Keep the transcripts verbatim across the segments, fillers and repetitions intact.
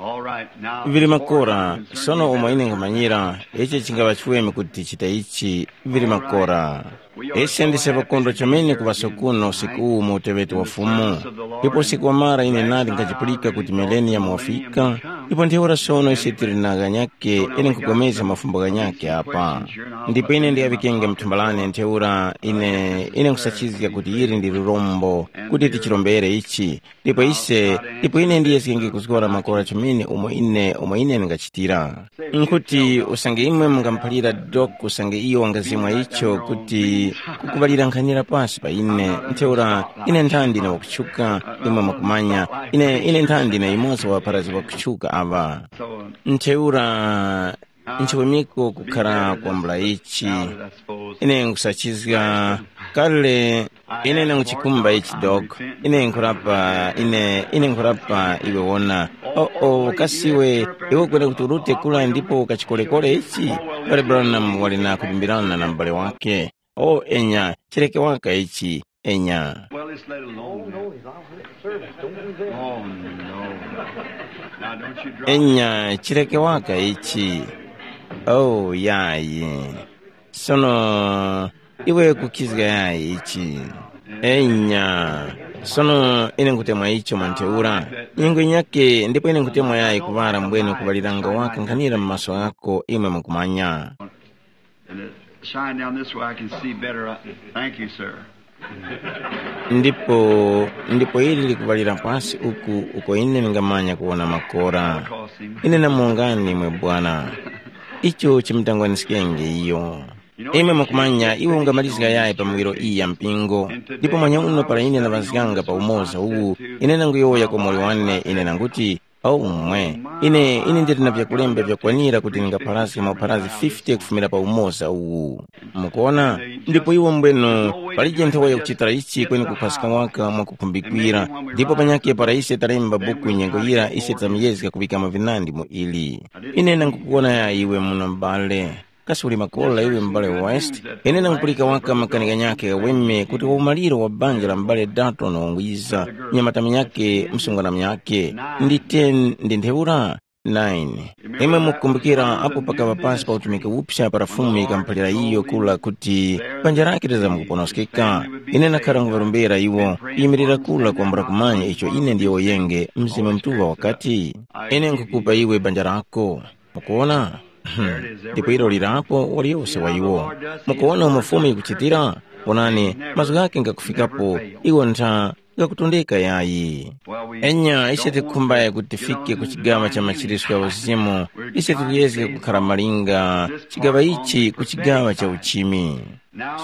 All right, now, vili makora. Sono umo ine nkhumanyira, ichi chingava chiweme kuti tichita ichi. Vili makora. Ise ndise pakondwa chomene kuŵaso kuno usiku uwu mu uteŵeti wa Fumu. Ndipo usiku wamara ine nali nkachipulika kuti millennium wafika. Ndipo ntheura sono ise tili na ghanyake, ine nkugomezga mafumbo ghanyake apa. Ndipo ine ndiyaŵikenge mthumba lane ntheura ine ine nkusachizga kuti ili ndi lirombo, kuti tichirombere ichi. Ndipo ise, ndipo ine ndiyeskenge kuzgora makora chomene umo ine umo ine ndingachitira. Nkuti usange imwe mungamuphalira Dok usange iyo wangazimwa icho kuti kukuŵalira nkhanira pasi pa ine, ntheura ine nthandi na wakutchuka, imwe mwakumanya, ine ine nthandi na yumoza wa ŵapharazgi ŵakutchuka aŵa. Ntheura nchiwemiko kukhara kwambula ichi. Ine nkusachizga kale. Ine nanguchikumba ichi dog. Ine nkhurapa ine ine nkhurapa iwe wona. Oo, kasiwe, iwe kwene kuti urute kula ndipo ukachikolekole ichi? Pale Branham wali na kulimbirana na m'bale wake. O enya, chireke waka ichi. Enya. Well, let's let it alone. Oh, no. Now, don't you drop. Enya, chireke waka ichi. Oh, yayi. Sono iwe kukizga yayi ichi. Enya. Sono ine nkutemwa icho mwa ntheura. Nyengo inyake ndipo ine nkutemwa yayi kuŵala mbwene kuŵaliranga waka nkhanira mu maso ghako imwe mukumanya. And it shine down this way, I can see better. I- Thank you, sir. Ndipo ndipo ili likuŵalira pasi uku uko ine ndingamanya kuwona makora. Ine namongani mwe bwana. Icho chimutangwaniskenge iyo. Imwe mukumanya iwe ungamalizga yayi pa miwiro iyi ya mpingo. Ndipo manya uno para ine naŵazganga pa umoza uwu, ine nanguyowoya kwa moli wane ine nanguti, aumwe, ine ine ndili na vyakulemba vyakwanira kuti ndingapharazge mapharazi fifty kufumira pa umoza uwu. Mukuona? Ndipo iwo mbwenu, palije nthawi yakuchitira ichi kweni kukhwaska waka mwakukhumbikira. Ndipo panyakhe para ise talemba buku nyengo yira ise tamuyezga kuŵikamo vinandi mu ili. Ine nangukuwona ya iwe muno m'bale. Kasi uli makora iwe m'bale West? Ine nangupulika waka makani ghanyakhe ghaweme kuti wa umaliro wa banja la m'bale Dalton wangwiza, nyamata munyakhe msungwana munyakhe, ndi ten ndi ntheura? Nine. Imwe mukukumbukira apo pakaŵa pasi pa utumiki upsa para Fumu yikamuphalira iyo kula kuti banja lake lizamkuponoskeka. Ine nakhara nguŵarombera iwo kuyimirira kula kwambula kumanya icho ine ndiyowoyenge Mzimu Mutuŵa wakati, ine nkukupa iwe banja lako. Mukuwona? Ndipo ilo lirapo waliyose wa iwo. Mukuwona umo Fumu yikuchitira? Wonani, mazgu ghake ngakufikapo, iwo ntha ngakutondeka yayi. Enya ise tikhumbaye kuti tifike ku chigawa cha machirisco ya uzimu, ise tikuyezge kukhara malinga chigawa ichi ku chigawa cha uchimi.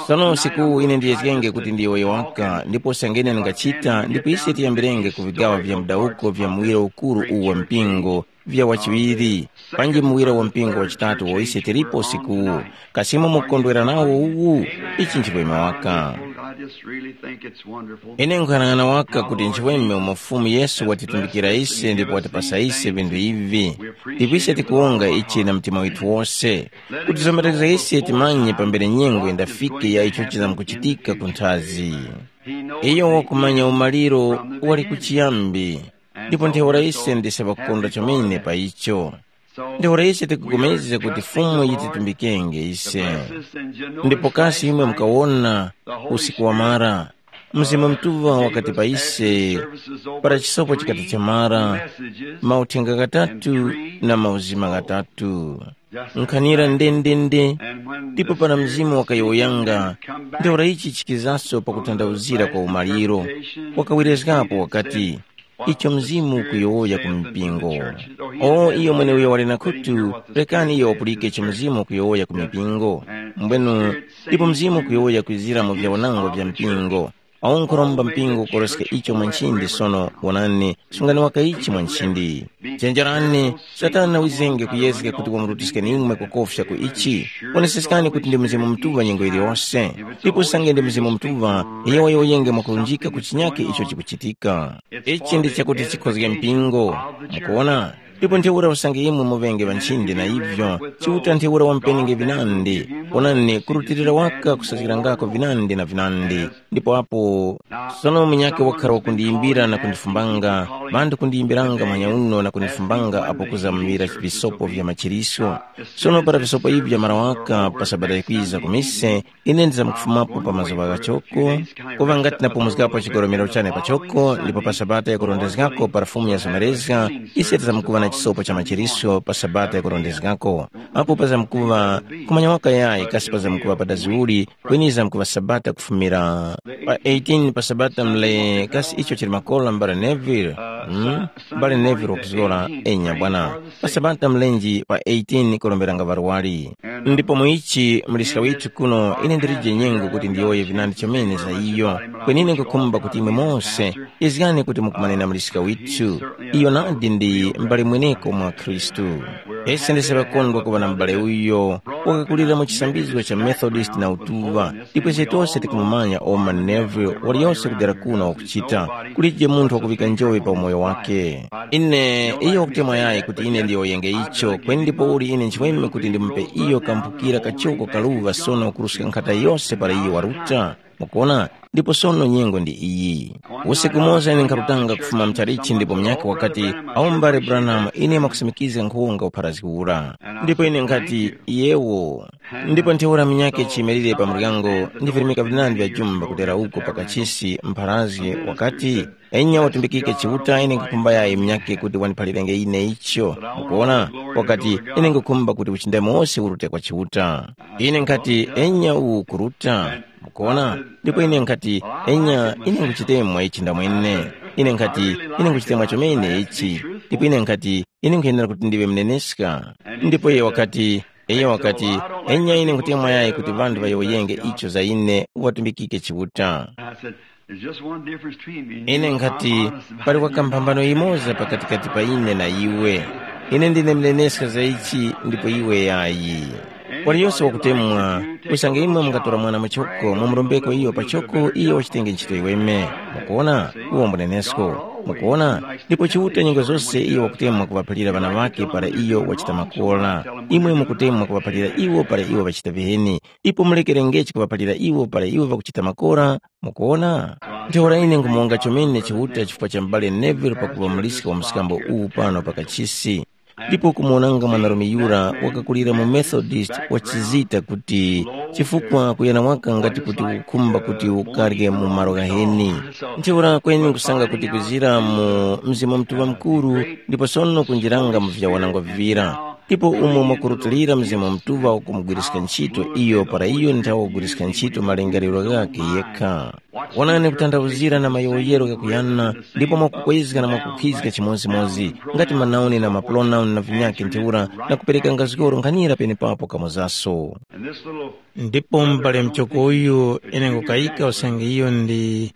Sono usiku ine ndiyezgenge kuti ndiyowoye waka ndipo usangene ndingachita ndipo ise tiyambirenge ku vigawa vya mudawuko vya muwiro ukuru uwu wa mpingo vya wachiŵiri, panji muwira wa mpingo wachitatu wo ise tilipo usikuwu. Kasi imwe mukukondwera nawo uwu? Ichi nchipweme waka. I just really think it's wonderful. Ine nkhanang'ana waka kuti nchiweme umo Fumu Yesu watitumbikira ise ndipo watipasa ise vinthu ivi. Ndipo ise tikuwonga ichi na mtima withu wose. Kuti zomerezga ise timanye pambere nyengo yindafike ya icho chizamkuchitika ku nthazi. Iyo wakumanya umaliro wali kuchiyambi. Ndipo ntheura ise ndise ŵakukondwa chomene pa icho. Ntheura ise tikupulikana kuti Fumu yititumbikenge ise. Ndipo kasi imwe mukawona usiku wamara, Mzimu Mutuŵa wakati pa ise, para chisopo chikati chamara, mauthenga ghatatu na mauzima ghatatu. Nkhanira ndendende, ndipo para Mzimu wakayowoyanga, ntheura ichi chikizaso pakutanthauzira kwa umaliro, wakawerezgapo wakati, icho Mzimu ukuyowoya ku mipingo. O iyo mweneuyo wali na khutu, rekani iyo wapulike icho Mzimu ukuyowoya ku mipingo. Mbwenu, ndipo Mzimu ukuyowoya kwizira mu vyawanangwa vya mpingo. Awo nkhuromba mpingo ukoroska icho mwa nchindi sono, wonani, sungani waka ichi mwa nchindi. Chenjerani, Satana wizenge kuyezga kuti wamurutiskeni imwe kukofya ku ichi. Woneseskani kuti ndi Mzimu Mutuŵa nyengo yiliyose. Ndipo usange ndi Mzimu Mutuŵa, iyo wayowoyenge mwakulunjika ku chinyakhe icho chikuchitika. Ichi ndi chakuti chikhozge mpingo. Mukuwona? Ndipo ntheura usange imwe muŵenge ŵanchinde na ivyo, Chiuta ntheura wamupenenge vinandi. Onani, kurutilira waka kusazgirangako vinandi na vinandi. Ndipo apo, sono munyakhe wakhala wakundiyimbira na kundifumbanga, ŵanthu kundiyimbiranga manyauno na kundifumbanga apo kuzamuŵira visopo vya machirisyo. Sono para visopo ivi vyamara waka pa sabata yikwiza ku mise, ine ndizamkufumapo pa mazuŵa ghachoko, kuŵa ngati napumuzgapo chigoromero chane pachoko, ndipo pa sabata yakurondezgako para Fumu yazomerezga, ise tizamkuŵa na chisopo cha machirisyo pa sabata yakurondezgako. Apo pazamkuŵa kumanya waka yayi kasi pazamkuŵa padazi uli, kweni yizamkuŵa sabata kufumira pa eighteen pa sabata mle kasi icho chili makola mbale Neville. Hmm? Mbale Neville wakuzgora, enya bwana. Pa sabata mlenji pa eighteen kuromberanga ŵarwari. Ndipo mu ichi muliska withu kuno ine ndilije nyengo kuti ndiyowoye vinandi chomene za iyo. Kwenine nkukhumba kuti imwe mose izgani kuti mukumanena muliska withu. Iyo nadi ndi m'bale mweneko mwa Khristu. Ese ndese ŵakondwa kuŵa na m'bale uyo wakakulira mu chisambizgo cha Methodist na utuŵa, ndipo ise tose tikumumanya Orman Neville waliyose kudera kuno wakuchita. Kulije munthu wakuŵika njowe pa umoyo wake. Ine iyo wakutemwa yayi kuti ine ndiyowoyenge icho, kweni ndipouli ine nchiweme kuti ndimupe iyo kamphukira kachoko kaluŵa sono kuruska nkhata yose para iyo waruta. Mukuona, ndipo sono nyengo ndi iyi. Usiku umoza ine nkharutanga kufuma mchalichi ndipo munyakhe wakati, awo m'bale Branham, ine mwakusimikizga nkhuwonga upharazgi ura. Ndipo ine nkhati, yewo. Ndipo ntheura munyakhe chiyimirire pa muryango, ndi virimika vinandi vya jumba kudera uko pa kachisi mpharazgi wakati, enya watumbikike Chiuta, ine nkukhumba yayi munyakhe kuti wandiphalirenge ine icho. Mukuona, wakati, ine nkukhumba kuti uchindami wose urute kwa Chiuta. Ine nkhati, enya uwu kuruta. Mukuona? Ndipo ine nkhati, enya, ine nkuchitemwa ichi ndamwene. Ine nkhati, ine nkuchitemwa chomene ichi. Ndipo ine nkhati, ine nkhuyenera kuti ndiŵe mneneska. Ndipo iye wakati, iye wakati, enya ine nkutemwa yayi kuti ŵanthu ŵayowoyenge icho za ine, uŵatumbikike Chiuta. I said, "There's just one difference between me and you. Ine nkhati, pali wakamphambano yimoza pakatikati pa ine na iwe. Ine ndine mneneska za ichi ndipo iwe yayi. Waliyose wakutemwa, usange imwe mungatora mwana muchoko mumurombeko iyo pachoko iyo wachitenge ntchito yiweme. Mukuona? Uwo mbunenesko. Mukuona? Ndipo Chiuta nyengo zose iyo wakutemwa kuŵaphalira ŵana ŵake para iyo wachita makora. Imwe mukutemwa kuŵaphalira iwo para iwo ŵachita viheni. Ipo mulekerengechi kuŵaphalira iwo para iwo ŵakuchita makora. Mukuona? Ntheura ine nkhumonga chomene Chiuta chifukwa cha m'bale Neville pakuŵa muliska wa mskambo uwu pano pa kachisi. Ndipo kumuwonanga mwanarume yura wakakulira mu Methodist wachizita kuti chifukwa kuyana waka ngati kuti ukukhumba kuti ukarye mu malo ghaheni. Ntheura kweni nkusanga kuti kwizira mu Mzimu Mutuŵa Mukuru ndipo sono kunjiranga mu vyawanangwa vivira. Ndipo umo mwakurutilira Mzimu Mutuŵa wakumugwiriska ntchito iyo para iyo nthawe wagwiriska ntchito malingaliro ghakhe yekha. Wonani kutanthauzira na mayowoyero ghakuyana, ndipo mwakukwezga na mwakukhizga chimodzimodzi, ngati manauni na mapronauni na vinyakhe ntheura, na kuperekanga zgoro nkhanira penepapo kamozaso. Ndipo m'bale mchoko uyu ine nkukayika usange iyo ndi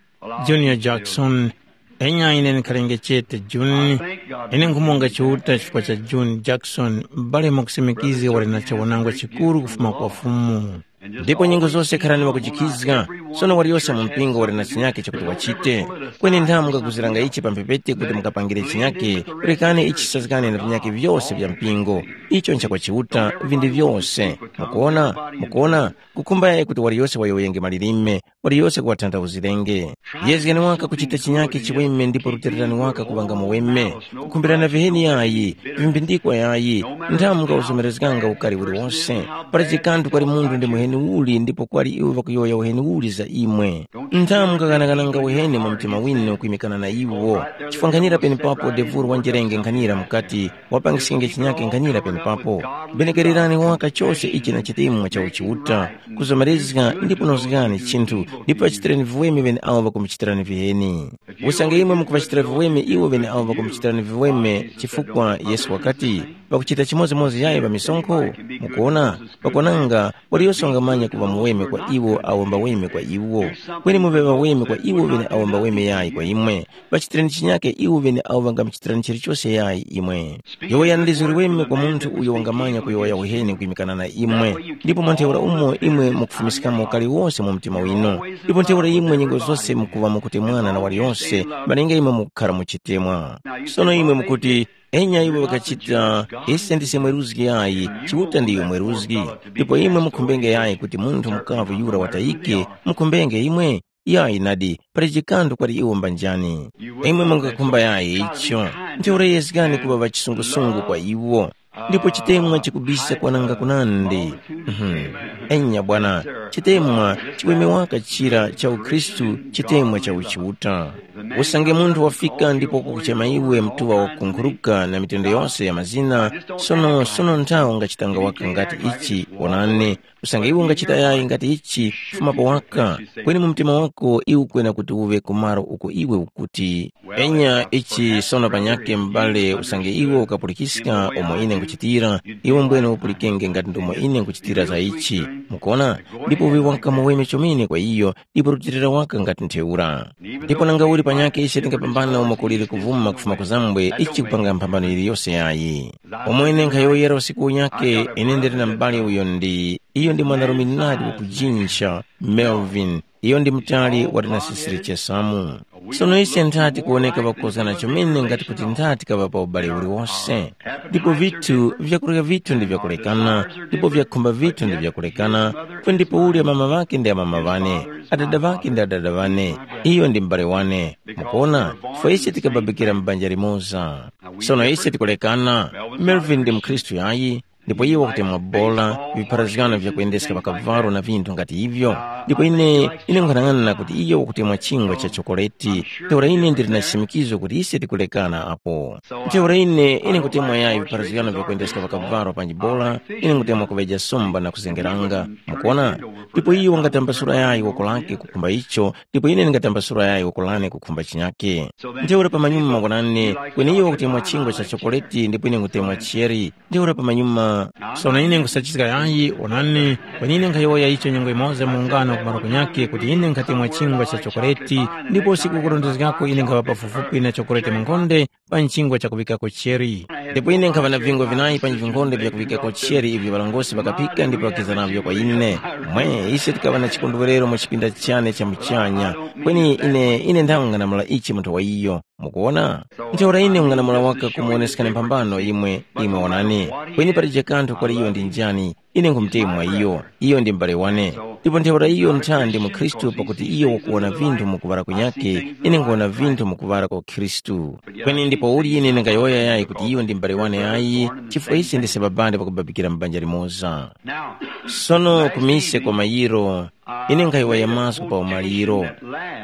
Junior Jackson. Enya ine ndikhalenge chete Junior. Ine nkhumonga Chiuta chifukwa cha Junior Jackson, m'bale mwakusimikizga wali na chawonangwa chikuru kufuma kwa Fumu. Ndipo nyengo zose kharani ŵakujikhizga, sono waliyose mu mpingo wali na chinyakhe chakuti wachite. Kweni nthamu mungaguziranga ichi pa mphepete kuti mukapangire chinyakhe, rekani ichi chisazgane na vinyakhe vyose vya mpingo. Icho nchakwa Chiuta vindi vyose. Mukuona? Mukuona? Kukhumba yayi kuti waliyose wayowoyenge malilime, waliyose kuwatanthauzirenge. Yezgani waka kuchita chinyakhe chiweme ndipo rutilirani waka kuŵanga muweme. Kukhumbirana viheni yayi, vimbindikwa yayi, nthamu mungawuzomerezganga ukari uliwose. Para chikanthu kwali munthu ndi muheni uli ndipo kwali iwo ŵakuyowoya uheni uli za imwe. Nthamu mungaghanaghananga uheni mu mtima winu kwimikana na iwo. Chifukwa nkhanira penepapo devuru wanjerenge nkhanira mukati, wapangiskenge chinyakhe nkhanira penepapo. Benekererani waka chose ichi na chitemwa cha uchiuta, kuzomerezga ndipo nozgani chinthu, ndipo ŵachitireni viweme ŵeneawo ŵakumuchitirani viheni. Usange imwe mukuŵachitira viweme iwo ŵeneawo ŵakumuchitirani viweme, chifukwa Yesu wakati, ŵakuchita chimodzimodzi yayi ŵamisonkho? Mukuona, pakwananga, waliyose wangamanya kuŵa muweme kwa iwo awo mbaweme kwa iwo. Kweni muŵe ŵaweme kwa iwo ŵeneawo mbaweme yayi kwa imwe. Ŵachitireni chinyakhe iwo ŵeneawo ŵangamuchitirani chilichose yayi imwe. Yowoyani lizo liweme kwa munthu uyo wangamanya kuyowoya uheni kwimikana na imwe, ndipo mwa ntheura umo imwe mukufumiskamo ukari wose mu mtima winu. Ndipo ntheura imwe nyengo zose mukuŵa mukutemwana na waliyose, malinga imwe mukukhara mu chitemwa. Sono imwe mukuti, Enya iwo ŵakachita, ise ndise mweruzgi yayi, Chiuta ndiyo mweruzgi. Ndipo imwe mukhumbenge yayi kuti munthu mukavu yura watayike, mukhumbenge imwe? Yayi nadi, pali chikandu kwali iwo mbanjani. Imwe mungakhumba yayi icho, ntheura yezgani kuŵa ŵachisungusungu kwa iwo. Ndipo chitemwa chikubisa kwananga kunandi. Mhm. Enya bwana, chitemwa chiweme waka chira cha ukhristu, chitemwa cha uchiuta. Usange munthu wafika ndipo kukuchema iwe mtuŵa wakunkhuruka na mitende yose ya mazina, sono sono nthawi ungachitanga waka ngati ichi, wonani, usange iwe ungachita yayi ngati ichi, fumapo waka, kweni mu mtima wako iwe ukwena kuti uŵe ku malo uko iwe ukuti, enya ichi sono panyakhe m'bale usange iwe ukapulikiska umo ine nkuchitira, iwe mbwene upulikenge ngati ndomo ine nkuchitira za ichi. Mukona? Ndipo uŵe waka muweme chomene kwa iyo, ndipo rutilira waka ngati ntheura. Ndipo nanga uli panyakhe ise tingapambana umo kuliri kuvuma kufuma kuzambwe ichi kupanga mphambano yiliyose yayi. Pomwe ine nkhayowoyera usiku unyakhe, ine ndili na m'bale uyo ndi, iyo ndi mwanarume nadi wakujinja, Melvin, iyo ndi mutali wali na sisiri chesamu. Sono ise nthati kuwoneka ŵakozgana chomene ngati kuti nthati kaŵa pa ubale uliwose. Ndipo vithu vyakurya vithu ndi vyakulekana, ndipo vyakhumba vithu ndi vyakulekana, kwe ndipo ulya mama ŵake ndi amama ŵane, adada ŵake ndi adada ŵane, iyo ndi m'bale wane. Mukuona, fwe ise tikababikira m'banja limoza. Sono ise tikulekana, Melvin ndi mukhristu yayi, ndipo iye wakutemwa bola, vipharazgano vyakuyendeska pakavalo na vinthu ngati ivyo. Ndipo ine, ine nkhanang'ana kuti iye wakutemwa chingwa cha chokoleti, ntheura ine ndili na chisimikizo kuti ise tikulekana apo. Ntheura ine, ine nkutemwa yayi vipharazgano vyakuyendeska pakavalo panji bola, ine nkutemwa kuŵeja somba na kuzengeranga. Mukuona? Ndipo iye wangatambasula yayi woko lake kukhumba icho, ndipo ine ndingatambasula yayi woko lane kukhumba chinyake. Ntheura pamanyuma mwanane, kweni iye wakutemwa chingwa cha chokoleti ndipo ine nkutemwa cheri. Ntheura pamanyuma, sono ine nkusachiska yayi, onani, kweni ine nkhayowoya icho nyengo imoza mu ungano kumaro kunyake kuti ine nkhatemwa chingwa cha chokoleti, ndipo usiku ukurondezgako ine nkhaŵa pafupifupi na chokoleti munkhonde pa nchingwa chakuŵikako cheri. Ndipo ine nkhaŵa na vingwa vinayi pa nchingwa vyakuŵikako cheri ivyo ŵalongosi ŵakaphika ndipo ŵakiza navyo kwa ine. Mwe, ise tikaŵa na chikondwerero mu chipinda chane cha muchanya, kweni ine, ine nthawe ng'anamula ichi munthu wa iyo. Mukuona? Ntheura ine ng'anamula waka kumuwoneskani mphambano imwe, imwe wonani. Kweni palije kanthu kwali iyo ndi njani, ine nkhumutemwa iyo, iyo ndi m'bale wane. Ndipo ntheura iyo nthandi mu Khristu pakuti iyo wakuwona vinthu mu kuŵala kunyakhe, ine nkhuwona vinthu mu kuŵala kwa Khristu. Kweni ndipo uli ine ndingayowoya yayi kuti iyo ndi m'bale wane ayi, chifukwa ise ndise babande pakubabikira m'banja limoza. Sono kumise kwa mayiro, ine nkhayowoya mazgu pa umaliro.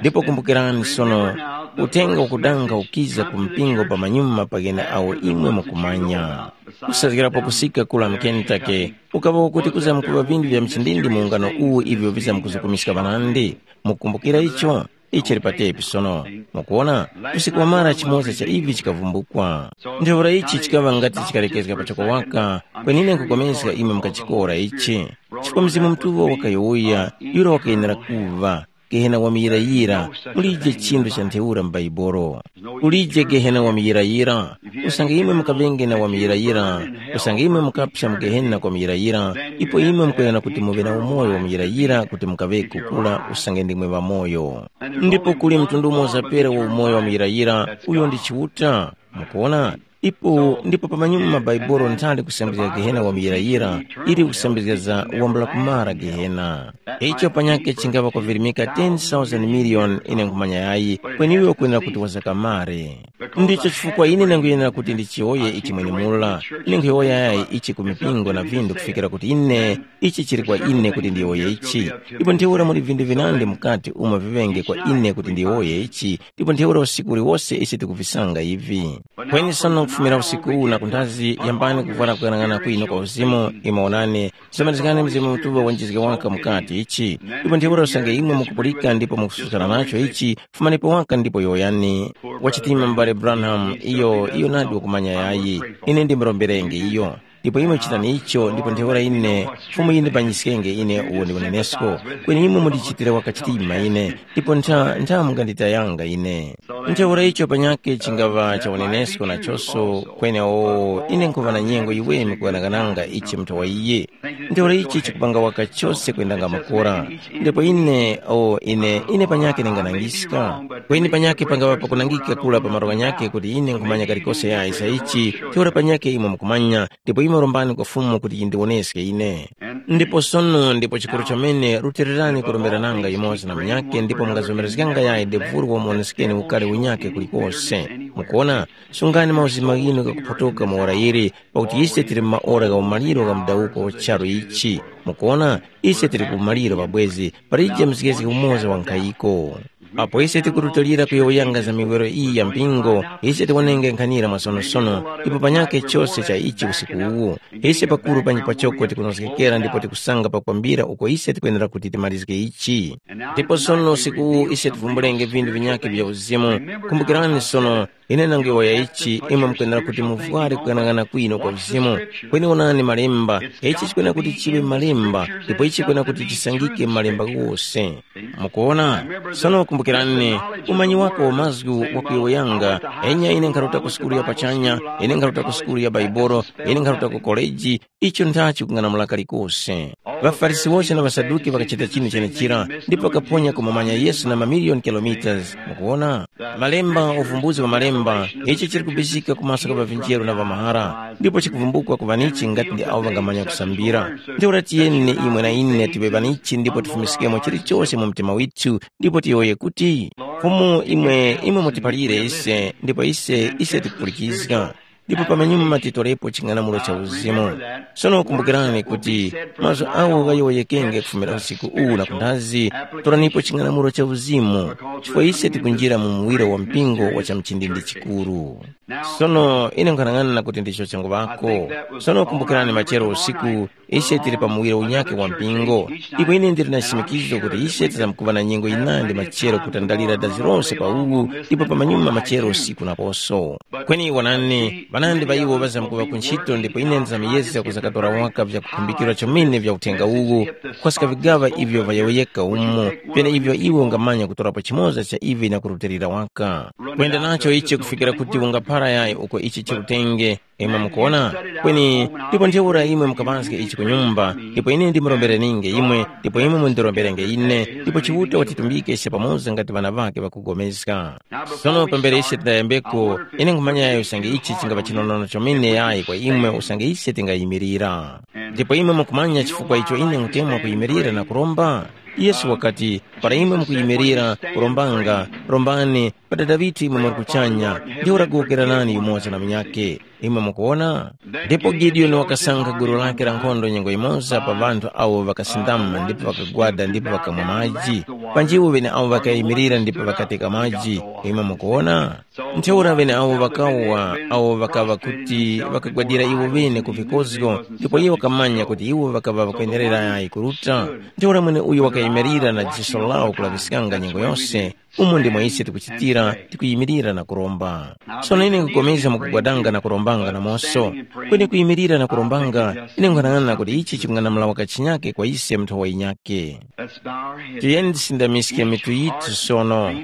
Ndipo kumbukirani sono, uthenga ukudanga ukiza ku mpingo pamanyuma pa ghene awo imwe mukumanya. Kusazgirapo kusika kula mu Kentucky, ukaŵa kuti kuzamkuŵa vinthu vya mchindindi mu ungano uwu ivyo vizamkuzukumiska ŵanandi. Mukumbukira icho? Ichi chili patepi sono. Mukuona, usiku wamara chimoza cha ivi chikavumbukwa. Ntheura ichi chikaŵa ngati chikalekezga pachoko waka, kwenine nkukomeska imwe mukachikora ichi. Chifukwa Mzimu Mutuŵa wakayowoya, yura wakayenera kuŵa, Gehena wamuyirayira, mulije chinthu cha ntheura mu Baibolo. Kulije Gehena wamuyirayira. Usange imwe mukaŵenge na wamuyirayira, usange imwe mukapsa mu Gehena kwa muyirayira, ipo imwe mukwenera kuti muŵe na umoyo wamuyirayira kuti mukaŵeko kura usange ndimwe ŵamoyo. Ndipo kuli mtundu umoza pera wa umoyo wamuyirayira, uyo ndi Chiuta. Mukuona? Ipo ndipo pamanyuma Baibolo nthani kusambizga Gehena wamuyirayira, ili kusambizga za wambula kumara Gehena. Icho panyakhe chingapa kuvirimika ten thousand million ine nkhumanya yayi, kweni iwe ukwenera kuti wazakamare. Ndicho chifukwa ine ndanguyenera kuti ndichiyowoye ichi mwenemura. Ine nkhuyowoya yayi ichi ku mipingo na vinthu kufikira kuti ine, ichi chili kwa ine kuti ndiyowoye ichi. Ndipo ntheura muli vinthu vinandi mukati umo vivenge kwa ine kuti ndiyowoye ichi, ndipo ntheura usiku uliwose ise tikuvisanga ivi. Kweni sono kufumira usiku uwu na kunthazi, yambani kuvwara kuyang'ana kwinu kwa uzimu, imwe onani, zimalizikani Mzimu Mutuŵa wenjizge waka mukati ichi. Ndipo ntheura usange imwe mukupulika ndipo mukususkana nacho ichi, fumanipo waka ndipo yowoyani. Wachitima m'bale Branham, iyo, iyo nadi wakumanya yayi. Ine ndimuromberenge iyo. Ndipo imwe chitani icho, ndipo ntheura ine, Fumu yindipanyiskenge ine uwo ndi unenesko, kweni imwe mundichitire waka chitima ine, ndipo ntha, ntha munganditayanga ine. Ntheura icho panyakhe chingaŵa cha unenesko nachoso, kweni o, ine nkhuŵa na nyengo yiweme kughanagananga ichi mutha wa iye. Ntheura ichi chikupanga waka chose kwendanga makora. Ndipo ine, o ine, ine panyakhe ndinganangiska. Kweni panyakhe pangaŵa pakunangika kura pa malo ghanyakhe kuti ine nkhumanya kalikose yayi za ichi, ntheura panyakhe imwe mukumanya, ndipo imwe rombani kwa Fumu kuti yindiwoneske ine. Ndipo sono ndipo chikuru chomene rutilirani kuromberananga yumoza na munyakhe ndipo mungazomerezganga yayi devuru wamuwoneskeni ukari unyakhe kulikose. Mukuona, sungani mauzima ghinu ghakuphotoka mu ora ili, pakuti ise tili mu maora gha umaliro gha mudawuko wa charu ichi. Mukuona, ise tili ku umaliro pabwezi, palije mzgezge umoza wa nkhayiko. Apo ise tikurutilira kuyowoyanga za miwero iyi ya mpingo, ise tiwonenge nkhanira mwasonosono, ndipo panyakhe chose cha ichi usiku uwu. Ise pakuru panji pachoko tikunozgekera ndipo tikusanga pakwambira uko ise tikwenera kuti timalizge ichi. Ndipo sono usiku uwu ise tivumbulenge vindu vinyakhe vya uzimu. Kumbukirani sono, ine nanguyowoya ichi, imwe mukwenera kuti muvware kughanagana kwino kwa uzimu. Kweni wonani malemba, ichi chikwenera kuti chiŵe malemba, ndipo ichi chikwenera kuti chisangike malemba ghose. Mukuona? Sono kumbukirani, umanyi wako wa mazgu wakuyowoyanga, enya ine nkharuta ku sukulu ya pachanya, ine nkharuta ku sukulu ya Baibolo, ine nkharuta ku koleji, icho nthachi kung'anamula kalikose. །ޣaFarisi wose na ŵaSaduki ŵakachita chinu chenechira, ndipo ŵakaphonya kumumanya Yesu na mamiliyoni kilometres. Mukuona? Malemba, uvumbuzi wa malemba, ichi chili kubizika ku maso gha ŵavinjeru na ŵamahara, ndipo chikuvumbukwa ku ŵanichi ngati ndi awo ŵangamanya kusambira. Ntheura tiyeni imwe na ine tiŵe ŵanichi ndipo tifumiskemo chilichose mu mtima withu, ndipo tiyowoye kuti, Fumu imwe, imwe mutiphalire ise, ndipo ise, ise tikupulikizga. Ndipo pamenyuma titorepo ching'anamulo cha uzimu. Sono kumbukirani kuti mazgu agho ghayowoyekenge kufumira usiku uwu na kundazi, toranipo ching'anamulo cha uzimu, chifukwa ise tikunjira mu muwiro wa mpingo wa chamchindindi chikuru. Sono ine nkhanang'ana kuti ndicho changuŵako. Sono kumbukirani machero usiku, ise tili pa muwiro unyakhe wa mpingo. Ndipo ine ndili na chishimikizo kuti ise tizamkuŵa na nyengo yinandi machero kutandalira dazi lose pa uwu, ndipo pamanyuma machero usiku naposo. Kweni wonani, ŵanandi ŵa iwo ŵazamkuŵa ku ntchito ndipo ine ndizamyezga kuzakatora waka vyakukhumbikirwa chomene vya uthenga uwu, kukhwaska vigaŵa ivyo ŵayowoyeka umo, vyeneivyo iwe ungamanya kutorapo chimoza cha ivi na kurutilira waka. Kwenda nacho ichi kufikira kuti ungaphara yayi uko ichi chirutenge, imwe mukuona? Kweni ndipo ntheura imwe mukaŵazge ichi ku nyumba, ndipo ine ndimurombereninge imwe, ndipo imwe mundiromberenge ine, ndipo Chiuta watitumbike ise pamoza ngati ŵana ŵakhe ŵakupulikana. Sono pambere ise tidayambeko, ine nkhumanya usange ichi chingapa chinonono chomene yayi kwa imwe usange ise tingayimirira. Ndipo imwe mukumanya chifukwa icho ine nkutemwa kuyimirira na kuromba? Yesu wakati, para imwe mukuyimirira, kurombanga, rombani, pa Dada ŵithu imwe muli kuchanya, ndiwo wakuwokeranani yumoza na munyakhe. Imwe mukuwona? Ndipo Gideoni wakasankha gulu lake la nkhondo nyengo yimoza pa ŵanthu awo ŵakasindama ndipo ŵakagwada ndipo ŵakamwa maji. Panjiwo ŵeneawo ŵakayimirira ndipo ŵakateka maji. Imwe mukuwona? Ntheura ŵeneawo ŵakawa, awo ŵakaŵa kuti ŵakagwadira iwo ŵene ku vikozgo, ndipo iwo ŵakamanya kuti iwo ŵakaŵa ŵakwenerera yayi kuruta. Ntheura mweneuyo wakayimirira na jiso lawo kulaŵiskanga nyengo yose, umo ndimo ise tikuchitira, tikuyimirira na kuromba. Sono ine nkupulikana mukugwadanga na kurombanga namoso. Kweni kuyimirira na kurombanga, ine nkhanang'ana kuti ichi chikung'anamula wakachinyake kwa ise mnthowa yinyake. Let's bow our heads. Tiyeni tisindamiske mitu yithu sono.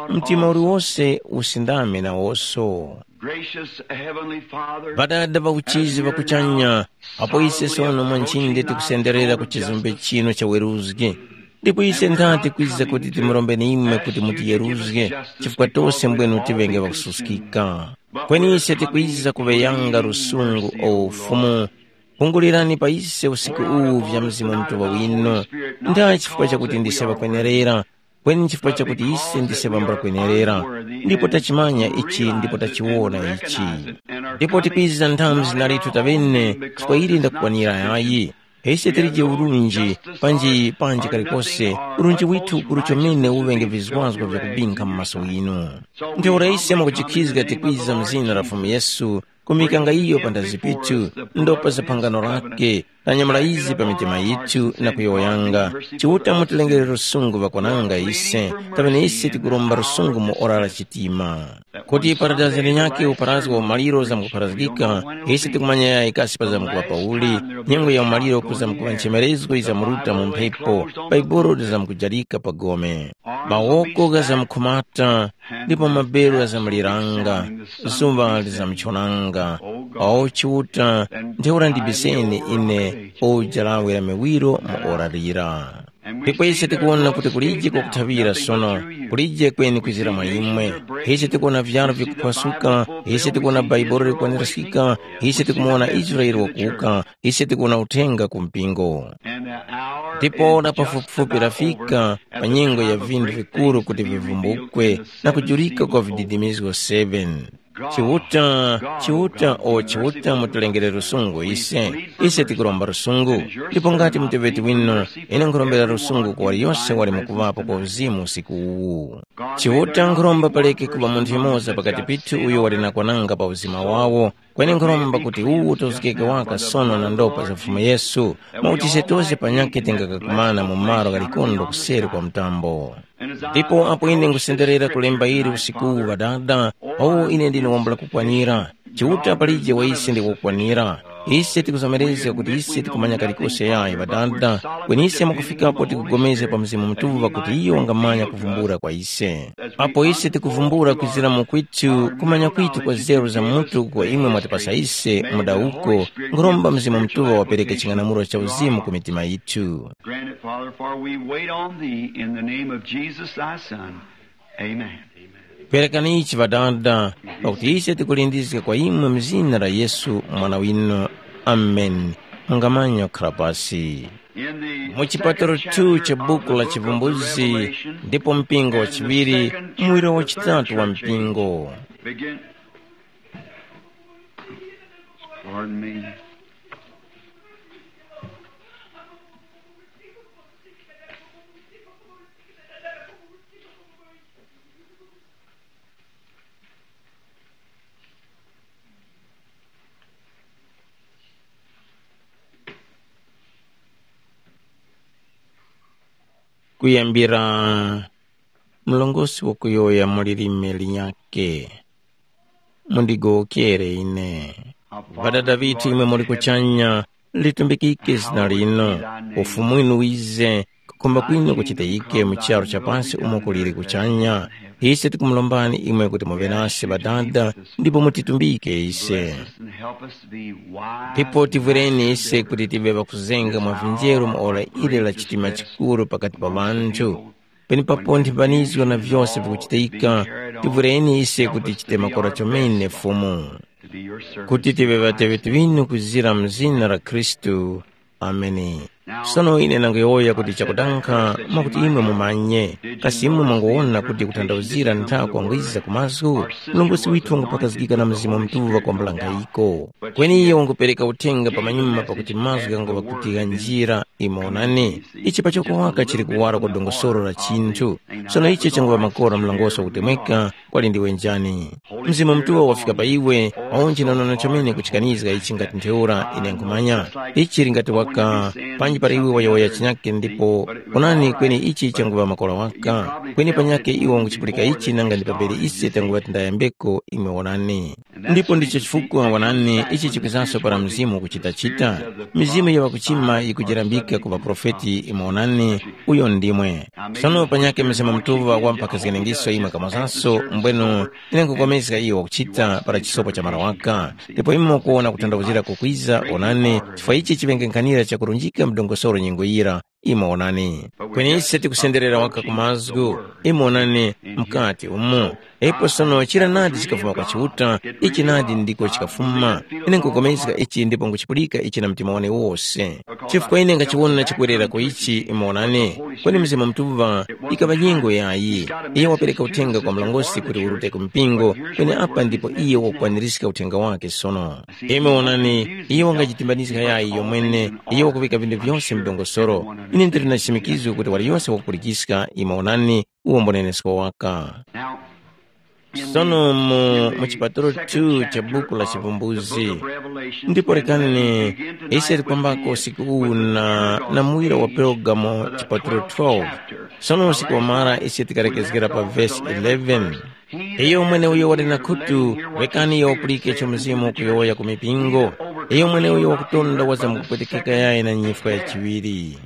Mtima uliwose usindame nawoso. Gracious Heavenly Father, Ŵadada ŵa uchizi ŵakuchanya, apo ise sono mwanjinde tikusenderera ku chizumbe chino cha weruzgi. Ndipo ise nthati kwiza kuti timurombe imwe kuti mutiyeruzge, chifukwa tose mbwenu tiŵenge ŵakususkika. Kweni ise tikwiza kuŵeyanga lusungu o Ufumu. Pungulirani pa ise usiku uwu vya Mzimu Mutuŵa winu. Ndaya chifukwa chakuti ndise ŵakwenerera, kweni chifukwa chakuti ise ndise ŵambula kwenerera, ndipo tachimanya ichi ndipo tachiwona ichi. Ndipo tikwiza nthamu zina lithu taŵene, chifukwa ili ndakukwanira yayi. Ise tilije urunji, panji panji kalikose, urunji withu ukuru chomene uŵenge vizwazgo vyakubinkha mu maso ghinu. Ntheura ise mwakujikhizga tikwiza mu zina la Fumu Yesu, kumikanga iyo panthazi pithu, ndopa za phangano lake, tanyamula izi pa mitima yithu na kuyowoyanga, Chiuta mutilengere lusungu ŵakwananga ise, taŵene ise tikuromba lusungu mu ora la chitima. Kuti paradaiso linyakhe uparazgo wa umaliro zamkupharazgika, ise tikumanya yayi kasi pazamkuŵa pauli, nyengo ya umaliro kuzamkuŵa nchemerezgo yizamruta mu mphepo, Baibuli lizamkujalika pa gome. Mawoko ghazamkhumata, ndipo maberu ghazamliranga, zuŵa lizamchonanga. O Chiuta, ntheura ndibiseni ine o jalawe la miwiro mu ora lira. Ndipo ise tikuwona kuti kulije kwakuthaŵira sono, kulije kweni kwizira mwa imwe. Ise tikuwona vyaro vikuphwasuka, ise tikuwona Bhaibuli likwanirizgika, ise tikumuwona Israele wakuwuka, ise tikuwona uthenga ku mpingo. Ndipo ora pafupifupi lafika pa nyengo ya vinthu vikuru kuti vivumbukwe na kujurika kwa vididimizgo seven. Chiuta, Chiuta, o Chiuta, mutulengere lusungu ise. Ise tikuromba lusungu. Ndipo ngati muteŵeti winu, ine nkhurombera lusungu ku waliyose wali mukuŵapo kwa uzimu usiku uwu. Chiuta nkhuromba paleke kuŵa munthu yumoza pakati pithu uyo wali na kwananga pa uzima wawo, kweni nkhuromba kuti uwu utozgeke waka sono na ndopa za Fumu Yesu, mwakuti ise tose panyakhe tingakakumana mu malo gha likondo kuseri kwa mtambo. Ndipo apo ine ngusenderera kulemba ili usiku uwu Ŵadada, o ine ndine wambula kukwanira. Chiuta palije wa ise ndi wakukwanira. Ise tikuzomerezga kuti ise tikumanya kalikose yayi Ŵadada, kweni ise mwakufikapo tikupulikana pa Mzimu Mutuŵa kuti iyo wangamanya kuvumbula kwa ise. Apo ise tikuvumbula kwizira mu kwitu kumanya kwitu kwa zeru za mutu kwa imwe mwatipasa ise mudawuko, nkhuromba Mzimu Mutuŵa wapereke ching'anamulo cha uzimu ku mitima yithu. Grant it, Father, for we wait on thee in the name of Jesus thy Son. Amen. Perekani ichi Ŵadada, pakuti ise tikulindizga kwa imwe mu zina la Yesu mwana winu. Ameni. Mungamanya kukhala pasi. In the mu chipatalo second two chapter cha of the buku la book of the Chivumbuzi, Revelation, ndipo mpingo wa and the chiŵiri, second muwiro wa and the third chitatu wa church age, mpingo. Begin. Pardon me. Kuyambira mlongosi wakuyowoya mu lilime linyakhe, mundigowokere ine. Ŵadada ŵithu imwe muli kuchanya, litumbikike zina linu, ufumu winu wize, kukhumba kwinu kuchitike mu charu cha pasi umo kuliri kuchanya. Ise tikumulombani imwe kuti muŵe nase Ŵadada, ndipo mutitumbike ise. Ndipo tivwereni ise kuti tive ŵakuzenga mwa vinjeru mu ora ili la chitima chikuru pakati pa ŵanthu. Penepapo nthimbanizgo na vyose vikuchitika, tivwereni ise kuti chite makora chomene Fumu, kuti tive ŵateŵeti ŵinu kuzira mu zina la Khristu. Ameni. Sono ine nangoyowoya kuti chakudanga mwakuti imwe mumanye, kasi imwe mwangowona kuti kutanthauzira nthako wangwiza ku mazgu? Mlongosi withu wangupakazgika na Mzimu Mutuŵa kwambula nkhayiko. Kweni iyo wangupereka uthenga pamanyuma pakuti mazgu ghanguŵa kuti ghanjira. Imo onani, ichi pachoko waka chili kuwara kwa dongosolo la chinthu. Sono ichi changuŵa makora mlongoso wakutemweka, kwali ndiwe njani? Mzimu Mutuŵa wafika pa iwe, waonje na nona chomene kuchikanizga ichi ngati ntheura ine nkhumanya. Ichi chili ngati waka, panji para iwe wayowoya chinyake ndipo, onani kweni ichi changuŵa makora waka. Kweni panyake iwe wanguchipulika ichi nanga ndi pambere ise tanguŵa tindayambeko imwe onani. Ndipo ndicho chifukwa wanani ichi chikwizanso para mzimu kuchitachita. Mizimu ya ŵakuchima yikujerambika ku ŵaprofeti imwe onani, uyo ndimwe. Sono panyake Mzimu Mutuŵa wamphakhazganingiso imwe kamozaso, mbwenu ine nkupulikana iyo wakuchita para chisopo cha mara waka. Ndipo imwe mukuwona kutanthauzira kukwiza, onani, chifukwa ichi chiŵenge nkhanira chakurunjika mdongosolo nyengo yira, imwe onani. Kweni ise tikusenderera waka ku mazgu, imwe onani, mkati umo. Ipo sono chira nadi chikafuma kwa Chiuta, ichi nadi ndiko chikafuma. Ine nkupulikana ichi ndipo nkuchipulika ichi na mtima wane wose. Chifukwa ine ngachiwona chikwerera ku ichi, imwe onani, kweni Mzimu Mutuŵa ikaŵa nyengo yayi. Iye wapereka uthenga kwa mlongosi kuti urute ku mpingo, kweni apa ndipo iye wakukwanirizga uthenga wake sono. Imwe onani, iye wangajitimbanizga yayi yomwene, iye wakuŵika vinthu vyose m'dongosolo. Ine ndili na chishimikizo kuti waliyose wakupulikiska, imwe onani, uwo mbunenesko waka. Sono mu, mu chipatalo two cha buku la Chivumbuzi, ndipo lekani ise tikwambako usiku uwu na, na muwiro wa Pergamo chipatalo twelve. Sono usiku wamara ise tikalekezgera pa vesi eleven. Iyo mweneuyo wali na khutu, rekani iyo wapulike icho Mzimu ukuyowoya ku mipingo. Iyo mweneuyo wakutonda wazamkupwetekeka yayi na nyifwa ya chiŵiri.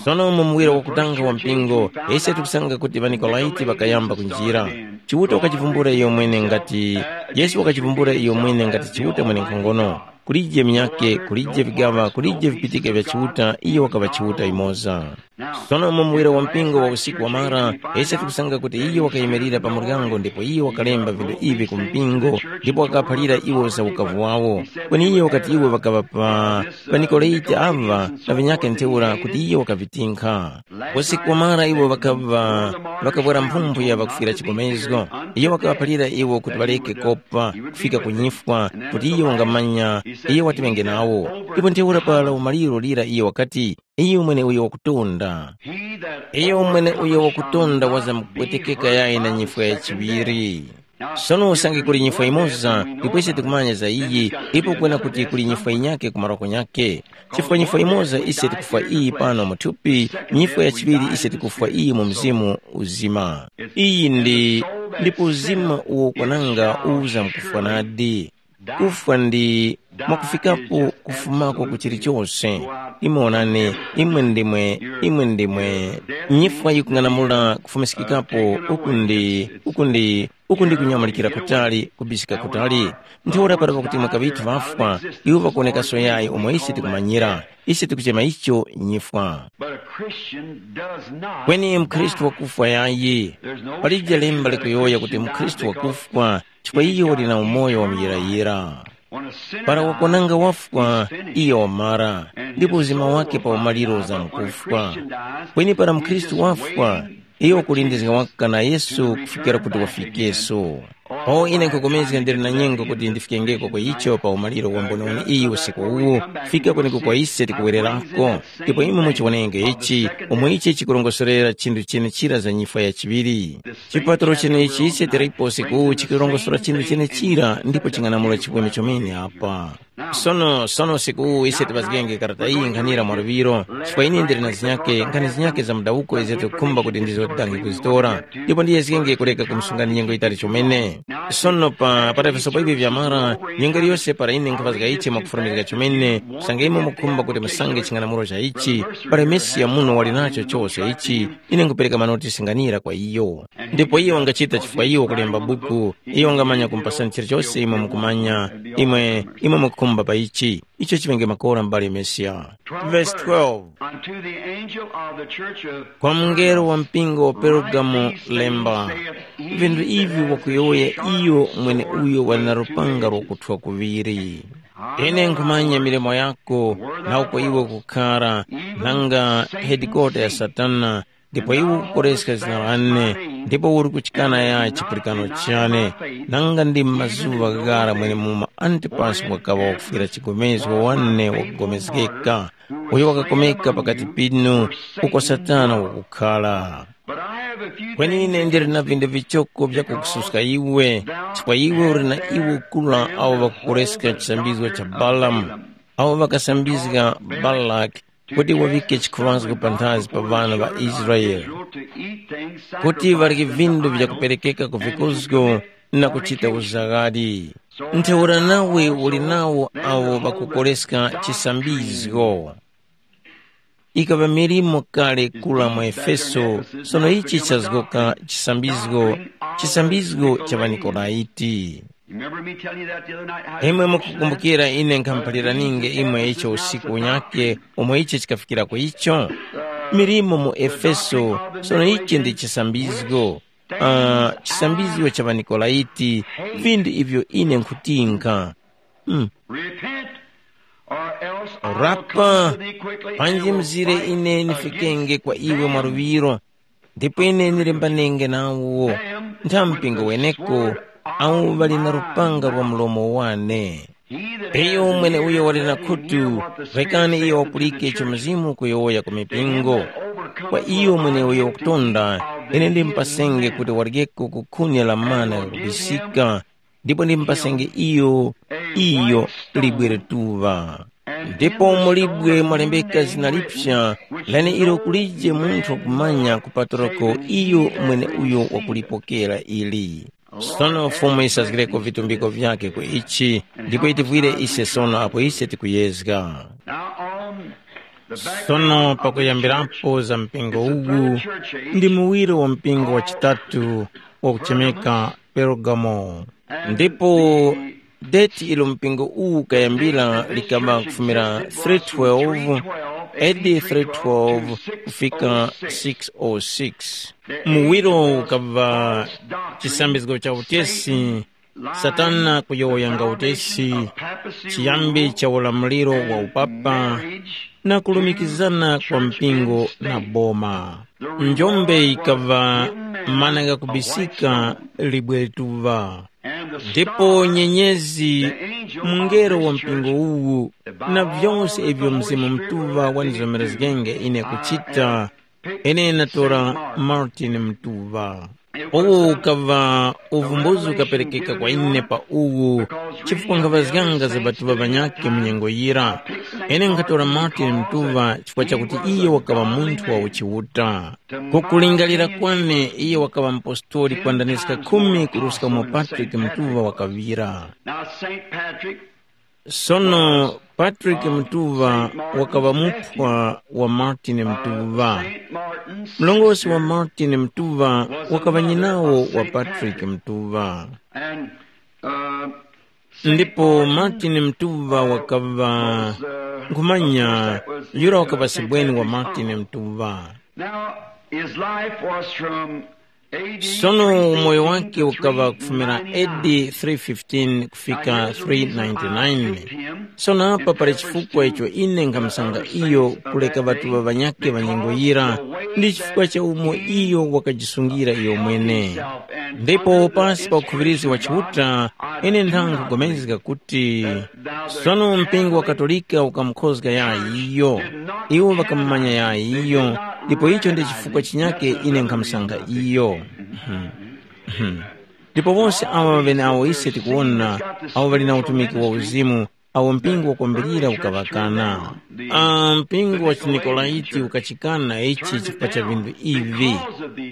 Sono mu muwiro wakutanga wa mpingo, ise tikusanga kuti ŵaNikolaiti ŵakayamba kunjira. Chiuta wakachivumbula iyo mwene ngati, Yesu wakachivumbula iyo mwene ngati Chiuta mwenenkhongono. Kulije minyake, kulije vigaŵa, kulije vipitike vya Chiuta, iyo wakaŵa Chiuta yumoza. Sono mu muwiro wa mpingo wa usiku wamara, ise tikusanga kuti iyo wakayimirira pa muryango ndipo iyo wakalemba vinthu ivi ku mpingo, ndipo wakaphalira iwo za ukavu wawo. Kweni iyo wakati iwo ŵakaŵa pa, pa Nikolaiti ava na vinyake ntheura kuti iyo wakavitinkha. Usiku wamara iwo ŵakaŵa, ŵakavwara mphumphu ya ŵakufwira chigomezgo. Iyo wakaphalira iwo kuti ŵareke kopa kufika ku nyifwa, kuti iyo wangamanya iyo wati ŵenge nawo. Ndipo ntheura para umaliro lira iyo wakati, iyo mwene uyo wakutonda. Iyo mwene uyo wakutonda wazamkupwetekeka yayi na nyifwa ya chiŵiri. Sono usange kuli nyifwa imoza, ndipo ise tikumanya za iyi, ipo kwena kuti kuli nyifwa yinyake ku maroko nyake. Chifukwa nyifwa imoza ise tikufwa iyi pano mu thupi, nyifwa ya chiŵiri ise tikufwa iyi mu mzimu uzima. Iyi ndi, ndipo uzima uwo kwananga uza mkufwa nadi. Kufwa ndi mwakufikapo kufumako ku chilichonse. Imwe onani, imwe ndimwe, imwe ndimwe nyifwa yikung'anamula kufumiskikapo. Uku ndi, uku ndi, uku ndi kunyamulikira kutali, kubisika kutali. Ntheura para pakuti mwakaŵithu ŵafwa, iwo ŵakuwonekaso yayi umo ise tikumanyira. Ise tikuchema icho nyifwa. But a Christian does not Kweni mkhristu die. Wakufwa yayi. There's no Palije lemba scripture that a likuyowoya kuti Christian mkhristu dies because wakufwa, chifukwa iyo uli na umoyo wa muyirayira. Para wakonanga wafwa, iyo wamara, ndipo uzima wake pa umaliro uzamkufwa. Kweni para mkhristu wafwa, iyo wakulindizga waka na Yesu kufikira kuti wafikeso. O ine nkhupulikana ndili na nyengo kuti ndifikengeko kwa icho pa umaliro wa mboniwoni iyi usiku uwu, fika kweneko kwa ise tikuwererako, ndipo imwe muchiwonenge ichi, umo ichi chikurongozgera chinthu chenechira za nyifwa ya chiŵiri. Chipatalo chenechi ise tilipo usiku uwu chikurongosora chinthu chenechira ndipo ching'anamula chipwene chomene apa. Sono, sono usiku uwu ise tipazgenge karata iyi nkhanira mwaluŵiro, chifukwa ine ndili na zinyake, nkhani zinyake za mudawuko izo tikukhumba kuti ndizo tidange kuzitora, ndipo ndiyezgenge kuleka kumsungani nyengo yitali chomene. Sono pa, pa Efeso pa ivi vyamara, nyengo iliyose para ine nkhaŵazga ichi mwakufulumizga chomene, usange imwe mukhumba kuti musange ching'anamulo cha ichi, para Mesiya muno wali nacho chose ichi, ine nkhupereka manoti singanira kwa iyo. Ndipo iyo wangachita chifukwa iyo wakulemba buku, iyo wangamanya kumpasani chilichose imwe mukumanya, imwe, imwe mukukhumba pa ichi. Icho chiŵenge makora m'bale Mesiya. Verse twelve. Unto the angel of the church of Kwa mngelo wa mpingo wa Pergamo lemba, vinthu ivi wakuyowoya iyo mwene uyo wali na lupanga lwakuthwa kuŵiri. Ine nkhumanya milimo yako, na uko iwe ukukhara, nanga hedikota ya Satana, ndipo iwe ukukoreska zina lane, ndipo uri kuchikana ya chipulikano chane, nanga ndi m'mazuŵa ghara mwenemumo Antipasi wakaŵa wakufwira chigomezgo wane wakugomezgeka, uyo wakakomeka pakati pinu, uko Satana wakukhala. Kweni ine ndili na vinthu vichoko vyakukususka iwe, chifukwa iwe uli na iwo kula awo ŵakukoreska chisambizgo cha Balamu, awo ŵakasambizga Balaki kuti waŵike chikhuŵazgo panthazi pa ŵana ŵa Israele, kuti ŵarye vindu vyakuperekeka ku vikuzgo na kuchita uzaghali. Ntheura nawe uli nawo awo ŵakukoreska chisambizgo. Ikaŵa milimo kale kula mu Efeso, sono ichi chazgoka chisambizgo, chisambizgo cha ŵaNikolaiti. Imwe mukukumbukira ine nkhamuphaliraninge imwe icho usiku unyakhe umo icho chikafikirako icho? Milimo mu Efeso, sono ichi ndi chisambizgo. Ah, chisambizgo cha ŵaNikolaiti, vindu ivyo ine nkhutinka. Mm. Repent, or else I will Rapa, come to thee quickly and panji will mzire smite ine the nifikenge kwa iwe mwaluŵiro, ndipo ine nilembanenge nawo ntha mpingo weneko, awo ŵali na lupanga lwa mlomo wane. Iyo mweneuyo wali na khutu, rekani iyo wapulike icho Mzimu ukuyowoya ku mipingo. Kwa iyo mweneuyo wakutonda, ine ndimupasenge kuti waryeko ku khuni la mana lakubisika, ndipo ndimupasenge iyo, iyo libwe lituŵa. Ndipo mu libwe mwalembeka zina liphya, lene ilo kulije munthu wakumanya kupatulako iyo mweneuyo wakulipokera ili. Sono Fumu yisazgireko vitumbiko vyakhe ku ichi, ndipo yitivwire ise sono apo ise tikuyezga. Now on the back Sono of the pakuyambirapo church, za mpingo it's the uwu, third church age, ndi muwiro wa mpingo wa chitatu, wakuchemeka Pergamo. Ndipo deti ilo mpingo uwu ukayambira likaŵa kufumira three twelve, A D three twelve kufika six oh six. Muwiro ukaŵa chisambizgo cha utesi, Satana kuyowoyanga utesi, chiyambi cha ulamuliro wa upapa, na kulumikizana kwa mpingo na boma. Njombe yikaŵa mana ghakubisika libwe tuŵa. Ndipo nyenyezi, mungelo wa mpingo uwu, na vyose ivyo Mzimu Mutuŵa wandizomerezgenge ine kuchita, ine natora Martin Mutuŵa. Uwu ukaŵa uvumbuzi ukaperekeka kwa ine pa uwu, chifukwa nkhaŵazganga za ŵatuŵa ŵanyakhe mu nyengo yira. Ine nkhatora Martin Mutuŵa chifukwa chakuti iyo wakaŵa munthu wa uchiuta. Ku kulingalira kwane, iyo wakaŵa mupostoli kwandaniska khumi kuruska umo Patrick Mutuŵa wakaŵira. Now, Saint Patrick Sono Patrick Mutuŵa wakaŵa muphwa wa Martin Mutuŵa. Mlongosi wa Martin Mutuŵa wakaŵa nyinawo wa Patrick Mutuŵa. And, uh, Ndipo Martin Mutuŵa wakaŵa nkhumanya yura wakaŵa sebweni wa Martin Mutuŵa. Now, his life was from A D Sono umoyo wake ukaŵa kufumira A D three fifteen kufika three ninety-nine. Sono apa pali chifukwa icho ine nkhamusanga iyo kuleka ŵatuŵa ŵanyakhe ŵa nyengo yira, ndi chifukwa cha umo iyo wakajisungira iyo mwene. Ndipo pasi pa ukhuŵirizi wa Chiuta, ine nthanga nkhupulikana kuti sono mpingo wa Katolika ukamukhozga yayi iyo. Iwo ŵakamumanya yayi iyo, ndipo icho ndi chifukwa chinyake ine nkhamusanga iyo. Ndipo wose awa ŵeneawo ise tikuwona, awo ŵali na utumiki wa uzimu, awo mpingo wakwambirira ukaŵakana. Ah, mpingo wa chiNikolaiti ukachikana ichi chifukwa cha vinthu ivi.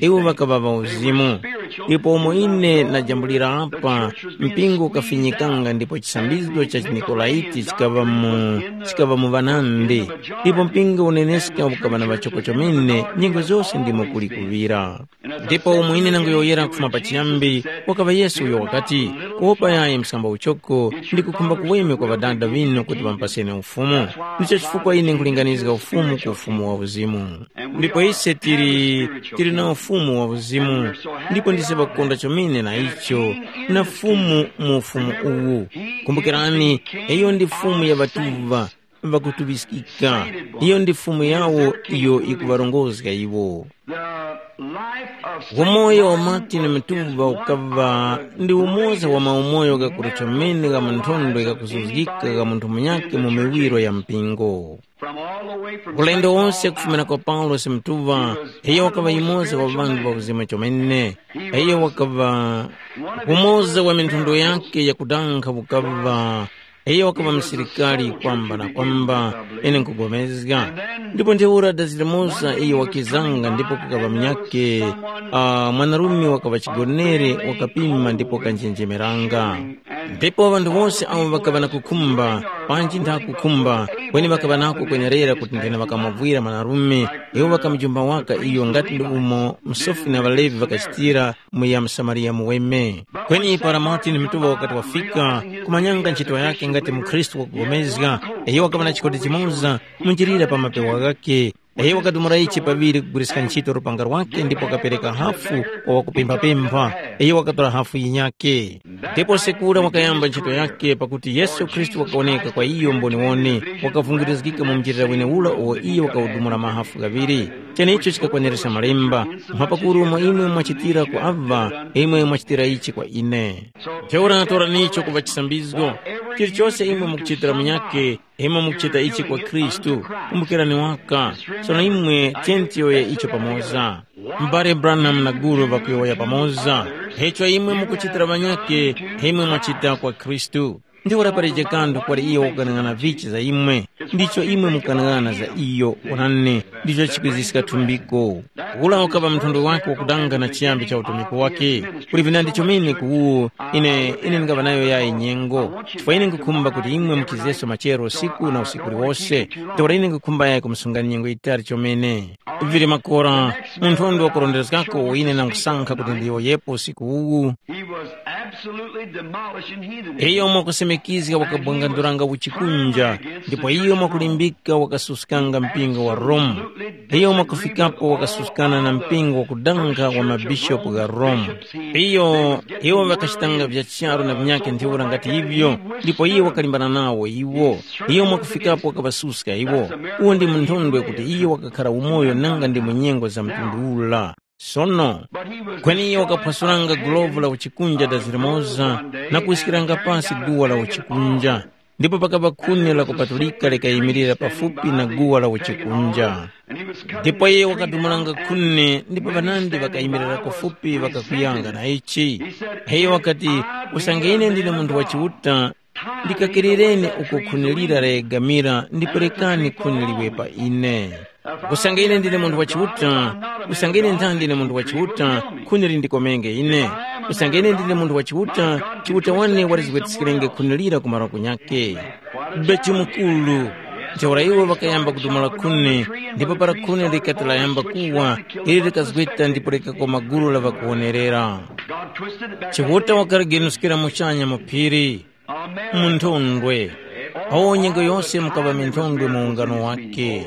Iwo ŵakaŵa ŵauzimu. Ndipo umo ine najambulira apa, mpingo ukafinyikanga ndipo chisambizgo cha chiNikolaiti chikaŵa mu, chikaŵa mu ŵanandi. Ndipo mpingo uneneska ukaŵa na ŵachoko chomene, nyengo zose ndimo kuli kuŵira. Ndipo umo ine nanguyowoyera kufuma pachiyambi, wakaŵa Yesu uyo wakati, kuwopa yayi msamba uchoko, ndi kukhumba kuweme kwa Ŵadada ŵinu kuti ŵamupaseni Ufumu. Ndicho chifukwa ine nkulinganizga Ufumu ku Ufumu wa Uzimu. Ndipo ise tili, tili na Ufumu wa Uzimu, ndipo ndise ŵakukonda chomene na icho, na Fumu mu Ufumu uwu. Kumbukirani, iyo ndi Fumu ya ŵatuŵa, ŵakutuŵiskika. Iyo ndi Fumu yawo iyo ikuŵarongozga iwo. Umoyo wa Martin Mutuŵa ukaŵa ndi umoza wa maumoyo ghakuruthamene gha mu nthondwe ghakuzuzgika gha munthu munyakhe mu miwiro ya mpingo. Ulendo wose kufumira kwa Paulosi Mutuŵa, iyo wakaŵa yumoza wa ŵanthu ŵa uzima chomene. Iyo wakaŵa umoza wa minthondwe yakhe yakudankha ukaŵa Iyo wakaŵa musilikari kwamba na kwamba, ine nkupulikana. Ndipo ntheura dazi limoza iyo wakizanga ndipo kukaŵa munyakhe, uh, mwanarume wakaŵa chigonere wakapima ndipo wakanjenjemeranga. Ndipo ŵanthu wose awo ŵakaŵa na kukhumba, panji ntha kukhumba, kweni ŵakaŵa nako kwenerera kuti nthena ŵakamwavwira mwanarume, iwo ŵakamujumba waka iyo ngati ndi umo msofi na ŵalevi ŵakachitira, mu ya Msamariya muweme. Kweni para Martin Mutuŵa wakati wafika, kumanyanga ntchito yakhe ngati mukhristu wakupulikana, iyo wakaŵa na chikoti chimoza munjilira pa mapewa ghakhe. Iyo wakadumula ichi paŵiri kugwiriska ntchito lupanga lwakhe ndipo wakapereka hafu kwa wakupemphapempha. Iyo wakatora hafu yinyakhe. Ndipo sekura wakayamba ntchito yakhe pakuti Yesu Khristu wakawoneka kwa iyo mboniwoni, wakavungirizgika mu mjilira wenewura uwo iyo wakawudumula mahafu ghaŵiri. Cheneicho chikakwanirizga Malemba, mphapakuru umo imwe mwachitira ku aŵa, imwe mwachitira ichi kwa ine. Ntheura toranicho kuŵa chisambizgo. Chilichose imwe mukuchitira munyakhe, imwe mukuchita ichi kwa Khristu, kumbukirani waka. Sono imwe tiyeni tiyowoye icho pamoza. M'bale Branham na Guru ŵakuyowoya pamoza, icho imwe mukuchitira ŵanyakhe, imwe mwachita kwa Khristu. Ndiwo lapalije kanthu kwali iyo wakung'anang'ana vichi za imwe. Ndicho imwe mukanang'ana za iyo, onani, ndicho chikwiziska thumbiko. Ula ukaŵa mthondwe wake wakudanga na chiyambi cha utumiki wake. Kuli vinandi chomene ku uwu, ine, ine ndingaŵa nayo yayi nyengo, chifukwa ine nkukhumba kuti imwe muchizeso machero usiku na usiku uliwose. Ntheura ine nkukhumba yayi kumusungani nyengo yitali chomene. Vili makora, munthu undi wakurondezgako uwo ine nangusankha kuti ndiyowoyepo usiku uwu. He was absolutely demolishing heathenism. Iyo mwakusimikizga wakabwanganduranga uchikunja, ndipo iyo mwakulimbika wakasuskanga mpingo wa Roma. Iyo mwakufikapo wakasuskana na mpingo wakudanga wa mabishopu gha Roma. Iyo, iwo ŵakachitanga vya charu na vinyakhe ntheura ngati ivyo, ndipo iyo wakalimbana nawo iwo. Iyo mwakufikapo wakaŵasuska iwo. Uwo ndi munthondwe kuti iyo wakakhara umoyo nanga ndi mu nyengo za mtundu ula. Sono, kweni iyo wakaphwasuranga gulovu la uchikunja dazirimoza na kuwiskiranga pasi guwa la uchikunja, ndipo pakaŵa khuni lakupatulika likayimirira pafupi na guwa la uchikunja. Ndipo iye wakadumulanga khuni, ndipo ŵanandi ŵakayimirira kufupi ŵakakuyanga na ichi. Iyo wakati, usange ine ndine munthu wa Chiuta, ndikakirireni uko khuni lira layegamira ndipo rekani khuni liwe pa ine. Usange ine ndine munthu wa Chiuta, usange ine nthandi ndine munthu wa Chiuta, khuni lindikomenge ine. Usange ine ndine munthu wa Chiuta, Chiuta wane walizgwetiskirenge khuni lira ku marondo nyakhe. Bechi mukuru, ntheura iwo ŵakayamba kudumula khuni, ndipo para khuni likati layamba kuwa, ili likazgweta ndipo likakoma gulu la ŵakuwonerera. Chiuta wakaligenuskira muchanya mu phiri. Mu nthondwe. Awo nyengo yose mukaŵa minthondwe mu ungano wake.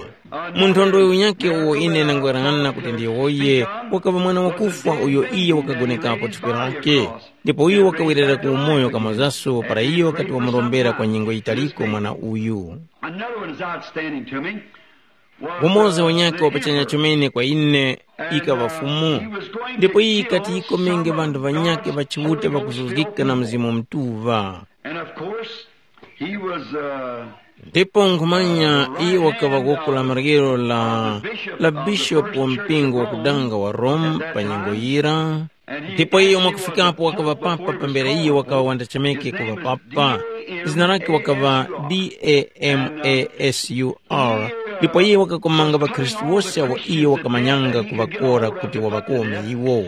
Mu nthondwe unyakhe uwo ine ndangwerana kuti ndiyowoye, wakaŵa mwana wakufwa uyo iye wakagonekapo thupi lake, ndipo uyo wakawerera ku umoyo kamozaso para iyo wakati wamurombera kwa nyengo yitaliko mwana uyu. Another one is outstanding to me. Umoza wanyakhe wapachanya chomene kwa ine, ikaŵa Fumu. Ndipo iyi yikati yikomenge ŵanthu ŵanyakhe ŵa Chiuta ŵakuzuzgika na Mzimu Mutuŵa. And of course, he was uh, ndipo nkhumanya iye wakaŵa goko la maryero la la bishopu wa mpingo wakudanga wa Rome pa nyengo yira. Ndipo iyo mwakufikapo wakaŵa papa pambere iyo wakaŵa wandachemeke kuŵa papa. Zina lake wakaŵa Damasur. Ndipo iye wakakomanga ŵakhristu wose awo iyo wakamanyanga kuŵakora kuti waŵakome iwo.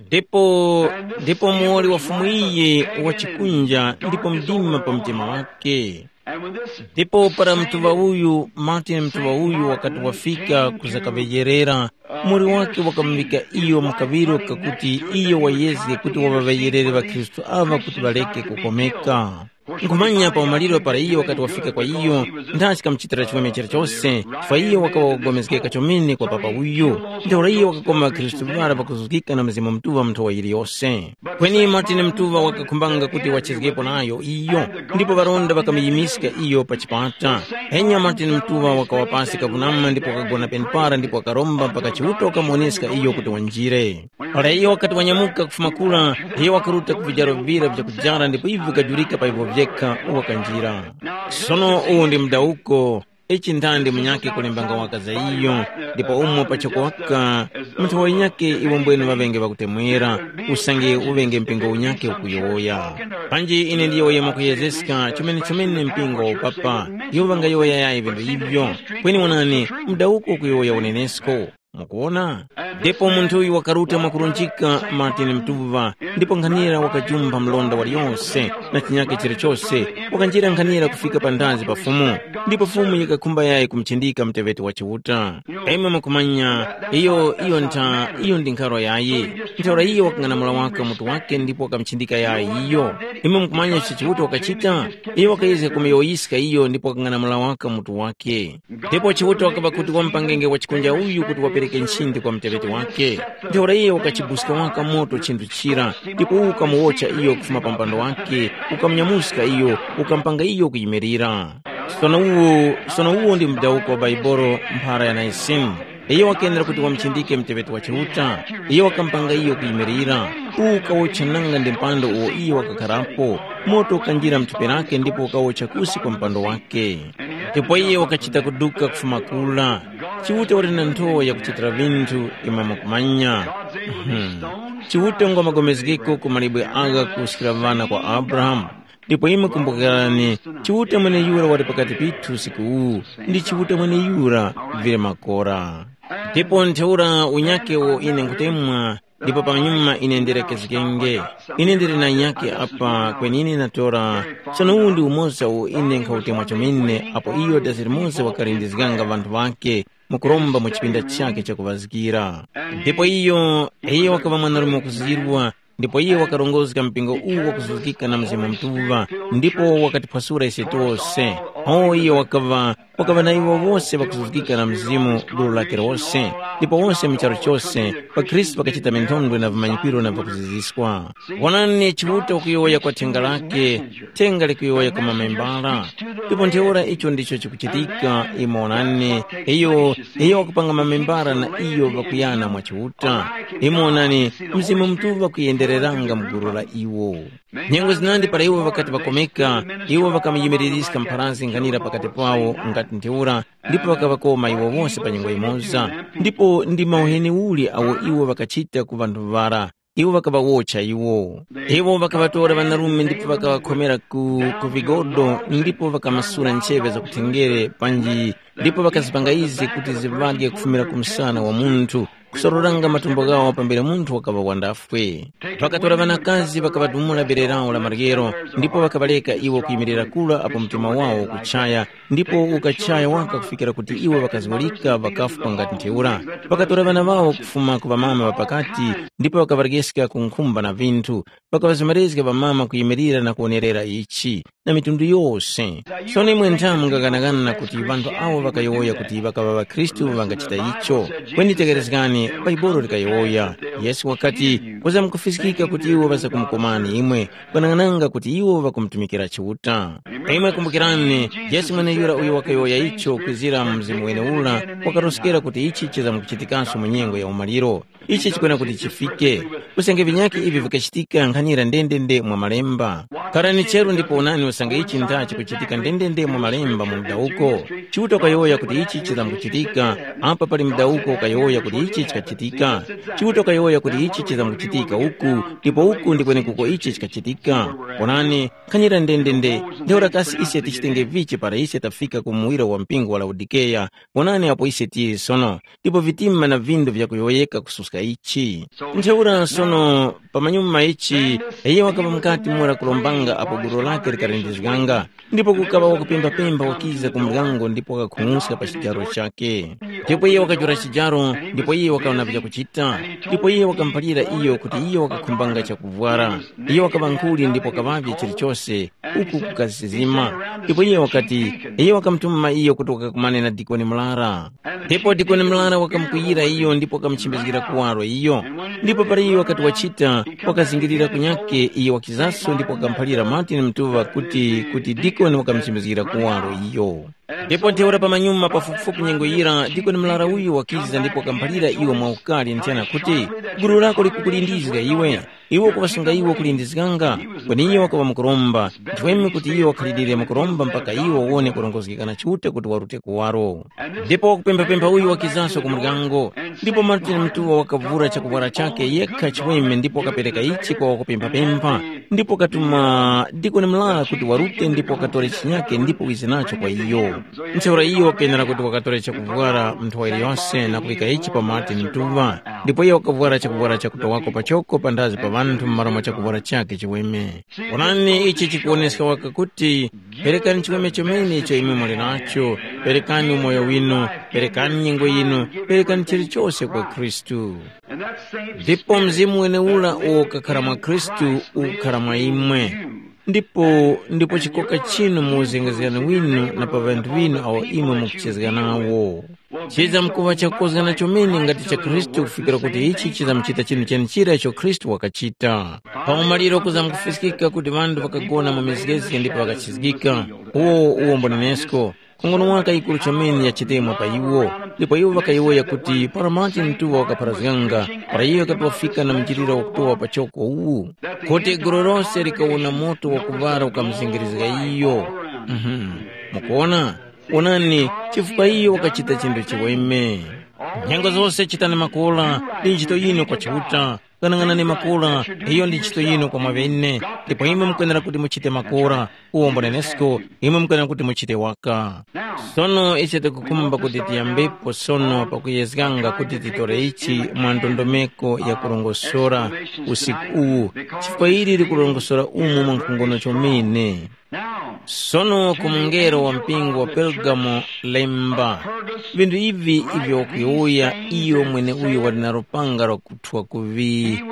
Ndipo ndipo muwoli wa Fumu iyi wachikunja ndipo mdima pa mtima wake. Ndipo para mtuŵa uyu, Martin mtuŵa uyu wakati wafika kuzakaŵeyerera, muwoli wake wakamuŵika iyo mu kaŵiro kakuti iyo wayezge kuti waŵaŵeyerere ŵakhristu aŵa kuti ŵareke kukomeka. Nkhumanya pa umaliro para iyo wakati wafika kwa iyo, nthachi kamuchitira chiweme chilichose, chifukwa iyo wakaŵa wakupulikana chomene kwa papa uyu. Ntheura iyo wakakoma ŵakhristu ŵara ŵakuzuzgika na Mzimu Mutuŵa mu nthowa yiliyose. Kweni Martin Mutuŵa wakakhumbanga kuti wachezgepo nayo iyo, ndipo ŵaronda ŵakamuyimirika iyo pa chipata. Enya Martin Mutuŵa wakawa pasi kakunama ndipo wakagona penepara ndipo wakaromba mpaka Chiuta wakamuwoneska iyo kuti wanjire. Para iyo wakati wanyamuka kufuma kura, iyo wakaruta ku vijaro vira vya kujara ndipo ivi vikajurika pa ivo vyekha wakanjira. Sono uwu ndi mudawuko, ichi nthandi munyakhe kulembanga waka za iyo, ndipo umo pachoko waka, munthu wanyakhe iwo mbwene ŵaŵenge ŵakutemwera, usange uŵenge mpingo unyakhe ukuyowoya. Panji ine ndiyowoye mwakuyezeska chomene-chomene mpingo wa upapa, iwo ŵangayowoya yayi vinthu ivyo. Kweni wonani, mudawuko ukuyowoya unenesko. Mukuwona? Ndipo munthu uyu wakaruta mwakurunjika Martin Mtuva, ndipo nkhanira wakajumpha mlonda waliyose na chinyakhe chilichose, wakanjira nkhanira kufika panthazi pa Fumu, ndipo Fumu yikakhumba yayi kumuchindika muteŵeti wa Chiuta. Imwe mukumanya, iyo iyo ntha iyo ndi nkharo yayi. Ntheura iyo wakang'anamula waka mutu wake ndipo wakamuchindika yayi iyo. Imwe mukumanya icho Chiuta wakachita? Iyo wakayezga kumuyowoyiska iyo ndipo wakang'anamula waka mutu wake. Ndipo Chiuta wakaŵa kuti wamupangenge wa chikunja uyu kuti wapereke nchindi kwa muteŵeti wake. Ntheura iyo wakachibuska waka moto chinthu chira, ndipo uwo ukamuwotcha iyo kufuma pa mpando wake, ukamunyamuska iyo, ukamupanga iyo kuyimirira. Sono uwo, sono uwo ndi mudawuko wa Baibolo mphara ya Naisini. Iyo wakendera kuti wamuchindike muteŵeti wa Chiuta, iyo wakamupanga iyo kuyimirira. Uwu ukawotcha nanga ndi mpando uwo iyo wakakharapo, moto ukanjira mu thupi lake ndipo ukawotcha kusi kwa mpando wake. Ndipo iye wakachita kuduka kufuma kura. Chiuta wali na nthowa yakuchitira vinthu, imwe mukumanya. Mhm. Chiuta ngwa magomezgeko ku malibwe agha kuwuskira ŵana kwa Abrahamu. Ndipo imwe kumbukirani, Chiuta mweneyura wali pakati pithu usiku uwu, ndi Chiuta mweneyura vili makora. Ndipo ntheura unyake uwo ine nkhutemwa, ndipo panyuma ine ndirekezgenge. Ine ndili na nyake apa kwenine natora, sono uwu ndi umoza uwo ine nkhautemwa chomene apo iyo dazi limoza wakalindizganga ŵanthu ŵakhe mukuromba mu chipinda chakhe chakuŵazgira. Ndipo iyo, iyo wakaŵa mwanarume wakuzirwa, ndipo iyo wakarongozga mpingo uwu wakuzuzgika na Mzimu Mutuŵa, ndipo wakatiphwasula ise tose. O iyo wakaŵa, wakaŵa na iwo wose ŵakuzuzgika na Mzimu gulu lake lose, ndipo wose mu charu chose, ŵakhristu ŵakachita minthondwe na vimanyikiro na vakuziziswa. Wonani Chiuta kuyowoya kwa thenga lake, thenga likuyowoya kwa mamembala. Ndipo ntheura icho ndicho chikuchitika, imwe wonani, iyo, iyo wakupanga mamembala na iyo ŵakuyana mwa Chiuta. Imwe wonani, Mzimu Mutuŵa kuyendereranga mu gulu la iwo. Nyengo zinandi para iwo ŵakati ŵakomeka, iwo ŵakamuyimiliriska mpharanzi nkhanira pakati pawo ngati ntheura, ndipo ŵakaŵakoma iwo wose pa nyengo yimoza. Ndipo ndi mauheni uli awo iwo ŵakachita ku ŵanthu ŵara? Iwo ŵakaŵawotcha iwo. Iwo ŵakaŵatora ŵanarume ndipo ŵakaŵakhomera ku, ku vigodo, ndipo ŵakamasula ncheŵe zakuthenjere panji, ndipo ŵakazipanga izi kuti ziŵadye kufumira ku msana wa munthu, kusororanga matumbo ghawo pambere munthu wakaŵa wandafwe. Ŵakatora ŵanakazi ŵakaŵadumula bere lawo la maryero, ndipo ŵakaŵareka iwo kuyimirira kura apo mtima wawo ukuchaya, ndipo ukachaya waka kufikira kuti iwo ŵakazgulika ŵakafwa ngati ntheura. Ŵakatora ŵana ŵawo kufuma ku ŵamama ŵa pakati, ndipo ŵakaŵarekeska ku nkhumba na vinthu. Ŵakaŵazemerezga ŵamama kuyimirira na kuwonerera ichi, na mitundu yose. Sono imwe nthamu mungaghanaghana kuti ŵanthu awo ŵakayowoya kuti ŵakaŵa ŵakhristu ŵangachita icho. Kweni tekerezgani, Baibolo likayowoya. Yesu wakati, kuzamkufiskika kuti iwo ŵazakumukomani imwe, kwanang'ananga kuti iwo ŵakumutumikira Chiuta. Imwe kumbukirani, Yesu mweneyura uyo wakayowoya icho kwizira mu mzimu weneura, wakaroskera kuti ichi chizamkuchitikanso mu nyengo ya umaliro. Ichi chikwena kuti chifike. Usange vinyakhe ivi vikachitika nkhanira ndendende mwa malemba. Kharani cheru ndipo wonani usange ichi ntha chikuchitika ndendende mwa malemba mu mdawuko. Chiuta wakayowoya kuti ichi chizamkuchitika, apa pali mdawuko wakayowoya kuti ichi chikachitika. Chiuta wakayowoya kuti ichi chizamkuchitika uku, ndipo uku ndi kwenekuko ichi chikachitika. Onani, nkhanyira ndendende, ntheura kasi ise tichitenge vichi para ise tafika ku muwiro wa mpingo wa Laodikeya? Onani apo ise tili sono, ndipo vitima na vindu vyakuyowoyeka kususka ichi. Ntheura sono, pamanyuma ichi, iye wakaŵa mukati mura kulombanga apo gulu lake likalindizganga. Ndipo kukaŵa wakupemba-pemba wakiza ku muryango ndipo wakakhung'uska pa chijaro chakhe. Ndipo iye wakajula chijaro, ndipo iye wakaŵa na vyakuchita. Ndipo iye wakamuphalira iyo kuti iye wakakhumbanga chakuvwara. Iye wakaŵa nkhuli ndipo wakaŵavye chilichose, uku kukasisima. Ndipo iye wakati, iye wakamutuma iyo kuti wakakumane na dikoni murara. Ndipo dikoni murara wakamukwiyira iyo ndipo wakamuchimbizgira kuwaro iyo. Ndipo para iyo wakati wachita, wakazingirira kunyakhe iyo wakizaso ndipo wakamuphalira Martin Mtuva kuti, kuti dikoni wakamuchimbizgira kuwaro iyo. Ndipo ntheura pamanyuma pafupifupi nyengo yira, dikoni murara uyu wakiza ndipo wakamuphalira iwo mwaukali nthena kuti, gulu lako likukulindizga iwe. Iwe ukuŵasunga iwo kulindizganga, kweni iyo wakaŵa mukuromba, nchimwemwe kuti iyo wakhalirire mukuromba mpaka iwo wawone kurongozgeka na Chiuta kuti warute kuwaro. Ndipo wakupemphapempha uyu wakizanso ku muryango, ndipo Martin Mtuwa wakavura chakuvwara chakhe yekha chiweme ndipo wakapereka ichi kwa wakupemphapempha, ndipo wakatuma dikoni murara kuti warute ndipo wakatore chinyake ndipo wize nacho kwa iyo. Ntheura iyo wakenera kuti wakatore chakuvwara mu nthowa yiliyose na kuvika ichi pa Martin Mtuwa, ndipo iyo wakavwara chakuvwara chakutowako pachoko panthazi pa ŵanthu m'malo mwa chakuvwara chakhe chiweme. Onani, ichi chikuwoneska waka kuti, perekani chiweme chomene icho imwe muli nacho, perekani umoyo winu, perekani nyengo yinu, perekani chilichose kwa Khristu. Ndipo mzimu wenewura uwo ukakhara mwa Khristu ukukhara mwa imwe. Ndipo, ndipo chikoka chinu mu uzengezgani winu na pa ŵanthu ŵinu awo imwe mukuchezga nawo. Chizamkuŵa chakukozgana chomene ngati cha Khristu kufikira kuti ichi chizamchita chinthu chenichira icho Khristu wakachita. Pa umaliro kuzamkufiskika kuti ŵanthu ŵakagona mu mizgezge ndipo ŵakachizgika. Uwo uwo mbonenesko. Khongono waka yikuru chomene yachitemwa pa iwo, ndipo iwo ŵakayowoya kuti para Martin Mtuwa wakapharazganga, para iyo wakati wafika na mchitiro wakutowa pachoko uwu, kuti gulu lose likawona moto wakuŵala ukamuzengerezga iyo. Mhm. Mukuwona? Wonani, chifukwa iyo wakachita chinthu chiweme. Nyengo zose chitani makola, ndi ntchito yinu kwa Chiuta, Ghanaghanani makora, iyo ndi ntchito yinu kwa mwaŵene, ndipo imwe mukwenera kuti muchite makora, uwo mbunenesko, imwe mukwenera kuti muchite waka. Sono ise tikukhumba kuti tiyambepo sono pakuyezganga kuti titore ichi mwa ndondomeko ya kurongosora usiku uwu, chifukwa ili likurongosora umu mwa nkhongono chomene. Sono ku mungelo wa mpingo wa Pergamo lemba, vinthu ivi ivyo wakuyowoya iyo mweneuyo wali na lupanga lwakuthwa kuŵi,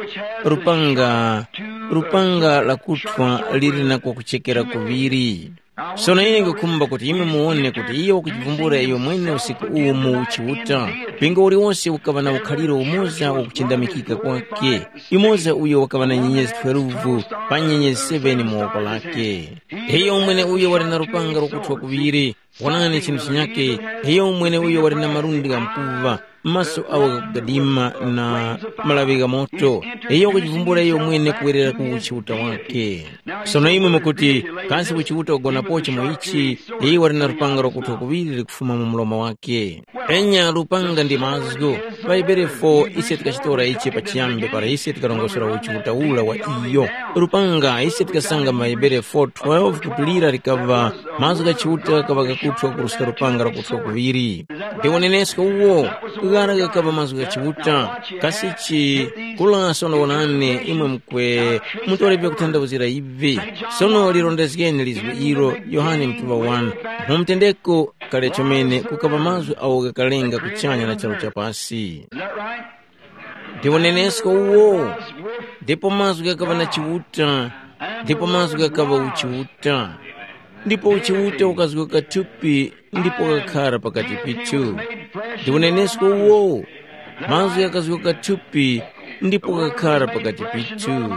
lupanga, lupanga lakuthwa lili na kwakuchekera kuŵiri. Sono ine nkukhumba kuti imwe muwone kuti iyo wakuchivumbula iyo mwene usiku uwu mu Chiuta. Mpingo uliwonse ukaŵa na ukhaliro umoza wakuchindamikika kwake, yumoza uyo wakaŵa na nyenyezi twelve pa nyenyezi seven mu woko lake. Iyo mwene uyo wali na lupanga lwakuthwa kuŵiri, wonani chinthu chinyake, iyo mwene uyo wali na malundi gha mkuva, maso awo ghakugadima na malaŵi gha moto, iyo wakuchivumbula iyo mwene kuwerera ku uchiuta wake. Sono imwe mukuti, kasi uchiuta ugonapochi mu ichi? Iyo wali na lupanga lwakuthwa kuŵiri likufuma mu mlomo wake. Enya lupanga ndi mazgu. Pa Hebere four ise tikachitora ichi pachiyambi para ise tikarongosora uchiuta ula wa iyo. Lupanga ise tikasanga mu Hebere four twelve kuti lira likaŵa mazgu gha Chiuta ghaŵa ghakuthwa kuruska lupanga lwakuthwa kuŵiri. Ndi unenesko uwo, ghara ghakaŵa mazgu gha Chiuta. Kasichi kula sono wonani imwe mukwe mutore vyakuthandawuzira ivi. Sono lirondezgeni lizgu ilo, Yohane mutuŵa one. Mu mutendeko kale chomene kukaŵa mazgu awo ghakalenga kuchanya na charu cha pasi. Is that right? Ndi unenesko uwo. Ndipo mazgu ghakaŵa na Chiuta, ndipo mazgu ghakaŵa uchiuta. Ndipo uchiuta ukazgoka thupi ndipo kakhara pakati pithu. Ndi unenesko uwo. Mazgu ghakazgoka thupi ndipo kakhara pakati pithu.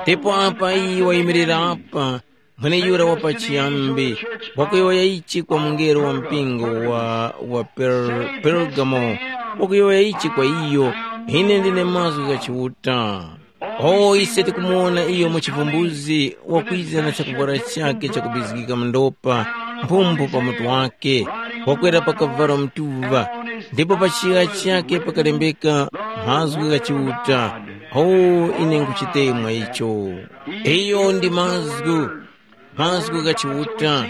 Ndipo apa iye wayimirira apa, mweneyura wa pachiyambi, wakuyowoya ichi kwa mungelo wa mpingo wa, wa Per-, Pergamo, wakuyowoya ichi kwa iyo, ine ndine mazgu gha Chiuta. O ise tikumuwona iyo mu chivumbuzi wakwiza na chakuvwara chakhe chakubizgika mu ndopa, mphumphu pa mutu wake, wakwera pa kavalo mtuŵa, ndipo pa chiŵa chakhe pakalembeka mazgu gha Chiuta. O, ine nkuchitemwa icho. Iyo ndi mazgu, mazgu gha Chiuta.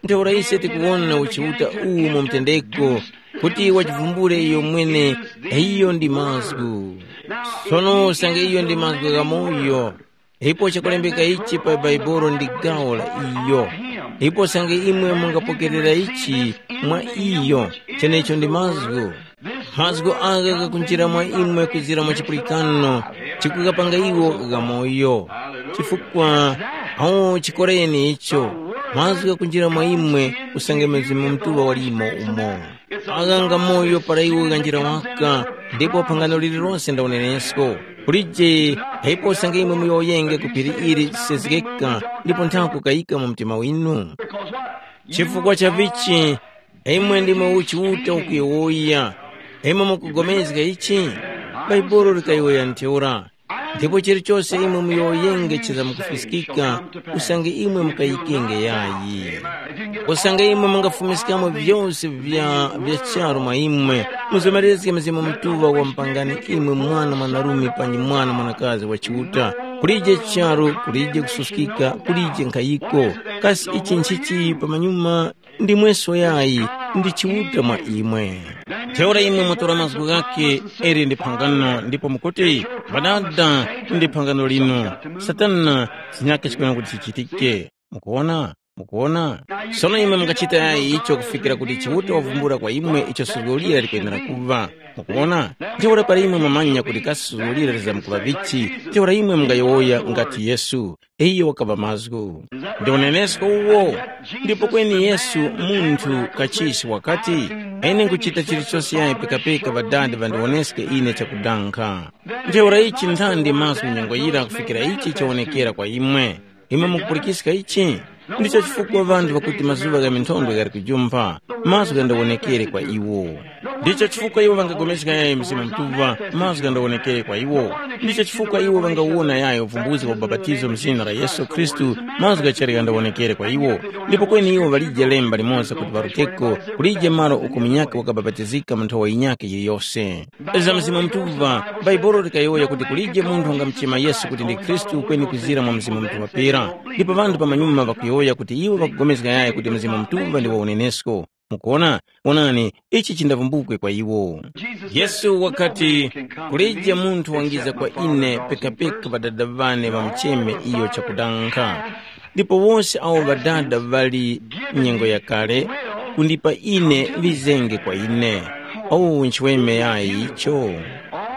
Ntheura ise tikuwona uchiuta uwu mu mtendeko, kuti wachivumbule iyo mwene, iyo ndi mazgu. Sono usange iyo ndi mazgu ghamoyo, ipo chakulembeka ichi pa Bhaibuli ndi gawo la iyo. Ipo usange imwe mungapokerera ichi mwa iyo, chenecho ndi mazgu. Mazgu agha ghakunjira mwa imwe kwizira mwa chipulikano, chikukapanga iwo ghamoyo. Chifukwa, awo chikoreni icho, mazgu ghakunjira mwa imwe usange Mzimu Mutuŵa walimo umo. Agha nga moyo para iwo ghanjira waka, ndipo phangano lililonse nda unenesko. Kulije, ipo usange imwe muyowoyenge ku phiri ili chisezgeka, ndipo nthako kayika mu mtima winu. Chifukwa cha vichi, imwe ndimwe uchiuta ukuyowoya. Imwe mukugomezga ichi? Bhaibuli likayowoya ntheura. Ndipo chilichose imwe muyowoyenge chizamkufiskika, usange imwe mukayikenge yayi. Usange imwe mungafumiskamo vyose vya, vya charu mwa imwe, muzomerezge Mzimu Mutuŵa wa mpangani imwe mwana mwanarume panyi mwana mwanakazi wa Chiuta. Kulije charu, kulije kususkika, kulije nkhayiko. Kasi ichi nchichi pamanyuma? Ndimweso yayi, ndi Chiuta mwa imwe. Ntheura imwe mutora mazgu ghakhe, ili ndi phangano, ndipo mukuti, mbadada, ndi phangano linu. Satana, zinyakhe chikwena kuti chichitike. Mukuwona? Mukuwona? Sono imwe mungachita yayi icho kufikira kuti Chiuta wavumbula kwa imwe icho suzgo lira likwenera kuŵa. Mukuwona? Ntheura para imwe mwamanya kuti kasi suzgo lira lizamkuŵa vichi, ntheura imwe mungayowoya ngati Yesu. Iyo wakaŵa mazgu. Ndi unenesko uwo. Ndipo kweni Yesu munthu kachisi wakati, ine nkuchita chilichose yayi pekapeka Ŵadada ŵandiwoneske ine chakudankha. Ntheura ichi nthandi mazgu nyengo yira kufikira ichi chawonekera kwa imwe. Imwe mukupulikiska ichi? Ndicho chifukwa ŵanthu ŵakuti mazuŵa gha minthondwe ghali kujumpha, mazgu ghandawonekere kwa iwo. Ndicho chifukwa iwo ŵangapulikana yayi Mzimu Mutuŵa, mazgu ghandawonekere kwa iwo. Ndicho chifukwa iwo ŵangawona yayi uvumbuzi wa ubapatizo mu zina la Yesu Khristu, mazgu ghachali ghandawonekere kwa iwo. Ndipo kweni iwo ŵalije lemba limoza kuti ŵaruteko, kulije malo uko munyakhe wakabapatizika mu nthowa yinyakhe yiliyose. Za Mzimu Mutuŵa, Bhaibuli likayowoya kuti kulije munthu wangamuchema Yesu kuti ndi Khristu kweni kuzira mwa Mzimu Mutuŵa pera. Ndipo ŵanthu pamanyuma ŵakuyowoya kuti iwo ŵakupulikana yayi kuti Mzimu Mutuŵa ndi wa unenesko. Mukuona? Wonani, ichi chindavumbukwe kwa iwo. Yesu wakati, kulije munthu wangiza kwa ine pekapeka Ŵadada ŵane ŵamucheme iyo chakudankha. Ndipo wose awo Ŵadada ŵali nyengo yakale kundipa ine ŵizenge kwa ine. Owu nchiweme yayi icho.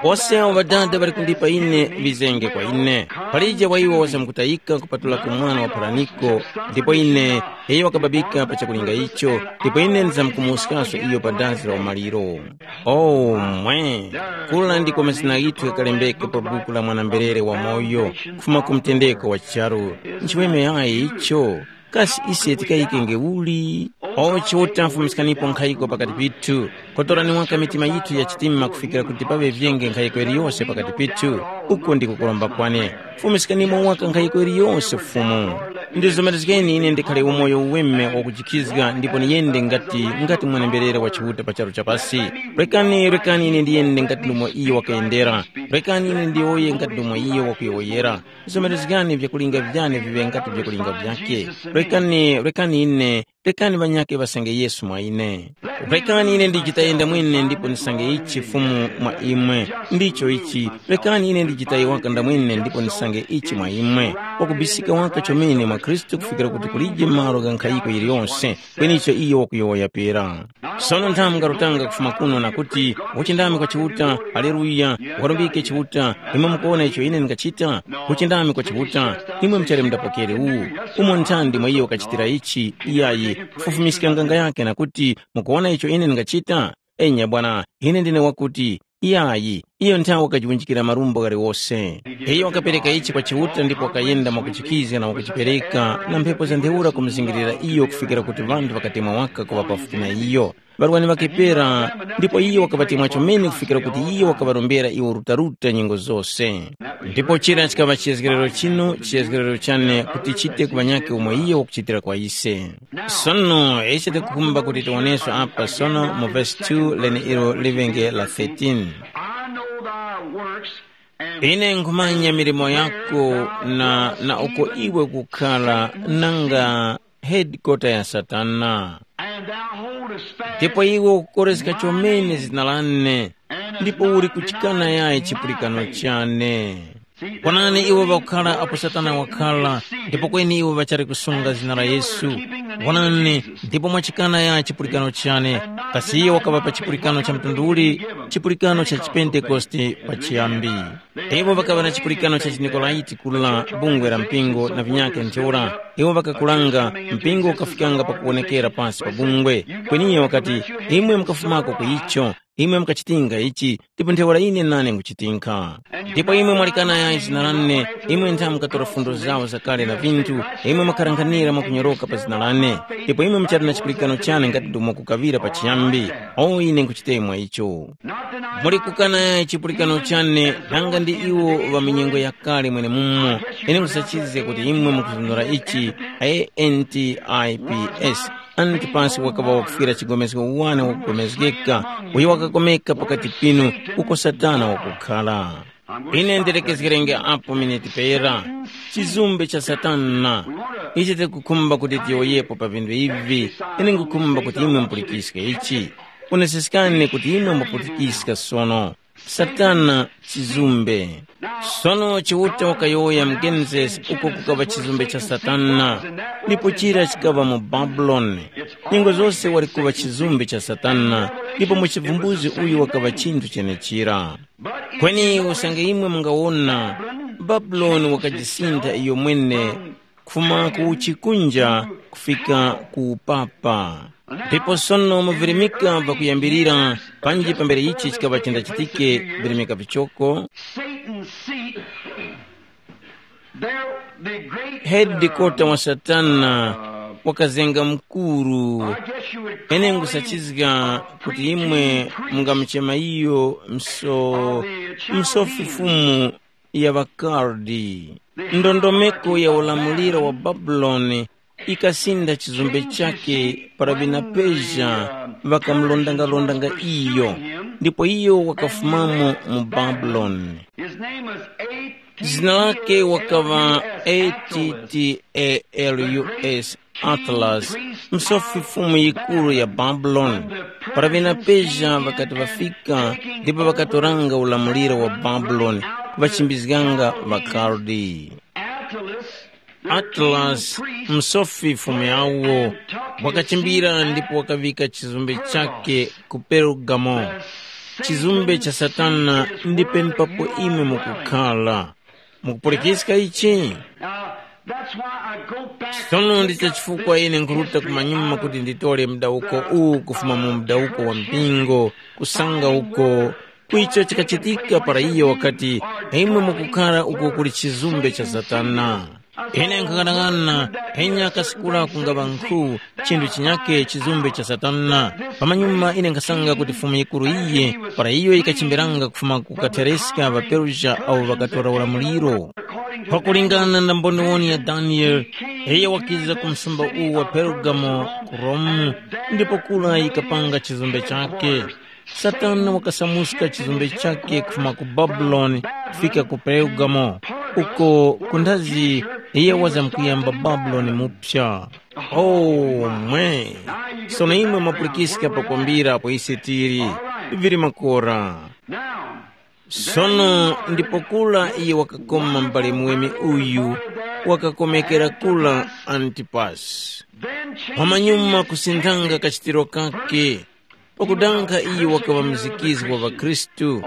Wose awo Ŵadada ŵali kundipa ine ŵizenge kwa ine. Palije wa iwo wazamkutayika kupatulako mwana wa pharaniko, ndipo ine iyo wakababika pa chakulinga icho, ndipo ine ndizamkumuwuskaso iyo pa dazi la umaliro. Oh, mwe! Kula ndiko mazina ghithu ghakalembeka pa buku la mwana-mberere wamoyo, kufuma ku mtendeko wa charu. Nchiweme yayi icho. Kasi ise tikayikenge uli? O Chiuta, fumiskanipo nkhayiko pakati pithu. Kotorani waka mitima yithu ya chitima kufikira kuti paŵe vyenge nkhayiko yiliyose pakati pithu. Uko ndiko kuromba kwane. Fumiskanimo waka nkhayiko yiliyose Fumu. Ndizomerezgeni ine ndikhale umoyo uweme wakujikhizga ndipo niyende ngati ngati mwenemberera wa Chiuta pa charu cha pasi. Rekani, rekani ine ndiyende ngati ndumo iyo wakayendera. Rekani ine ndiyowoye ngati ndumo iyo wakuyowoyera. Zomerezgani vyakulinga vyane viŵe ngati vyakulinga vyakhe. Rekani, rekani ine, rekani ŵanyakhe ŵasange Yesu mwa ine. Rekani ine ndichitaye ndamwene ndipo ndisange ichi Fumu mwa imwe. Ndicho ichi, rekani ine ndichitaye waka ndamwene ndipo ndisange ichi mwa imwe. Wakubisika waka chomene mwa Khristu kufikira kuti kulije malo gha nkhayiko yiliyonse, kweni icho iyo wakuyowoya pera. Sono nthamu ngarutanga kufuma kuno na kuti, uchindami kwa Chiuta, haleluya, ukarumbike Chiuta, imwe mukuwona icho ine ndingachita? Uchindami kwa Chiuta, imwe muchali mundapokere uwu. Umo nthandi mwa iyo wakachitira ichi, iyayi, kufufumiska nganga yakhe na kuti, mukuwona icho ine ndingachita? Enya bwana, ine ndine wakuti, iyayi, iyo nthawe wakajiwunjikira marumbo ghaliwose. Iyo wakapereka ichi kwa Chiuta ndipo wakayenda mwakuchikizga na wakuchipereka na mphepo za ntheura kumuzingirira iyo kufikira kuti ŵanthu ŵakatemwa waka kuŵa pafupi na iyo. Ŵarwani ŵakepera, ndipo iyo wakaŵatemwa chomene kufikira kuti iyo wakaŵarombera iwo rutaruta nyengo zose. Ndipo chira chikaŵa chiyezgerero chinu, chiyezgerero chane kuti chite ku ŵanyakhe umo iyo wakuchitira kwa ise. Sono ise tikukhumba kuti tiwoneso apa sono mu vesi two leneilo liŵenge la thirteen. I know thy works and Ine nkhumanya milimo yako na, na uko iwe kukhala nanga hedikota ya Satana. And thou holdest fast Ndipo iwe ukukoreska chomene zina lane, ndipo uli kuchikana yayi chipulikano chane. Kwanani iwo ŵakukhala apo Satana wakhala, ndipo kweni iwo ŵachali kusunga zina la Yesu. Wonani, ndipo mwachikana yayi chipulikano chane, kasi iyo wakaŵa pa chipulikano cha mtundu uli? Chipulikano cha chipentekoste pachiyambi. Iwo ŵakaŵa na chipulikano cha chiNikolaiti kula bungwe la mpingo na vinyakhe ntheura. Iwo ŵakakulanga, mpingo ukafikanga pakuwonekera pasi pa bungwe. Kweni iyo wakati, imwe mukafumako ku icho, imwe mukachitinga ichi, ndipo ntheura ine nane nkuchitinkha. Ndipo imwe mwalikana yayi zina lane, imwe ntha mukatora fundo zawo zakale na vinthu, imwe mwakharanghanira mwakunyoroka pa zina lane, ndipo imwe muchali na chipulikano chane ngati ndomwe kukaŵira pachiyambi. O ine nkuchitemwa icho. Muli kukana yayi chipulikano chane, nanga ndi iwo ŵa minyengo yakale mwenemumo. Ine nkhusachizga kuti imwe mukuzunura ichi, A N T I P S. Antipas wakaŵa wakufwira chigomezgo wane wakugomezgeka, uyo wakakomeka pakati pinu uko Satana wakukhala. Ine ndilekezgerenge apo miniti pera. Chizumbe cha Satana. Ichi tikukhumba kuti tiyowoyepo pa vinthu ivi. Ine ngukhumba kuti imwe mupulikiske ichi. Onesiskani kuti imwe mwapulikiska sono. Satana chizumbe. Sono Chiuta wakayowoya mu Genesis uko kukaŵa chizumbe cha Satana, ndipo chira chikaŵa mu Babuloni. Nyengo zose wali kuŵa chizumbe cha Satana, ndipo mu chivumbuzi uyu wakaŵa chinthu chenechira. Kweni usange imwe mungawona, Babuloni wakajisintha iyo mwene kufuma ku chikunja kufika ku upapa. Ndipo sono mu virimika vakuyambirira, panji pambere ichi chikaŵa chindachitike, virimika vichoko, Satan's seat, there the great hedikota wa Satana, wakazenga mukuru. Ine ngusachizga kuti imwe mungamuchema iyo mso, msofi fumu ya ŵakardi. Ndondomeko ya ulamuliro wa Babuloni ikasinda chizumbe chake para ŵina Persia ŵakamulondangarondanga iyo, ndipo iyo wakafumamo mu Babuloni. His name was A T T A L U S. Zina lake wakaŵa A T T A L U S Atlas, msofi fumu yikuru ya Babuloni. Para ŵena Persia ŵakati ŵafika, ndipo ŵakatoranga ulamuliro wa Babuloni, kuŵachimbizganga ŵaKaldi. Atlas, msofi fumu yawo, wakachimbira ndipo wakaŵika chizumbe chake ku Perugamo. Chizumbe cha Satana ndi penepapo imwe mukukhala. Mukupulikiska ichi? Now, that's why I go back. Sono ndi chifukwa ine nkhuruta kumanyuma kuti nditole mdawuko uwu kufuma mu mdawuko wa mpingo, kusanga uko ku icho chikachitika para iyo wakati, imwe mukukhara uko kuli chizumbe cha Satana. Ine nkhaghanaghana, enya kasikura kungaŵa nkhu, chinthu chinyake chizumbe cha Satana. Pamanyuma ine nkhasanga kuti Fumu yikuru iyi, para iyo yikachimbiranga kufuma ku kathereska ŵaPersia awo ŵakatora ulamuliro. Pakulingana na mboniwoni ya Daniele, iyo wakiza ku msumba uwu wa Pergamo ku Romu, ndipo kura yikapanga chizumbe chake. Satana wakasamuska chizumbe chake kufuma ku Babuloni kufika ku Pergamo, uko kundazi iye wazamkuyamba Babuloni mupya. Oh, mwe! Sono imwe mwapulikiska pakwambira apo ise tili, vili makora. Sono ndipo kula iye wakakoma m'bale muweme uyu, wakakomekera kula Antipasi. Pamanyuma kusinthanga kachitiro kake, pakudankha iyo wakaŵa muzikizgi wa ŵakhristu,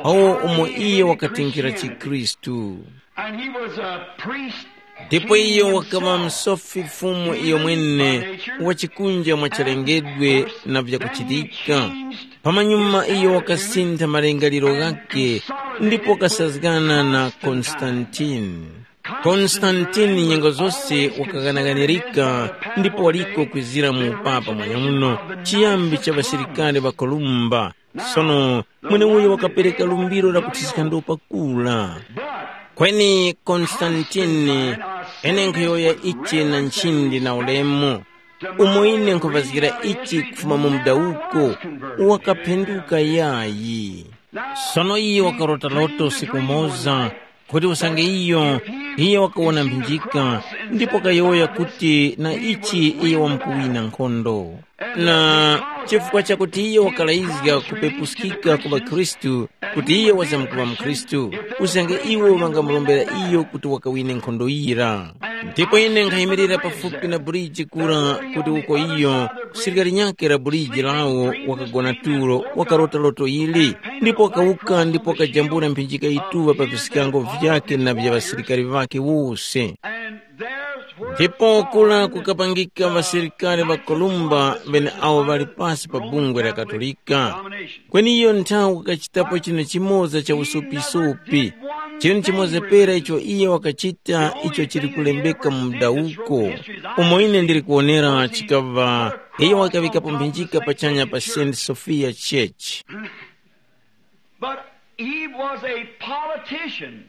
awo umo iyo wakatinkhira chikhristu. And he was a priest. Ndipo iyo wakaŵa msofi Fumu iyo mwene, wa chikunja mwa chalengedwe na vyakuchitika. Pamanyuma iyo wakasintha malingaliro ghakhe, ndipo wakasazgana na Konstantini. Konstantini nyengo zose wakaghanaganirika, ndipo waliko kwizira mu upapa mweneuno, chiyambi cha ŵasilikari ŵa Kolumba. Sono mweneuyo wakapereka lumbiro la kuthiska ndopa kula. Kweni Konstantini, ine nkhuyowoya ichi na nchindi na ulemu, umo ine nkhupazgira ichi kufuma mu mdawuko, wakaphenduka yayi. Sono iyo wakarota loto usiku umoza, kuti usange iyo, iyo wakawona mphinjika, ndipo kayowoya kuti na ichi iyo wamkuwina nkhondo. Na chifukwa chakuti iyo wakalayizga kupepuskika ku ŵakhristu, kuti iyo wazamkuŵa mkhristu, usange iwo ŵangamurombera iyo kuti wakawine nkhondo yira. Ndipo ine nkhayimirira pafupi na buriji kura kuti uko iyo, sirikali nyakhe la buriji lawo wakagona tulo, wakarota loto ili, ndipo wakawuka ndipo wakajambula mphinjika yituŵa pa viskango vyakhe na vya ŵasilikari ŵakhe wose. Ndipo kura kukapangika ŵasilikari ŵa Kolumba ŵeneawo ŵali pasi pa bungwe la Katolika. Kweni iyo nthawi kukachitapo chinthu chimoza cha usupisopi, chinthu chimoza pera icho iye wakachita icho chili kulembeka mu mdawuko, umo ine ndili kuwonera chikaŵa iyo wakaŵikapo mphinjika pachanya pa Saint Sophia Church. But he was a politician.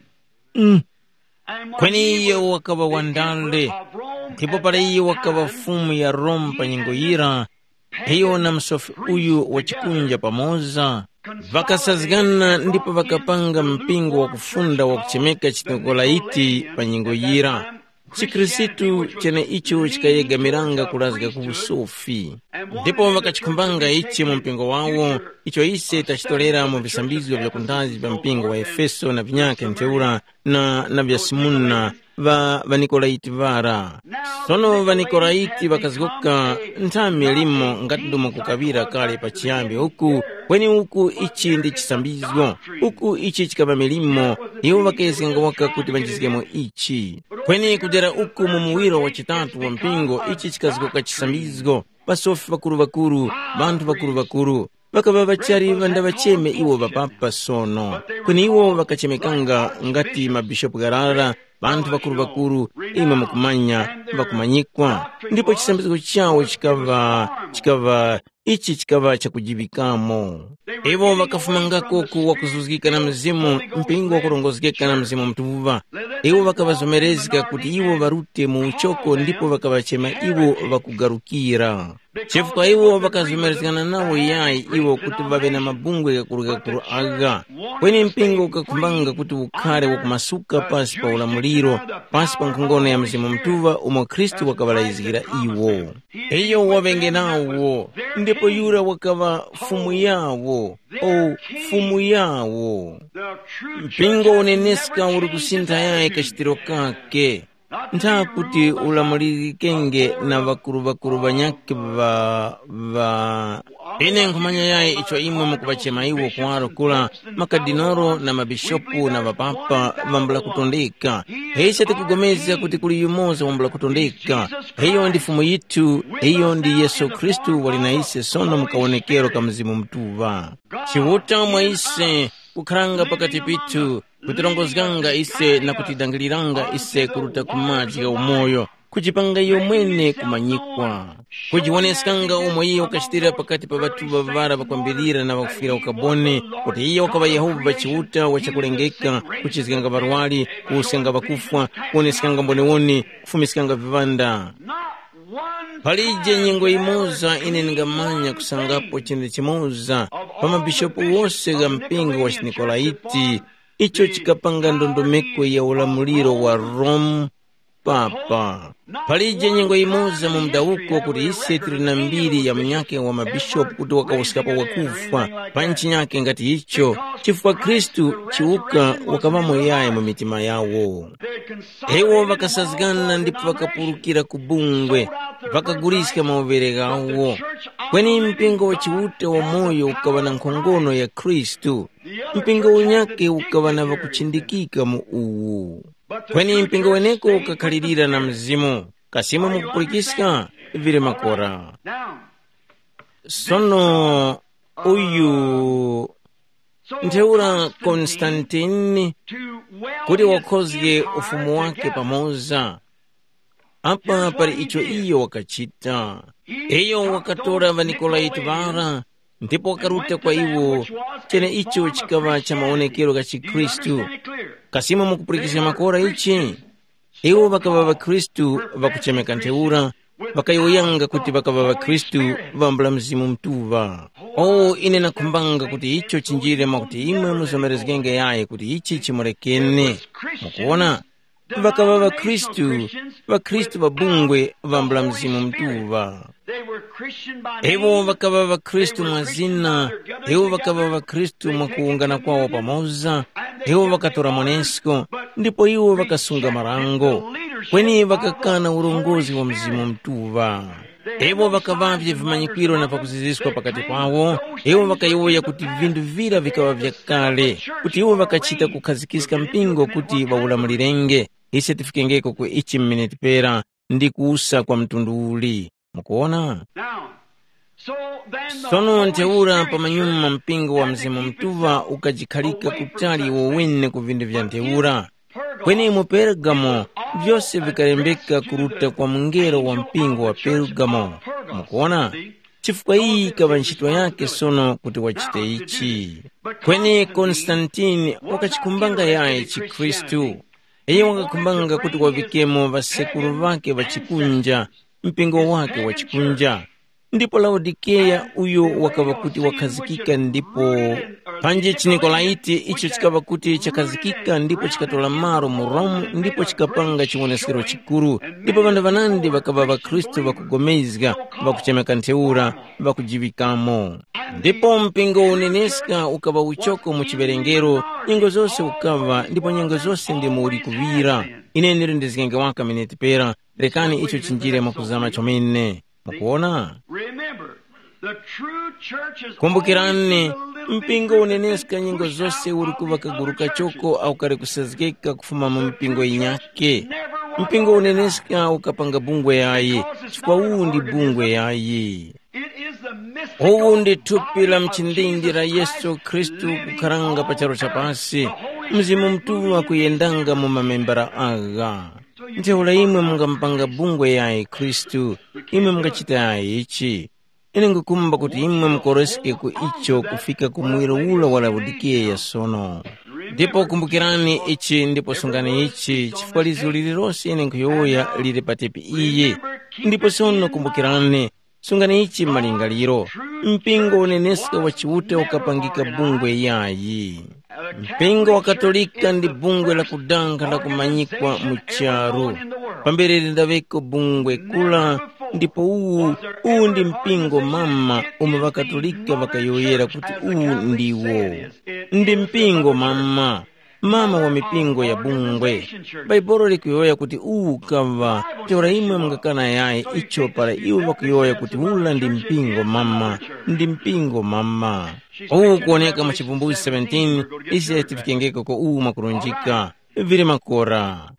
Mm. Kweni iye wakaŵa wandale, ndipo para iye wakaŵa fumu ya Roma pa nyengo yira, iyo na msofi uyu wa chikunja pamoza, ŵakasazgana ndipo ŵakapanga mpingo wakufunda wakuchemeka Chinikolai pa nyengo yira. ChiKhristu cheneicho chikayegamiranga kulazga ku usofi. Ndipo ŵakachikhumbanga ichi mu mpingo wawo, icho ise tachitorera mu visambizgo vya kundazi vya mpingo wa Efeso na vinyakhe ntheura na, na vya Simuna, ŵa ŵaNikolaiti ŵara. Sono ŵaNikolaiti ŵakazgoka nthami limo ngati ndomwe kukaŵira kale pachiyambi uku, kweni uku ichi ndi chisambizgo, uku ichi chikaŵa milimo, iwo ŵakayezganga waka kuti ŵanjizgemo ichi. Kweni kudera uku mu muwiro wa chitatu wa mpingo ichi chikazgoka chisambizgo, pasofi ŵakuru-ŵakuru, ŵanthu ŵakuru-ŵakuru, ŵakaŵa ŵachali ŵandaŵacheme iwo ŵapapa sono. Kweni iwo ŵakachemekanga ngati mabishopu gharara, Panthu ŵakuru-ŵakuru, imwe mukumanya, ŵakumanyikwa, ndipo chisambizgo chawo chikaŵa, chikaŵa, ichi chikaŵa chakujiŵikamo. Iwo ŵakafumangako ku wakuzuzgika na Mzimu, mpingo wakurongozgeka na Mzimu Mutuŵa. Iwo ŵakaŵazomerezga kuti iwo ŵarute mu uchoko ndipo ŵakaŵachema iwo ŵakugarukira. Chifukwa iwo ŵakazomerezgana nawo yayi iwo kuti ŵaŵe na mabungwe ghakurughakurugha, kweni mpingo ukakhumbanga kuti ukhare wakumasuka pasi pa ulamuliro, pasi pa nkhongono ya Mzimu Mutuŵa umo Khristu wakaŵalayizgira iwo. Iyo waŵenge nawo, ndipo yura wakaŵa Fumu yawo, o Fumu yawo. Mpingo uneneska uli kusintha yayi kachitiro kake. Ntha kuti ulamulirikenge na ŵakuru-ŵakuru ŵanyakhe ŵa ŵa ine nkhumanya yayi icho imwe mukuŵachema iwo kuwaro kula, makadinolo na mabishopu na ŵapapa ŵambula kutondeka. Ise tikupulikana kuti kuli yumoza wambula kutondeka. Iyo ndi Fumu yithu, iyo ndi Yesu Khristu wali na ise sono mu kawonekero ka Mzimu Mutuŵa. Chiuta mwa ise, kukharanga pakati pithu, kutirongozganga ise na kutidangiliranga ise kuruta ku madzi gha umoyo, kujipanga iyo mwene kumanyikwa. Kujiwoneskanga umo iyo wakachitira pakati pa ŵathu ŵaŵara ŵakwambirira na ŵakufwira ukaboni, kuti iyo wakaŵa Yehova Chiuta wa chakulengeka, kuchizganga ŵarwari, kuwuskanga ŵakufwa, kuwoneskanga mboniwoni, kufumiskanga viŵanda. Palije nyengo yimoza ine ndingamanya kusangapo chinthu chimoza pa mabishopu wose gha mpingo wa chiNikolaiti, icho chikapanga ndondomeko ya ulamuliro wa Rome papa. Palije nyengo yimoza mu mudawuko kuti ise tili na mbiri ya munyakhe wa mabishopu kuti wakawuskapo wakufwa pa nchinyakhe ngati icho, chifukwa Khristu chiwuka wakaŵamo yayi mu mitima yawo. Iwo ŵakasazgana ndipo ŵakapulukira ku bungwe, ŵakaguliska mauvere ghawo. Kweni mpingo wa Chiuta wamoyo ukaŵa na nkhongono ya Khristu. Mpingo unyakhe ukaŵa na ŵakuchindikika mu uwu. Kweni mpingo weneko ukakhalirira na Mzimu. Kasi imwe mukupulikiska? Vili makora. Now, sono uyu ntheura Konstantini kuti wakhozge ufumu wake pamoza. Apa pali icho iyo wakachita. Iyo wakatora ŵaNikolaiti ŵara ndipo wakaruta kwa iwo cheneicho chikaŵa cha mawonekero gha chikhristu. Kasi imwe mukupulikizga makora ichi? Iwo ŵakaŵa ŵakhristu ŵakuchemeka ntheura, ŵakayowoyanga kuti ŵakaŵa ŵakhristu ŵambula Mzimu Mutuŵa. O, ine nakhumbanga kuti icho chinjire mwakuti imwe muzomerezgenge yayi kuti ichi chimulekene. Mukuwona? Ŵakaŵa ŵakhristu, ŵakhristu ŵa bungwe ŵambula Mzimu Mutuŵa. Iwo ŵakaŵa ŵakhristu mwa zina, iwo ŵakaŵa ŵakhristu mwa kuwungana kwawo pamoza, iwo ŵakatora mwanesko, ndipo iwo ŵakasunga marango, kweni ŵakakana urongozi wa Mzimu Mutuŵa. Iwo ŵakaŵavye vimanyikwiro na pakuziziska pakati pawo, iwo ŵakayowoya kuti vinthu vira vikaŵa vyakale, kuti iwo ŵakachita kukhazikiska mpingo kuti ŵawulamulirenge. Ise tifikengeko ku ichi m'miniti pera, ndi kuwusa kwa mtundu uli. Mukuwona? Now, so then the Sono Holy ntheura Spirit pamanyuma mpingo wa Mzimu Mutuŵa ukajikhalika kutali iwo wene ku vinthu vya ntheura. Kweni mu Pergamo vyose vikalembeka kuruta kwa mungelo wa mpingo wa Pergamo. Mukuwona? Chifukwa iyi ikaŵa ntchito yake sono kuti wachite ichi. Kweni Konstantini wakachikumbanga yayi chikhristu. Iye wakakhumbanga kuti waŵikemo ŵasekuru ŵakhe ŵa chikunja, mpingo wakhe wa chikunja. Ndipo Laodikeya uyo wakaŵa kuti wakhazikika ndipo panje chiNikolaiti icho chikaŵa kuti chakhazikika ndipo chikatora malo mu Rome ndipo chikapanga chiwoneskero chikuru, ndipo ŵanthu ŵanandi ŵakaŵa ŵakhristu ŵakugomezga, ŵakuchemeka ntheura, ŵakujiŵikamo. Ndipo mpingo uneneska ukaŵa uchoko mu chiwerengero, nyengo zose ukaŵa ndipo nyengo zose ndimo uli kuŵira. Ine ndili ndizgenge waka miniti pera, rekani icho chinjire mwakuzama chomene. Mukuona? Remember, the true church is Kumbukirani, always the living mpingo uneneska nyengo zose uli kuŵa kaguru kachoko au kali kusazgeka kufuma mu mipingo yinyake. Mpingo uneneska ukapanga bungwe yayi, chifukwa uwu ndi bungwe yayi. Uwu ndi thupi la mchindindi la Yesu Khristu kukharanga pa charu cha pasi. Mzimu Mutuŵa kuyendanga mu mamembara agha. Ntheura imwe mungamupanga bungwe yayi Khristu, imwe mungachita yayi ichi. Ine ngukumba kuti imwe mukoroske ku icho kufika ku muwiro ula wa Laodikeya sono. Ndipo kumbukirani ichi ndipo sungani ichi, chifukwa lizgu lililose ine nkhuyowoya lili patepi iyi. Ndipo sono kumbukirani, sungani ichi malingaliro, mpingo uneneska wa Chiuta ukapangika bungwe yayi. Mpingo wa Katolika ndi bungwe la kudanga la kumanyikwa mu charu. Pambere lindaŵeko bungwe kula, ndipo uwu, uwu ndi mpingo mama umo ŵaKatolika ŵakayowoyera kuti uwu ndiwo. Ndi mpingo mama, mama wa mipingo ya bungwe. Bhaibuli likuyowoya kuti uwu ukaŵa, ntheura imwe mungakana yayi icho para iwo ŵakuyowoya kuti ula ndi mpingo mama, ndi mpingo mama. Uwu ukuwoneka mu Chivumbulutso seventeen, ise tifikengeko ko uwu mwakurunjika. Vili makora.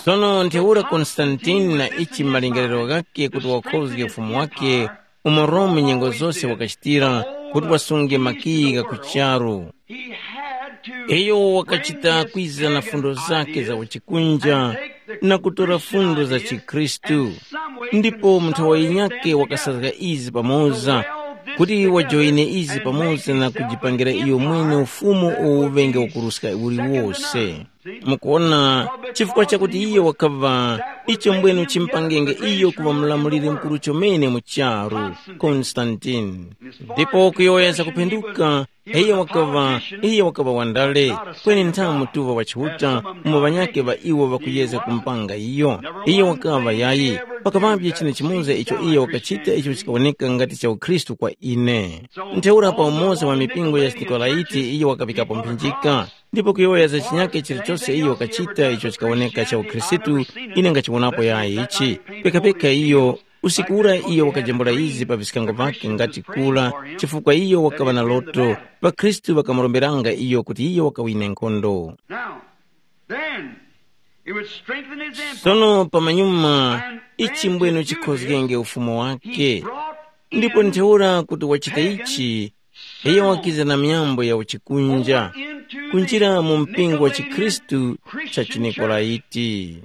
Sono ntheura Konstantini na ichi malingaliro ghakhe kuti wakhozge ufumu wakhe, umo Rome nyengo zose wakachitira kuti wasunge makiyi gha ku charu. Iyo wakachita kwiza na fundo zakhe za uchikunja na kutora fundo za chikhristu. Ndipo munthu wa yinyake wakasazga izi pamoza, kuti wajoyine izi pamoza na kujipangira iyo mwene ufumu uwo uŵenge wakuruska uliwose. Mukuona, chifukwa chakuti iyo wakaŵa, icho mbwenu chimpangenge iyo kuŵa mulamuliri mukuru chomene mu charu, Konstantini. Ndipo kuyowoya za kuphenduka, iye wakaŵa, iye wakaŵa wandale, kweni nthamu mutuŵa wa Chiuta, umo ŵanyakhe ŵa iwo ŵakuyezga kumpanga iyo. Iye wakaŵa yayi, pakaŵavye chine chimoza icho iye wakachita icho chikawoneka ngati cha ukhristu kwa ine. Ntheura pa umoza wa mipingo ya Nikolaiti iye wakaŵikapo mphinjika, ndipo kuyowoya za chinyake chilichose iyo wakachita icho chikawoneka cha ukhristu, ine ngachiwonapo yayi ichi. Pekapeka iyo, usiku ura iyo wakajambula izi pa viskango vakhe ngati kula, chifukwa iyo wakaŵa na loto, ŵakhristu ŵakamuromberanga iyo kuti iyo wakawine nkhondo. Now, then, it would strengthen his empire. Sono pamanyuma, ichi mbwenu chikhozgenge ufumu wake. Ndipo ntheura kuti wachita ichi, iyo wakiza na myambo ya uchikunja, kunjira mu mpingo wa chikhristu cha chiNikolaiti.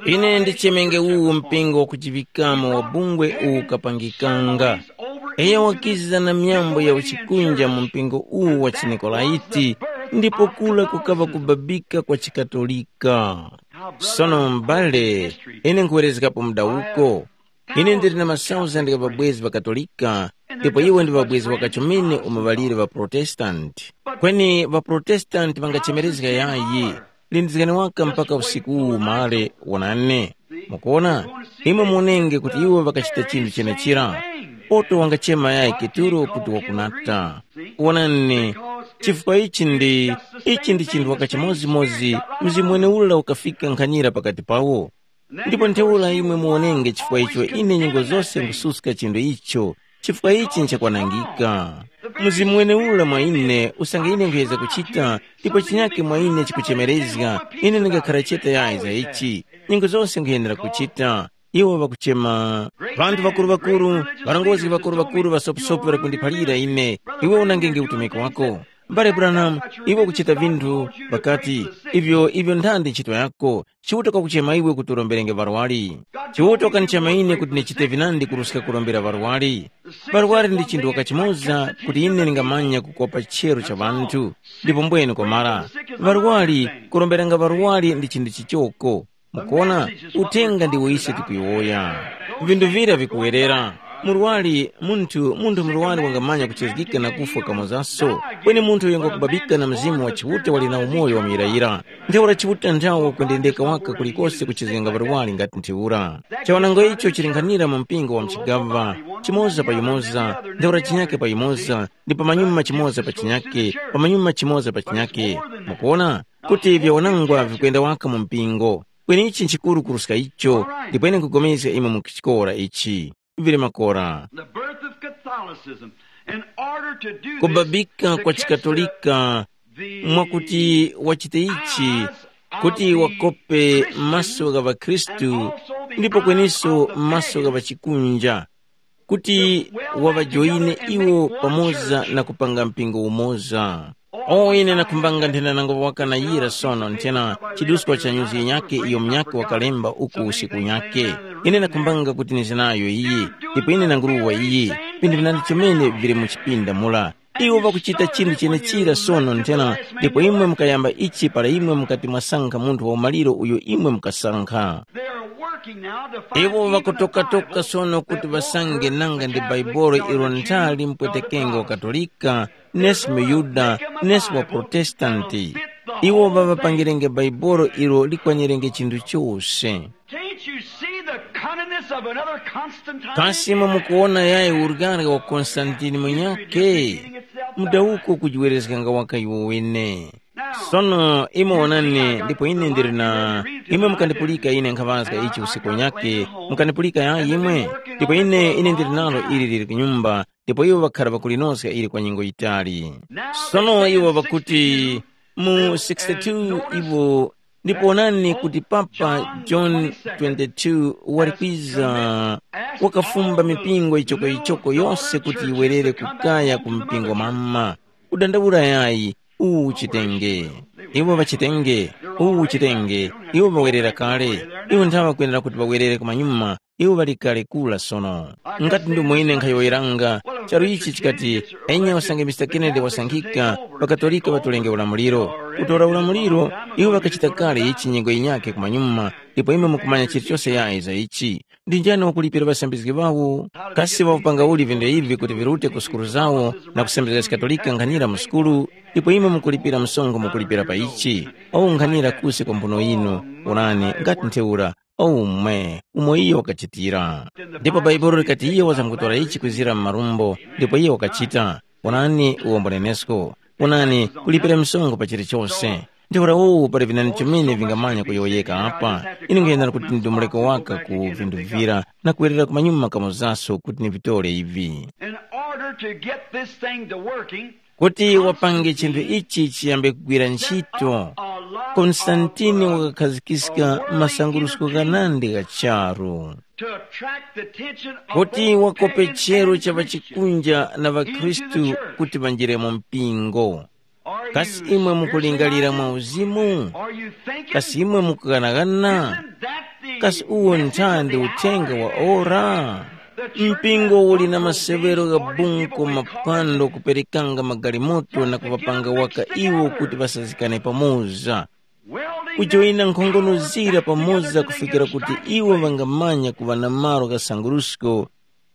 Ine ndichemenge uwu mpingo wa kujiŵikamo wa bungwe uwu ukapangikanga. Iyo wakiza na myambo ya uchikunja mu mpingo uwu wa chiNikolaiti, ndipo kula kukaŵa kubabika kwa chikatolika. Sono m'bale, ine nkhuwerezgapo mudawuko. Ine ndili na masauzandi gha ŵabwezi ŵa Katolika, ndipo iwo ndi ŵabwezi ŵakachomene umo ŵaliri ŵa Protestanti. Kweni ŵaProtestanti ŵangachemerezga yayi, lindizgani waka mpaka usiku uwu umale, wonani. Mukuona, imwe muonenge kuti iwo ŵakachita chinthu chenechira. Poto wangachema yayi Keturo kuti wakunata. Wonani, chifukwa ichi ndi, ichi ndi chinthu waka chimodzimodzi, mzimu weneura ukafika nkhanira pakati pawo. Ndipo ntheura imwe muwonenge chifukwa icho ine nyengo zose nkususka chinthu icho, chifukwa ichi nchakwanangika. Mzimu weneura mwa ine usange ine nkhuyeza kuchita, ndipo chinyake mwa ine chikuchemerezga, ine ndingakhara chete yayi za ichi. Nyengo zose nkhuyenera kuchita. Iwo ŵakuchema, ŵanthu ŵakuru-ŵakuru, ŵarongozgi ŵakuru-ŵakuru ŵasoposopo ŵakundiphalira ine, iwe unangenge utumiki wako. Mbale Branham, iwe ukuchita vinthu, ŵakati, ivyo, ivyo nthandi ntchito yako, Chiuta kwakuchema iwe kuti uromberenge ŵarwari. Chiuta wakandichema ine kuti ndichite vinandi kuruska kurombera ŵarwari. Ŵarwari ndi chinthu wakachimoza kuti ine ndingamanya kukopa chero cha ŵanthu, ndipo mbwene kwamara. Ŵarwari, kuromberanga ŵarwari ndi chinthu chichoko. Mukuona, uthenga ndiwo ise tikuyowoya. Vinthu vira vikuwerera. Murwari, munthu, munthu murwari wangamanya kuchizgika na kufwa kamozaso. Kweni munthu uyo ngwakubabika na Mzimu wa Chiuta wali na umoyo wa muyirayira. Ntheura Chiuta nthawe wakwendendeka waka kulikose kuchizganga ŵarwari ngati ntheura. Chawanango icho chilinghanira mu mpingo wa mchigava, chimoza pa yumoza, ntheura chinyake pa yumoza, ndi pamanyuma chimoza pa chinyake, pamanyuma chimoza pa chinyake. Mukuona, kuti vyawanangwa vikwenda waka mu mpingo. Kweni ichi nchikuru kuruska icho, ndipo ine nkugomezga imwe mu chikora ichi. Vili makora. The birth of Catholicism. In order to do this, Kubabika to kwa catch the, chikatolika the mwakuti wachite ichi, eyes of kuti the wakope Christians maso gha ŵakhristu, and also the ndipo eyes kweninso of the maso gha pagans. Ŵachikunja, kuti waŵajoyine iwo pamoza na kupanga mpingo umoza. O ine nakhumbanga nthena nango wakanayira sono nthena chiduskwa cha nyuzi yinyakhe iyo munyakhe wakalemba uku usiku unyakhe. Ine nakhumbanga kuti nize nayo iyi, ndipo ine nanguruwa iyi, vinthu vinandi chomene vili mu chipinda mula. Iwo ŵakuchita chinthu chenechira sono nthena, ndipo imwe mukayamba ichi para imwe mukati mwasankha munthu wa umaliro uyo imwe mukasankha. They are working now to find Iwo even a ŵakutokatoka Bible sono kuti that won't ŵasange hurt nanga the ndi Catholic bhaibolo or ilo the ntha Jew limpwetekenga or the wa Katolika, nesi muyuda, nesi wa Protestanti. Iwo ŵaŵapangirenge bhaibolo ilo likwanirenge chinthu chose. Can't you see the cunningness of another Constantine? Kasi imwe mukuwona yayi uryanga wa Konstantini munyakhe? Mudawuko kujiwerezganga waka iwo wene. Sono imwe wonani, ndipo ine ndili na imwe mukandipulika ine nkhaŵazga ichi usiku unyakhe, mukandipulika yayi imwe? Ndipo ine ine ndili nalo ili lili kunyumba, ndipo iwo ŵakhara ŵakulinoska ili kwa nyengo yitali. Sono iwo ŵakuti mu sixty-two iwo, ndipo onani kuti Papa John twenty-two wali kwiza, wakafumba mipingo ichoko-ichoko yose kuti yiwerere kukaya ku mpingo mama. Kudandaula yayi, uwu uchitenge. Iwo ŵachitenge, uwu uchitenge, iwo ŵawerera kale. Iwo nthawe kwenera kuti ŵawerere kumanyuma, iwo ŵali kale kula sono. Ngati ndi mwine nkhayowoyeranga, charu ichi chikati, enya usange Mister Kennedy wasankhika, ŵakatolika ŵatolenge ulamuliro. Kutora ulamuliro, iwo ŵakachita kale ichi nyengo yinyakhe kumanyuma, ndipo imwe mukumanya chilichose yayi za ichi. Ndi njani wakulipira ŵasambizgi ŵawo? Kasi ŵakupanga uli vinthu ivi kuti virute ku sukulu zawo na kusembezga chikatolika nkhanira mu sukulu? Ndipo imwe mukulipira msonkho mukulipira pa ichi. Owu nkhanira kusi kwa mphuno yinu, onani, ngati ntheura, owu mwe, umo iyo wakachitira. Ndipo Bhaibuli likati iyo wazamkutora ichi kwizira mu marumbo, ndipo iyo wakachita. Onani, uwo mbunenesko. Onani, kulipira msonkho pa chilichose. Ntheura uwu pali vinani chomene vingamanya kuyowoyeka apa. Ine nkuyendera kuti ndidumuleko waka ku vinthu vira na kuwerera kumanyuma kamozaso kuti nivitore ivi. In order to get this thing to working, kuti wapange chinthu ichi chiyambe kugwira ntchito, Konstantini wakakhazikika masangurusko ghanandi gha charu, to attract the attention of kuti both wakope pagans chero and cha Christians ŵachikunja na ŵakhristu into the church. Kuti ŵanjire mu mpingo. Kasi imwe mukulingalira mwa uzimu? Kasi imwe mukughanaghana? Kasi uwo nthandi uthenga wa ora? Mpingo uli na masewero gha bunko maphwando kuperekanga magalimoto na kuŵapanga waka iwo kuti ŵasazikane pamoza, kujoyina nkhongono zira pamoza kufikira kuti iwo ŵangamanya kuŵa na malo gha sangurusko.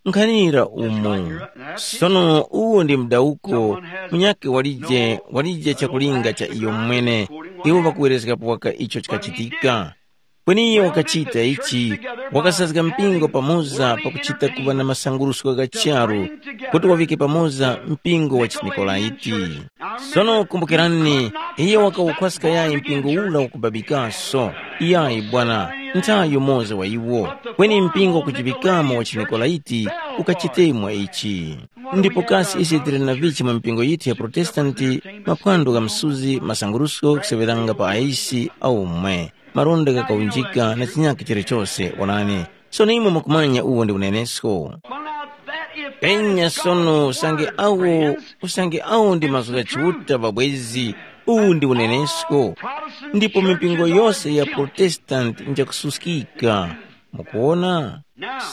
Nkhanira umu. Sono uwo ndi mdawuko, munyakhe walije walije chakulinga cha iyo mwene. Iwo ŵakuwerezgapo waka icho chikachitika. Kweni iyo wakachita ichi, wakasazga mpingo pamoza pakuchita kuŵa na masangurusko gha charu, kuti wavike pamoza mpingo wa chinikolaiti. Sono kumbukirani, iyo wakawukhwaska yayi mpingo ula wakubabikaso. Iyayi bwana, nthayo moza wa iwo. Kweni mpingo wakujibikamo wa chinikolaiti ukachitemwa ichi. Ndipo kasi ise tili na vichi mu mipingo yithu ya Protestanti, maphwando gha msuzi, masangurusko kuseŵeranga pa aisi aumwe, maronda ghakaunjika na chinyakhe chilichose, onani. Sono imwe mukumanya uwo ndi unenesko. Penya sono usange awo usange awo ndi mazgu gha Chiuta ŵabwezi, uwu ndi unenesko. Ndipo mipingo yose ya Protestanti njakususkika. Mukuwona?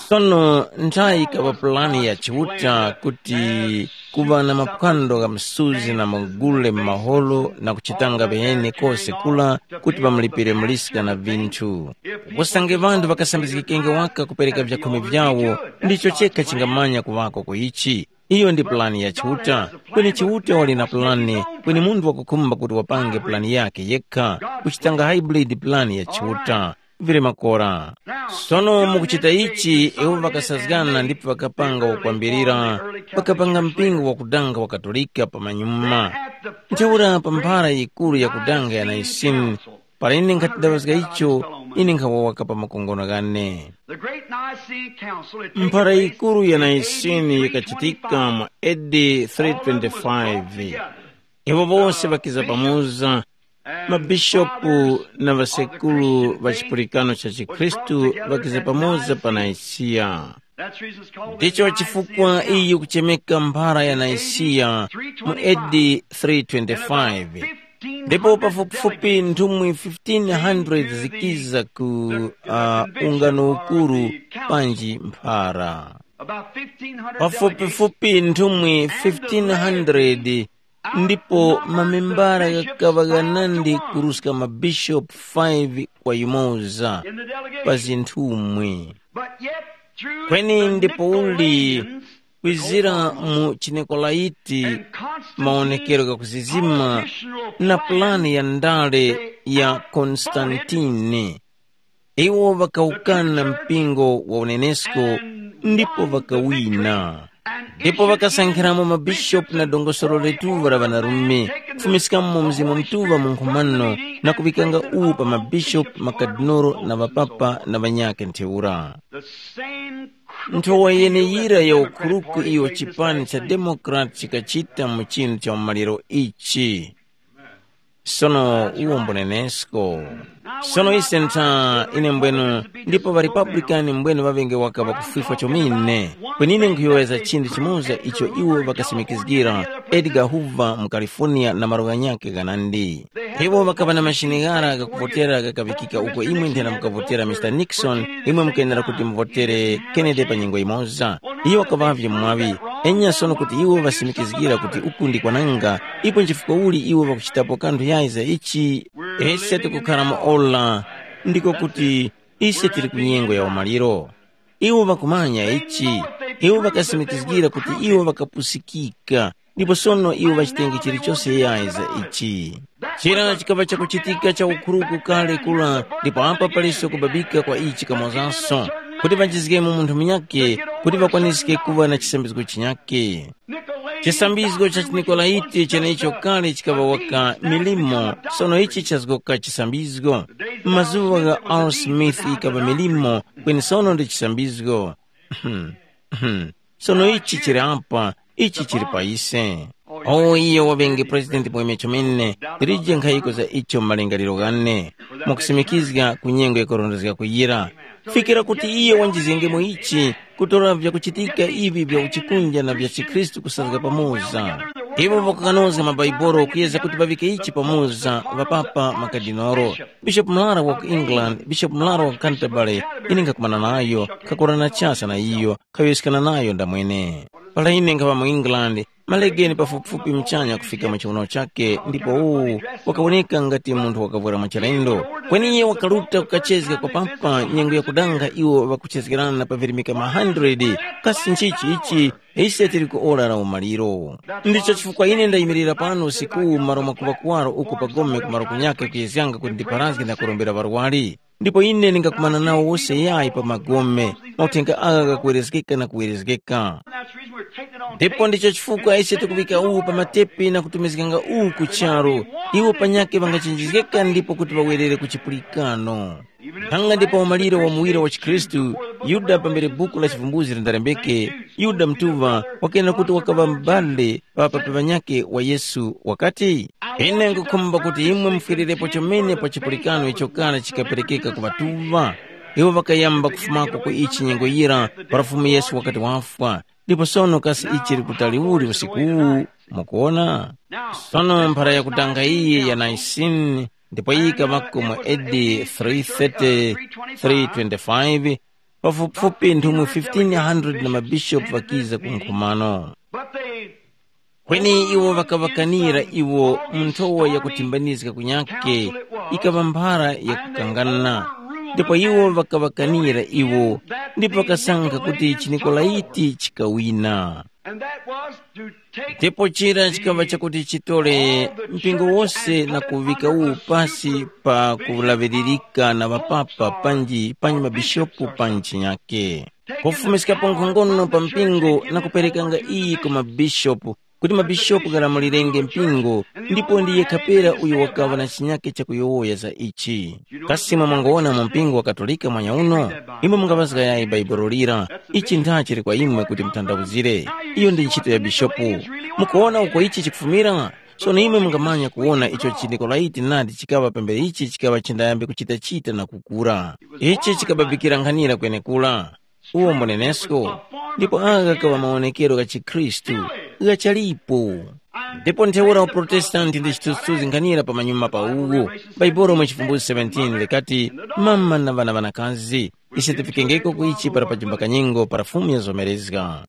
Sono nthayi ikaŵa pulani ya Chiuta kuti kuŵa na maphwando gha msuzi na magule m'maholo na kuchitanga ŵene kose kula kuti ŵamulipire muliska na vinthu. Usange ŵanthu ŵakasambizgikenge waka kupereka vyakhumi vyawo, ndicho chekha chingamanya kuŵako ku ichi. Iyo ndi pulani ya Chiuta. Kweni Chiuta wali na pulani, kweni munthu wakukhumba kuti wapange pulani yakhe yekha, kuchitanga hybrid pulani ya Chiuta. Vili makora. Sono mukuchita ichi, iwo ŵakasazgana ndipo ŵakapanga wakwambirira, ŵakapanga mpingo wakudanga wa Katolika pamanyuma. Ntheura pa mphara yikuru yakudanga ya Naisini, para ine nkhati ndaŵazga icho, ine nkhawawaka pa makongono ghane. The great Nicene Council had taken Mphara place yikuru ya in Naisini A D yikachitika mu A D three twenty-five. Iwo bose ŵakiza pamoza, Mabishopu na ŵasekuru ŵa chipulikano cha chikhristu ŵakiza pamoza pa Nisiya. Ndicho chifukwa iyi kuchemeka mphara ya Nisiya mu A D three twenty-five. Ndipo pafupifupi nthumwi fifteen hundred zikiza ku uh, ungano ukuru panji mphara. Pafupifupi nthumwi fifteen hundred ndipo mamembara ghakaŵa ghanandi kuruska mabishopu five kwa yumoza pa zinthumwi. Kweni ndipo uli kwizira mu chinikolaiti, mawonekero ghakuzizima na pulani ya ndale ya Konstantini. Iwo ŵakawukana mpingo wa unenesko ndipo ŵakawina. Ndipo ŵakasankhiramo mabishopu na dongosolo letuŵa la ŵanarume, kufumiskamo Mzimu Mutuŵa mu nkhumano na kuŵikanga uwu pa mabishopu, makadinolo na ŵapapa na ŵanyakhe ntheura. Nthowa yeneyira ya ukhuruku iyo chipani cha Democrat chikachita mu chinthu cha umaliro ichi. Sono uwo mbunenesko. Sono ise ntha ine mbwenu, ndipo ŵa Republican mbwenu ŵaŵenge waka ŵakufwifwa chomene. Kwenine nkhuyowoyeza chinthu chimoza icho iwo ŵakasimikizgira, Edgar Hoover mu California na malo ghanyakhe ghanandi. Iwo ŵakaŵa na mashini ghara ghakuvotera ghakaŵikika uko imwe nthena mukavotera Mister Nixon, imwe mukenera kuti muvotere Kennedy pa nyengo yimoza. Iyo wakaŵavye mwaŵi. Enya sono kuti iwo ŵasimikizgira kuti uku ndi kwananga, ipo nchifukwa uli iwo ŵakuchitapo kanthu yayi za ichi? Ise tikukhara mu ola, ndiko kuti ise tili ku nyengo ya umaliro. Iwo ŵakumanya ichi, iwo ŵakasimikizgira kuti iwo ŵakapusikika, ndipo sono iwo ŵachitenge chilichose yayi za ichi. Chira chikaŵa chakuchitika cha ukhuruku kale kula, ndipo apa paliso kubabika kwa ichi kamozanso, kuti ŵanjizgemo munthu munyakhe, kuti ŵakwaniske kuŵa na chisambizgo chinyakhe. Chisambizgo cha chiNikolaiti cheneicho kale chikaŵa waka milimo, sono ichi chazgoka chisambizgo. M'mazuŵa gha R. Smith yikaŵa milimo, kweni sono ndi chisambizgo. Sono ichi chili apa, ichi chili pa ise. O iyo waŵenge president mweme chomene, ndilije nkhayiko za icho mu malingaliro ghane, mwakusimikizga ku nyengo yakurondezga kuyira. Fikira kuti iyo wanjizgengemo ichi, kutora vyakuchitika ivi vya uchikunja na vya chikhristu kusazga pamoza. Iwo ŵakukanozga mabhaibolo kuyeza kuti ŵaŵike ichi pamoza, ŵapapa makadinoro, bishopu murara wa ku England, bishopu murara wa ku Canterbury, ine nkhakumana nayo, nkhakora na chasa na iyo, nkhayowoyeskana nayo ndamwene. Para ine nkhaŵa mu England, malegeni pafupifupi muchanya kufika mu chiwuno chakhe, ndipo uwu wakawoneka ngati munthu wakavwera mwachilendo. Kweni iye wakaruta kukachezga kwa pampa nyengo yakudanga iwo ŵakuchezgerana pavirimika ma hundred. Kasi nchichi ichi? Ise tili ku ora la umaliro. Ndicho chifukwa ine ndayimirira pano usikuwu m'malo mwakuŵa kuwaro uku pa gome kumaro kunyakhe kuyezganga kuti ndipharazge na kurombera ŵarwari. Ndipo ine ndingakumana nawo wose yayi pa magome, mauthenga agha ghakuwerezgeka na kuwerezgeka. Ndipo ndicho chifukwa ise tikuŵika uwu pa matepi na kutumizganga uwu ku charu, iwo panyakhe ŵangachenjezgeka ndipo kuti ŵawerere ku chipulikano. Nkhanga ndi pa umaliro wa muwiro wa chikhristu, Yuda pambere buku la chivumbuzi lindalembeke, Yuda mtuŵa wakena kuti wakaŵa m'bale pa papi ŵanyakhe wa Yesu wakati, ine nkhukhumba kuti imwe mufwererepo chomene pa chipulikano icho kale chikaperekeka ku ŵatuŵa. Iwo ŵakayamba kufumako ku ichi nyengo yira para Fumu Yesu wakati wafwa, ndipo sono kasi ichi chili kutali uli usiku uwu? Mukuwona? Sono mphara yakutanga iyi ya Nicene ndipo iyi yikaŵako mu A D three thirty, three twenty-five, pafupifupi nthumwi fifteen hundred na mabishopu ŵakiza ku nkhumano. Kweni iwo ŵakaŵakanira iwo mu nthowa yakuthimbanizga kunyakhe, ikaŵa mphara yakukangana. Ndipo iwo ŵakaŵakanira iwo, ndipo ŵakasankha kuti chiNikolaiti chikawina. And that was to take ndipo chira chikaŵa chakuti chitole mpingo wose na kuŵika uwu pasi pa kulaŵiririka na ŵapapa panji panji mabishopu pa ntchi yake, kufumiskapo nkhongono pa mpingo na kuperekanga iyi ku mabishopu, kuti mabishopu ghalamulirenge mpingo. Ndipo ndi yekha pera uyo wakaŵa na chinyake chakuyowoya za ichi. Kasi imwe mwangowona mu mpingo wa Katolika mwanyauno? Imwe mungaŵazga yayi Bhaibuli lira. Ichi ntha chili kwa imwe kuti mutanthauzire. Iyo ndi ntchito ya bishopu. Mukuwona uko ichi chikufumira? Sono imwe mungamanya kuwona icho chindikolaiti nadi chikaŵa pambere ichi chikaŵa chindayambe kuchita-chita na kukura. Ichi chikababikira nkhanira kwenekura. Uwo munenesko, ndipo agha kaŵa mawonekero gha chikhristu ghachalipo. Ndipo ntheura uprotestanti ndi chithunzithunzi nkhanira pa manyuma pa uwu. Bhaibuli mu chivumbuzi seventeen likati, mama na ŵana ŵanakazi, ise tifikengeko ku ichi para pajumba kanyengo para Fumu yazomerezga.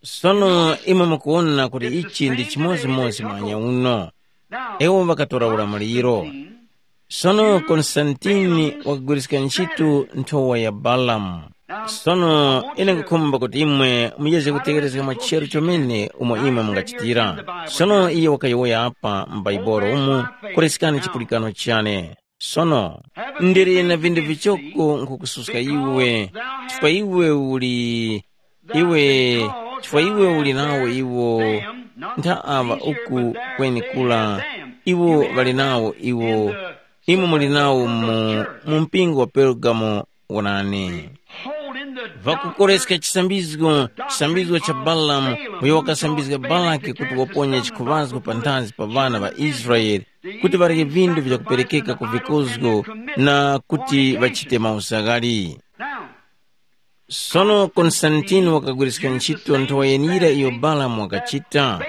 Sono imwe mukuwona kuti ichi ndi chimodzimodzi mwanya uno. Ewo ŵakatora ulamuliro. Sono Konstantini wakagwiriska ntchito nthowa ya Balamu. Sono ine nkukhumba kuti imwe muyeze kutegherezga mwa chero chomene umo imwe mungachitira. Sono iye wakayowoya apa m'Baibulo umu, kuleskani chipulikano chane. Sono, ndili na vindu vichoko nkukususka iwe, chifukwa iwe uli, iwe, chifukwa iwe uli nawo iwo, ntha aŵa uku kweni kula, iwo ŵali nawo iwo, imwe muli nawo mu, mu mpingo wa Pergamo. Wonani, vakukoreska chisambizgo, chisambizgo cha Balamu, uyo wakasambizga Balaki kuti waponye chikhuŵazgo panthazi pa ŵana ŵa Israele, kuti ŵarye vindu vyakuperekeka ku vikozgo na kuti ŵachite mauzaghali. Sono Konstantini wakagwiriska ntchito nthowa yenira iyo Balamu wakachita.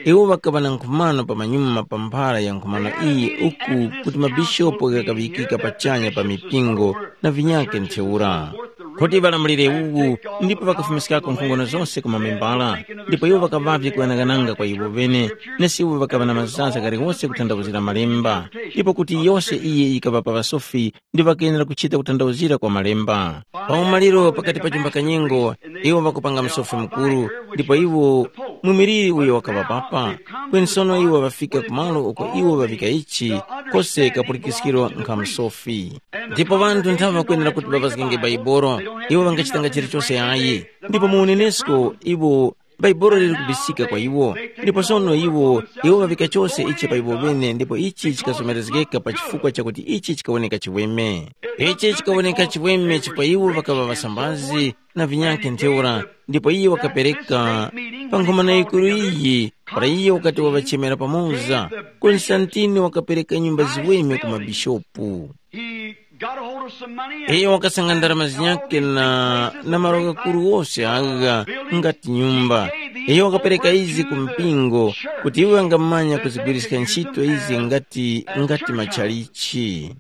Iwo ŵakaŵa na nkhumano pamanyuma pa mphara ya nkhumano iyi uku kuti mabishopo ghakaŵikika pachanya pa mipingo na vinyakhe ntheura. Kuti ŵalamulire uwu ndipo ŵakafumiskako nkhongono zose ku mamembala, ndipo iwo ŵakaŵavye kughanaghananga kwa iwo ŵene, nesi iwo ŵakaŵa na mazaza ghaliwose kuthandawuzira malemba, ndipo kuti yose iyi yikaŵa pa ŵasofi ndi ŵakenera kuchita kuthandawuzira kwa malemba. Pa umaliro pakati pa chumba kanyengo, iwo ŵakupanga msofi mukuru, ndipo iwo mwimiliri uyo wakaŵa papa, kweni sono iwo ŵafika ku malo uko iwo ŵavika ichi, kose kapulikiskiro nkha msofi. Ndipo ŵanthu nthawe ŵakwenera kuti ŵavazgenge Baibolo, iwo ŵangachitanga chilichose ayi. Ndipo mu unenesko iwo Baibolo lili kubisika kwa iwo, ndipo sono iwo iwo ŵavika chose ichi pa iwo ŵene, ndipo ichi chikazomerezgeka pa chifukwa chakuti ichi chikawoneka chiweme. Ichi chikawoneka chiweme chifukwa iwo ŵakaŵa ŵasambazi na vinyakhe ntheura, ndipo iye wakapereka pa nkhumano yikuru iyi, para iye wakati wavachemera pamoza, Konstantini wakapereka nyumba ziweme ku mabishopu. He got a hold of some money and Iyo wakasanga ndarama zinyakhe na, na malo ghakuru ghose agha ngati nyumba. Iyo wakapereka izi ku mpingo kuti iwo angamanya kuzigwiriska ntchito izi ngati, ngati machalichi.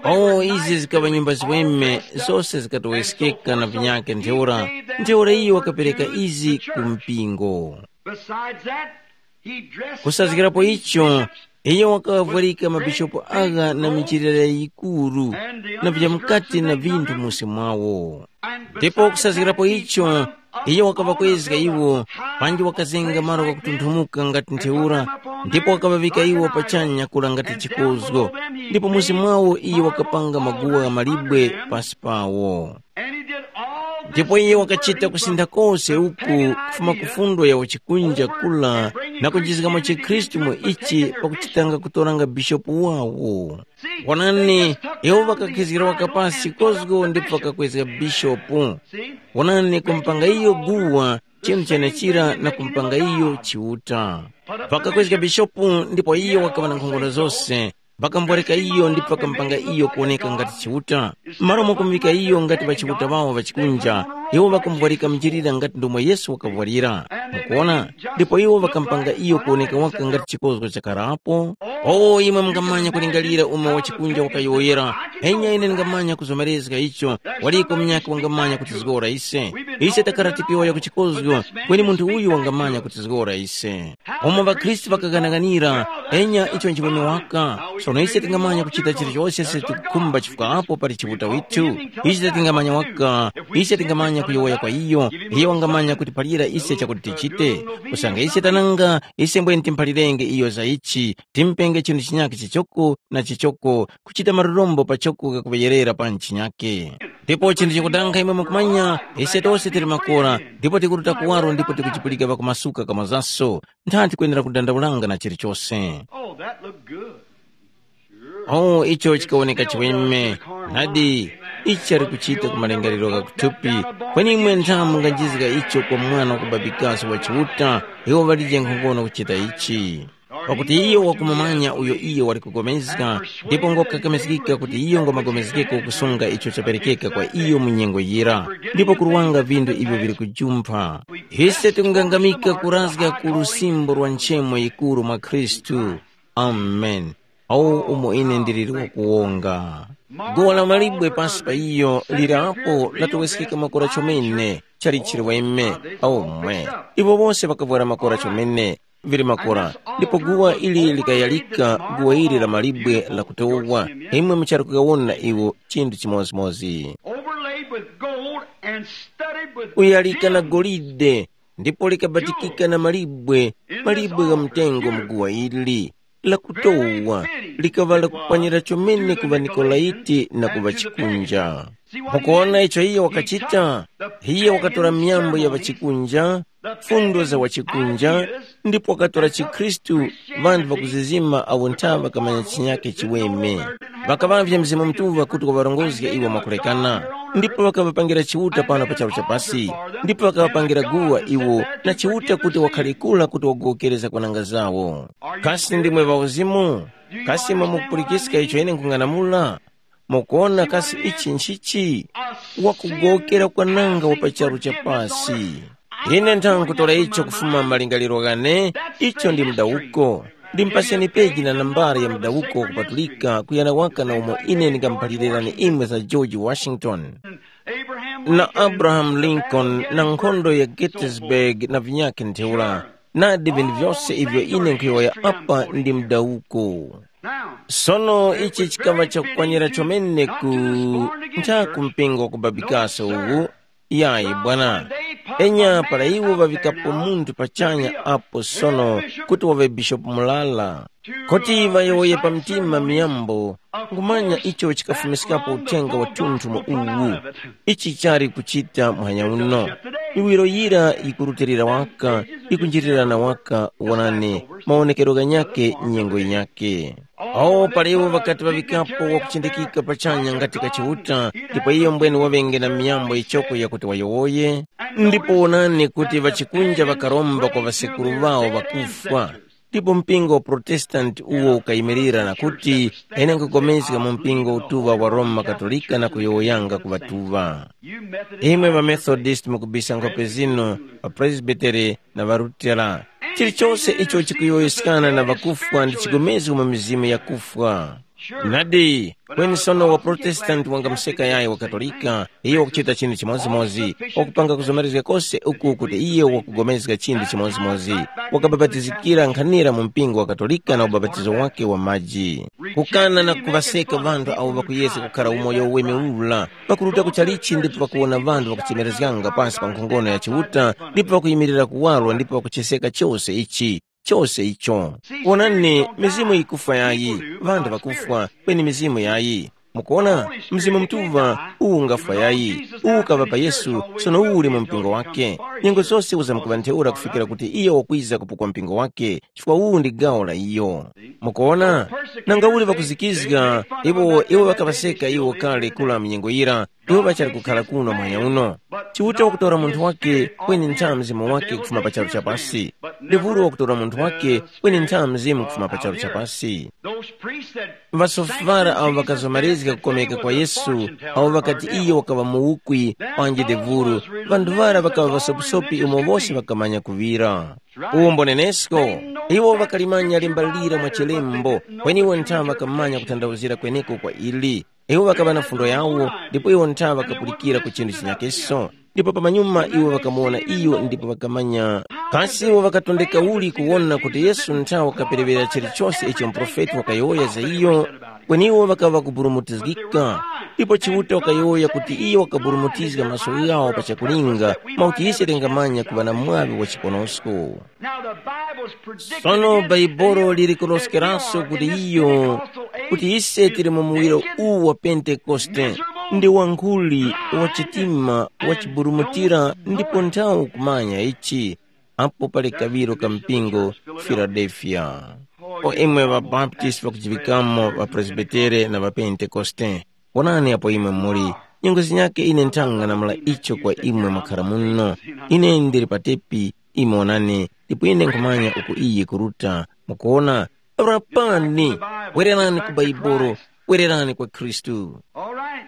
Oh, izi zikaŵa nyumba ziweme, zose zikatoweskeka na vinyakhe ntheura, ntheura iyo wakapereka izi ku mpingo. Besides that, he dressed Kusazgirapo icho, iyo wakavwarika mabishopu agha na michilira yikuru, na vya mukati na vinthu musi mwawo. Ndipo kusazgirapo icho, iyo wakaŵakwezga iwo, panji wakazenga malo ghakutunthumuka ngati ntheura, ndipo wakaŵavika iwo pachanya kula ngati chikozgo, ndipo musi mwawo iyo wakapanga maguwa gha malibwe pasi pawo. Ndipo iye wakachita kusintha kose uku kufuma ku fundo ya uchikunja kula na kunjizgamo chikhristu mu ichi pakuchitanga kutoranga bishopu wawo. Wonani, iwo ŵakakhizgira waka pasi kozgo ndipo ŵakakwezga bishopu. Wonani, kumpanga iyo guwa chinthu chenechira na kumpanga iyo chiuta. Ŵakakwezga bishopu ndipo iyo wakaŵa na nkhongono zose. Ŵakamboreka iyo ndipo ŵakampanga iyo kuwoneka ngati Chiuta. M'malo mwakumuvika iyo ngati ŵachiuta ŵawo ŵachikunja, iwo ŵakamuvwarika mujilira ngati ndomwe Yesu wakavwarira. Mukuona? Ndipo iwo ŵakampanga iyo kuwoneka waka ngati chikozgo chakarapo. O, imwe mungamanya kulingalira umo wachikunja wakayowoyera, enya ine ndingamanya kuzomerezga icho, waliko munyakhe wangamanya kutizgora ise. Ise takhala tikiyowoya ku chikozgo, kweni munthu uyu wangamanya kutizgora ise. Umo ŵakhristu ŵakaghanaghanira, enya icho nchiweme waka. Sono ise tingamanya kuchita chilichose ise tikukhumba chifukwa apo pali Chiuta withu. Ise tingamanya waka, ise tingamanya kuyowoya kwa iyo, iyo wangamanya kutiphalira ise chakuti tichite. Kusanga ise tananga, ise mbwene timphalirenge iyo za ichi, timpenge chinthu chinyakhe chichoko na chichoko, kuchita marurombo pachoko kakuŵeyerera pa nchinyakhe. Ndipo chinthu chakudanga imwe mukumanya, ise tose tili makora, ndipo tikuruta kuwaro ndipo tikuchipulika pakumasuka kamazaso. Nthanthi kwenera kudandaulanga na chilichose. Oh, that looked good. Oh, icho chikawoneka chiweme. Nadi, ichi chali kuchita ku malingaliro gha kuthupi. Kweni imwe nthamu munganjizga icho kwa mwana wakubabikaso wa Chiuta, iwo ŵalije nkhongono kuchita ichi. Pakuti iyo wakumumanya uyo iyo wali kugomezga, ndipo ngokakamizgika kuti iyo ngwamagomezgeko kusunga icho chaperekeka kwa iyo mu nyengo yira, ndipo kuruwanga vindu ivyo vili kujumpha. Ise tikungangamika kurazga ku lusimbo lwa nchemo yikuru mwa Khristu. Amen. Awo umo ine ndiliri wakuwonga. Guwa la malibwe pasi pa iyo lirapo latoweskeka makora chomene, chali chiliweme. Aumwe, iwo wose ŵakavwara makora chomene, vili makora, ndipo guwa ili likayalika guwa ili la malibwe lakutowa. Imwe muchali kukawona iwo chinthu chimodzimodzi. Overlaid with gold and studded with Uyalika na golide, ndipo likabatikika na malibwe, malibwe gha mtengo mu guwa ili lakutowa, likaŵa lakukwanira chomene ku ŵaNikolaiti na ku ŵachikunja. Mukuwona icho iye wakachita? Iye wakatora myambo ya ŵachikunja, fundo za ŵachikunja, ndipo wakatora chikhristu, ŵanthu ŵakuzizima awo nthawe ŵakamanya chinyake chiweme. Ŵakaŵavye Mzimu Mutuŵa kuti waŵarongozge iwo mwakulekana, ndipo ŵakaŵapangira Chiuta pano pa charu cha pasi, ndipo ŵakaŵapangira guwa iwo na Chiuta kuti wakhale kula kuti wagowokereza kwananga zawo. Kasi ndimwe ŵauzimu? Kasi imwe mukupulikiska icho ine nkhung'anamula? Mukuwona kasi ichi nchichi? Wakugowokera kwananga wa pa charu cha pasi. Ine nthankhutora icho kufuma malingaliro ghane, icho ndi mdawuko. Ndimpaseni peji na nambara ya mdawuko wakupatulika kuyana waka na umo ine ndingamuphalirani imwe za George Washington na Abraham Lincoln na nkhondo ya Gettysburg na vinyakhe ntheura. Nadi vinthu vyose ivyo ine nkhuyowoya apa ndi mdawuko. Sono ichi chikaŵa chakukwanira chomene ku ntha ku mpingo wa kubabikasa uwu. Yayi bwana. Enya para iwo ŵaŵikapo munthu pachanya apo sono kuti waŵe bishopu mulala, kuti ŵayowoye pa mtima miyambo, ngumanya icho chikafumiskapo uthenga wa thunthu mu uwu. Ichi chali kuchita muhanya uno. Miwiro yira yikurutilira waka, yikunjirirana waka. Wonani, mawonekero ghanyakhe nyengo yinyakhe. Awo palewo ŵakati ŵaŵikapo wakuchindikika pachanya ngati kachiuta, ndipo iyo mbwene waŵenge na miyambo yichoko yakuti wayowoye. Ndipo wonani kuti ŵachikunja ŵakaromba kwa ŵasekuru ŵawo ŵakufwa. Ndipo mpingo wa Protestanti uwo ukayimirira na kuti, ine nkupulikana mu mpingo utuŵa wa Roma Katolika na kuyowoyanga ku ŵatuŵa. Imwe ŵaMethodist mukubisa nkhope zinu, ŵaPresbiteri na ŵaLutera. Chilichose icho chikuyowoyeskana na ŵakufwa ndi chigomezgo mu mizimu yakufwa. Nadi, kweni sono waProtestanti wangamuseka yayi waKatolika, iyo wakuchita chinthu chimodzimodzi, wakupanga kuzomerezga kose uku kuti iyo wakugomezga chinthu chimodzimodzi, wakabapatizikira nkhanira mu mpingo wa Katolika na ubapatizo wake wa maji. Kukana na kuŵaseka ŵanthu awo ŵakuyesa kukhara umoyo uweme ula, pakuruta ku chalichi ndipo pakuwona ŵanthu ŵakuchemerezganga pansi pa nkhongono ya Chiuta, ndipo pakuyimirira kuwaro ndipo pakucheseka chose ichi, chose icho. Wonani, mizimu yikufwa yayi, ŵanthu ŵakufwa, kweni mizimu yayi. Mukuona, Mzimu Mutuŵa uwu ungafwa yayi, uwu ukaŵa pa Yesu, sono uwu uli mu mpingo wake. Nyengo zose uzamkuŵa ntheura kufikira kuti iyo wakwiza kupukwa mpingo wake, chifukwa uwu ndi gawo la iyo. Mukuona, nanga uli ŵakuzikizga, iwo iwo ŵakaŵaseka iwo kale kula mu nyengo yira, iwo ŵachali kukhala kuno mwanya uno. Chiuta wakutora munthu wake kweni ntha mzimu wake kufuma pa charu cha pasi. Devuro wakutora munthu wake kweni ntha mzimu kufuma pa charu cha pasi. Ŵasofara awo ŵakazomerezga kukomeka kwa Yesu, awo ŵakati iyo wakaŵa muwukwi, panji devuro, ŵanthu ŵara ŵakaŵa ŵasopisopi umo wose ŵakamanya kuŵira. Umboni nenesko, iwo ŵakalimanya lemba lira mwa chilembo, kweni iwo ntha ŵakamanya kuthandauzira kweneko kwa ili. Iwo ŵakaŵa na fundo yawo, ndipo iwo ntha ŵakapulikira ku chinthu chinyakeso. Ndipo pamanyuma iwo ŵakamuwona iyo ndipo ŵakamanya. Kasi iwo ŵakatondeka uli kuwona kuti Yesu ntha wakaperewera chilichose icho muprofeti wakayowoya za iyo? Kweni iwo ŵakaŵa kuburumutizgika. Ndipo Chiuta wakayowoya kuti iyo wakaburumutizga maso ghawo pa chakulinga, mwakuti ise tingamanya kuŵa na mwaŵi wa chiponosko. Now the Bible's predicted Sono against Bhaibuli liri kuloskeranso kuti iyo, kuti ise tili mu muwiro uwu wa Pentekoste, ndi wankhuli, wa chitima, wa chiburumutira, ndipo nthawi kumanya ichi, apo pali kaŵiro ka mpingo Filadelfiya. O imwe ŵaBaptisti ŵakujiŵikamo, ŵaPresbitere na ŵaPentekoste, wonani apo imwe muli. Nyengo zinyakhe ine nthanga namula icho kwa imwe mwakhara muno. Ine ndili patepi, imwe wonani, ndipo ine nkhumanya uku iye kuruta. Mukuona? Rapani, wererani ku Baibolo, wererani kwa Khristu. All right.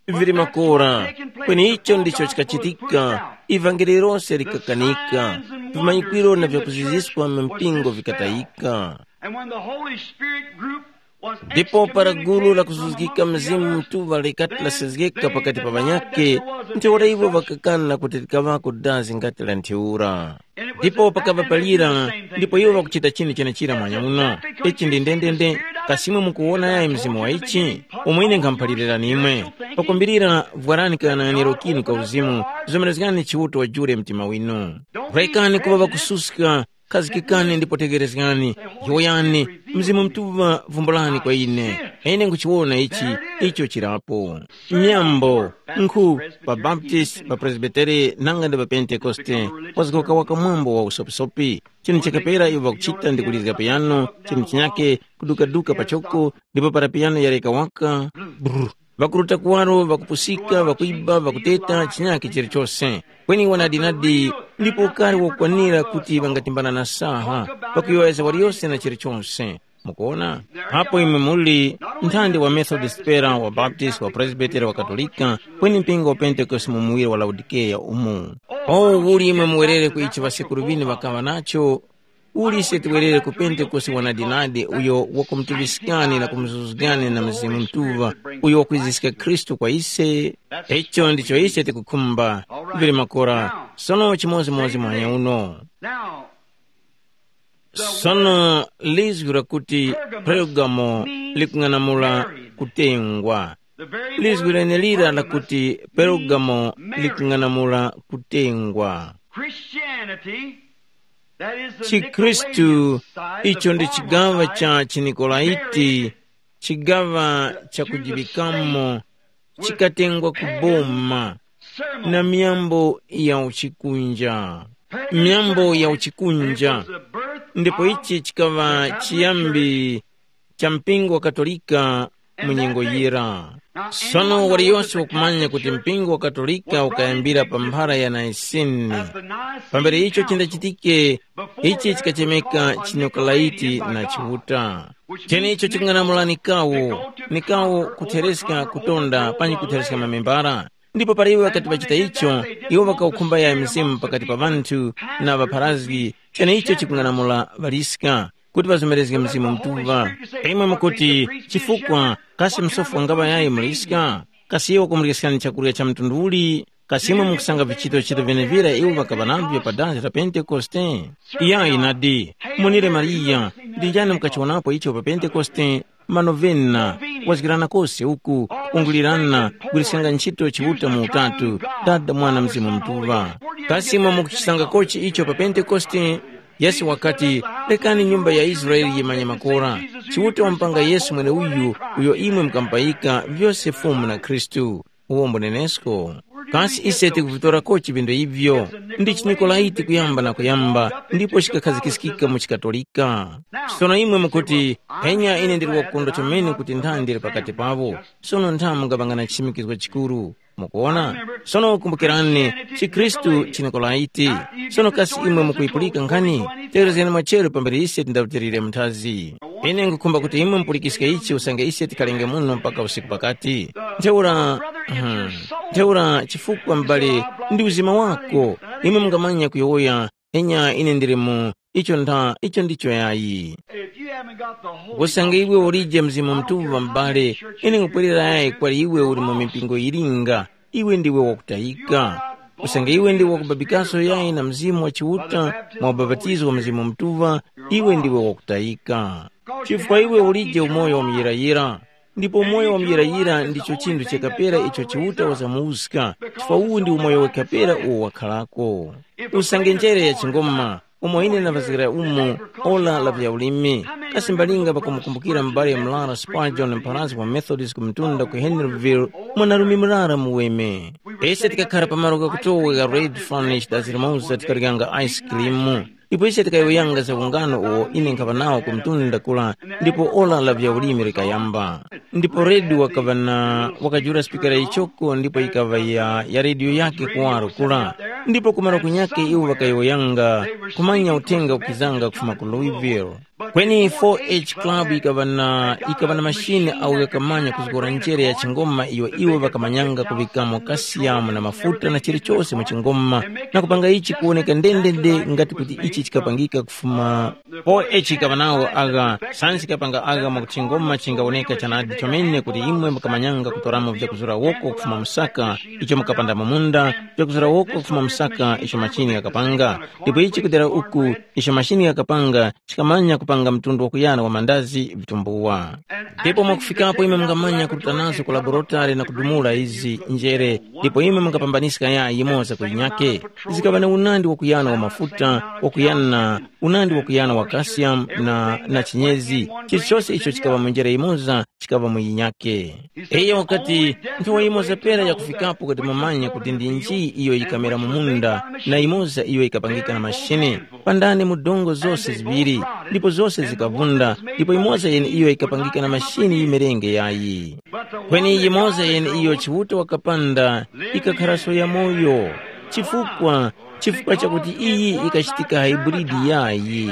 Vili makora, kweni icho ndicho chikachitika. Ivangeli lose likakanika, vimanyikwiro na vyakuziziswa mu mpingo vikatayika. And when the Holy Spirit group was ndipo para gulu la kuzuzgika mzimu mtuŵa likati lasezgeka pakati pa ŵanyakhe, ntheura iwo ŵakakana kuti likaŵako dazi ngati la ntheura. Ndipo pakaŵa palira, ndipo iwo ŵakuchita chinthu chenechira mwanya uno. Ichi ndi ndendende. Kasimwe mukuwona yayi mzimu wa ichi, umwe ine nkhamuphalirani imwe. Pakumbirira vwarani kayang'aniro kinu ka uzimu, zomerezgani Chiuta wajule mtima winu. Rekani kuŵa ŵakususka, khazikikani ndipo tegherezgani. Yowoyani, Mzimu Mutuŵa vumbulani kwa ine. Ine nkhuchiwona ichi, icho chirapo. Myambo, nkhu, pa Baptist, pa Presbytere, nanga ndi pa Pentekoste, wazgoka waka mwambo wa usopisopi. Chinthu chakapera iwo ŵakuchita ndi kulizga piyano, chinthu chinyake kudukaduka pachoko, ndipo para piyano yareka waka, brr, ŵakuruta kuwaro, ŵakupusika, ŵakuiba, ŵakuteta, chinyake chilichose. Kweni wanadinadi, ndipo ukari wokwanira kuti ŵangatimbana na saha, pakuyowoyeza waliyose na chilichonse. Mukuona? Apo imwe muli nthandi wa Methodist pera, wa Baptist, wa Presbytery, wa Katolika, kweni mpingo wa Pentekoste mu muwiri wa Laodikeya umu. O, uli imwe muwerere ku ichi ŵasekuru ŵinu ŵakaŵa nacho, uli ise tiwerere ku Pentekoste wanadinadi uyo wakumutuŵiskani na kumuzuzgani na Mzimu Mutuŵa, uyo wakwiziska Khristu kwa ise? Icho ndicho ise tikukhumba. Vili makora, sono chimodzimodzi mwanya uno. Now, sono lizgu lakuti Pergamo likung'anamula kutengwa. Lizgu lenelira lakuti Pergamo likung'anamula kutengwa. Christianity, that is the Chikhristu, Nicolaitans, the icho ndi chigawa cha Chinikolaiti, chigawa cha kujiŵikamo, chikatengwa ku boma na miyambo ya uchikunja. Miyambo ya uchikunja. Ndipo ichi chikaŵa chiyambi cha mpingo wa Katolika mu nyengo yira. Sono waliyose wakumanya kuti mpingo wa Katolika ukayambira pa mphara ya Naisini. Pambere icho chindachitike, ichi chikachemeka Chinokolaiti na Chiuta. Cheneicho chikung'anamula Nikawo, Nikawo kuthereska kutonda panyi kuthereska mamembara. Ndipo para iwo ŵakati ŵachita icho, iwo ŵakawukhumba ya mzimu pakati pa ŵanthu na ŵapharazgi, cheneicho chikung'anamula ŵaliska kuti ŵazomerezge Mzimu Mutuŵa. Imwe mukuti, chifukwa kasi msofu wangaŵa yayi muliska? Kasi iwo wakumuliskani chakurya cha mtundu uli? Kasi imwe mukusanga vichito-chito vyenevira iwo ŵakaŵa navyo pa dazi la Pentekoste? Iyayi nadi, munire Mariya, ndi njani mukachiwonapo icho pa Pentekoste? Manovena, wazgirana kose uku, ungulirana, gwirisanga ntchito Chiuta mu Utatu, Dada, Mwana, Mzimu Mutuŵa. Kasi imwe mukuchisangakochi icho pa Pentekoste? Yesu wakati, rekani nyumba ya Israele yimanye makora. Chiuta wampanga Yesu mweneuyu, uyo imwe mukamupayika vyose Fumu na Khristu. Uwo mbunenesko. Kasi ise tikuvitorako chipinda ivyo? Ndi chinikolaiti kuyamba na kuyamba, ndipo chikakhazikiskika mu chikatolika. Sono imwe mukuti, mpenya ine ndili wakukondwa chomene kuti ntha ndili pakati pavo. Sono ntha mungapangana chisimikizgo chikuru. Mukuona? Sono kumbukirani, chikhristu chinikolaiti. Sono kasi imwe mukuyipulika nkhani? Tewerezgani machero pambere ise tindarutilire mnthazi. Ine nkhukhumba kuti imwe mupulikiske ichi usange ise tikalenge muno mpaka usiku pakati. Ntheura, hmm, ntheura chifukwa m'bale ndi uzima wako, imwe mungamanya kuyowoya, enya ine ndili mu icho ntha, icho ndicho yayi. Usange iwe ulije Mzimu Mutuŵa m'bale, ine nkupwerera yayi kwali iwe uli mu mipingo yilinga, iwe ndiwe wakutayika. Usange iwe ndiwe wakubabikaso yayi na Mzimu wa Chiuta mwa ubapatizo wa Mzimu Mutuŵa, iwe ndiwe wakutayika. Chifukwa iwe ulije umoyo wa muyirayira, ndipo umoyo wa muyirayira ndicho chinthu chakapera icho Chiuta wazamuwuska, chifukwa uwu ndi umoyo wakapera uwo wakharako. Usange njere ya chingoma, umo ine ndavazgira umo, ora la vyaulimi. Kasi mbalinga pakumukumbukira m'bale murara Spurgeon mpharazgi wa Methodist ku mtunda ku Henryville, mwanarume murara muweme. Ise tikakhara pa malo ghakutowa gha Red Furnace dazi limoza tikaryanga ice cream. Ndipo ise tikayowoyanga za ungano uwo ine nkhaŵa nawo ku mtunda kula, ndipo ora la vyaulimi likayamba. Ndipo Redi wakaŵa na wakajula spikara yichoko ndipo yikaŵa ya, ya rediyo yakhe kuwaro kula. Ndipo kumaro kunyakhe iwo ŵakayowoyanga kumanya uthenga ukizanga kufuma ku Louisville. Kweni four H Club yikaŵa na yikaŵa na mashine awo ghakamanya kuzgora njere ya chingoma iyo iwo ŵakamanyanga kuŵikamo kasiyamu na mafuta na chilichose mu chingoma, na kupanga ichi kuwoneka ndendende ngati kuti ichi chikapangika kufuma. Four H yikaŵa nawo agha, sayansi yikapanga agha mwakuti chingoma chingawoneka chanadi chomene kuti imwe mukamanyanga kutoramo vyakuzura woko kufuma msaka, icho mukapanda mu munda, vyakuzura woko kufuma msaka icho machini ghakapanga. Ndipo ichi kudera uku, icho machini ghakapanga chikamanya kupanga mtundu wakuyana wa mandazi vitumbuwa. Ndipo mwakufikapo imwe mungamanya kuruta nazo ku laborotari na kudumula izi njere, ndipo imwe mungapambaniska yayi yimoza ku yinyake. Zikaŵa na unandi wakuyana wa mafuta, wakuyana unandi wakuyana wa kasiyamu na, na chinyezi. Chilichose icho chikaŵa mu njere yimoza chikaŵa mu yinyake. Iyo wakati, nthowa yimoza pera yakufikapo kuti mumanye kuti ndi nji iyo yikamera mu munda, na yimoza iyo yikapangika na mashine. Pandani mu dongo zose ziŵiri, ndipo zose zikavunda, ndipo imoza yeneiyo yikapangika na mashini yimerenge yayi. Kweni yimoza yeneiyo Chiuta wakapanda, ikakharaso ya moyo, chifukwa chifukwa chakuti iyi ikachitika haiburidi yayi.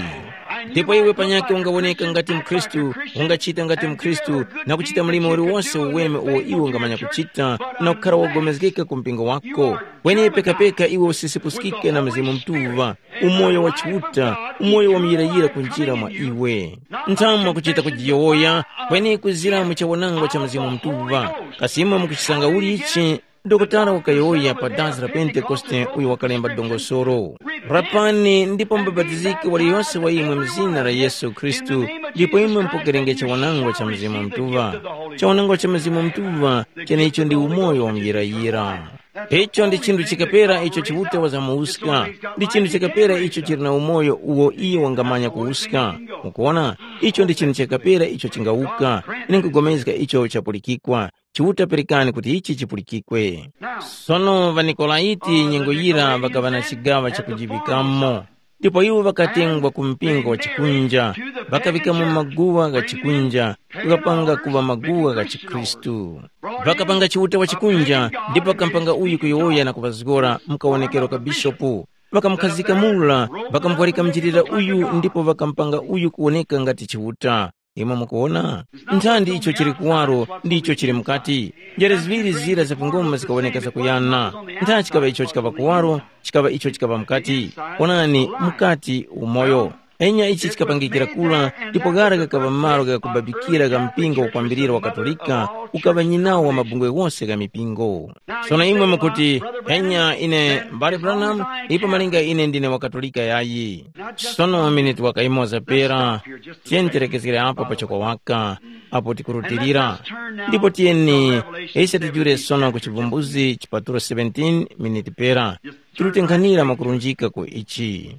Ndipo iwe panyakhe ungawoneka ngati mkhristu, ungachita ngati mkhristu, na kuchita mlimo uliwonse uweme uwo iwe ungamanya kuchita, na kukhara wogomezgeka ku mpingo wako. Kweni pekapeka iwe usisipuskike na Mzimu Mutuŵa, umoyo wa Chiuta, umoyo wa muyirayira kunjira mwa iwe. Nthamu mwakuchita kujiyowoya, kweni kuzira mu chawanangwa cha Mzimu Mutuŵa. Kasi imwe mukuchisanga uli ichi? Dokotala wakayowoya pa dazi la Pentekoste uyo wakalemba dongosolo. Rapani ndipo mubapatizike waliyose wa imwe mu zina la Yesu Khristu, ndipo imwe mupokerenge chawanangwa cha Mzimu Mutuŵa. Chawanangwa cha Mzimu Mutuŵa, chenecho ndi umoyo wa muyirayira. Icho ndi chinthu chikapera icho Chiuta wazamuwuska, ndi chinthu chikapera icho chili na umoyo uwo iye wangamanya kuwuska. Mukuona, icho ndi chinthu chikapera icho chingawuka. Ine nkugomezga icho chapulikikwa. Chiuta perekani kuti ichi chipulikikwe. Sono ŵaNikolaiti nyengo yira ŵakaŵa na chigaŵa chakujiŵikamo. Ndipo iwo ŵakatengwa ku mpingo wa chikunja, ŵakaŵikamo maguwa gha chikunja, kukapanga kuŵa maguwa gha chikhristu. Ŵakapanga Chiuta wa chikunja, ndipo ŵakampanga uyu kuyowoya na kuŵazgora mu kawonekero ka bishopu. Ŵakamukhazika mura, ŵakamuvwarika munjilira uyu ndipo ŵakampanga uyu kuwoneka ngati Chiuta. Imwe mukuwona? Nthandi icho chili kuwaro ndicho chili mukati. Njere ziŵiri zira za pangoma zikawoneka zakuyana. Ntha chikaŵa icho chikaŵa kuwaro, chikaŵa icho chikaŵa mukati. Onani, mukati umoyo. Enya ichi chikapangikira kula, ndipo ghara ghakaŵa malo ghakubabikira gha mpingo wakwambirira wa Katolika, ukaŵa nyinawo wa mabungwe ghose gha mipingo. Sono imwe mukuti, enya ine mbale Branham, ipo malinga ine ndine wa Katolika yayi. Sono miniti waka imoza pera, tiyeni tilekezgere apo pachoko waka, apo tikurutilira. Ndipo tiyeni, ise tijure sono ku chivumbuzi chipatulo seventeen miniti pera, tirutenkhanira mwakurunjika ku ichi.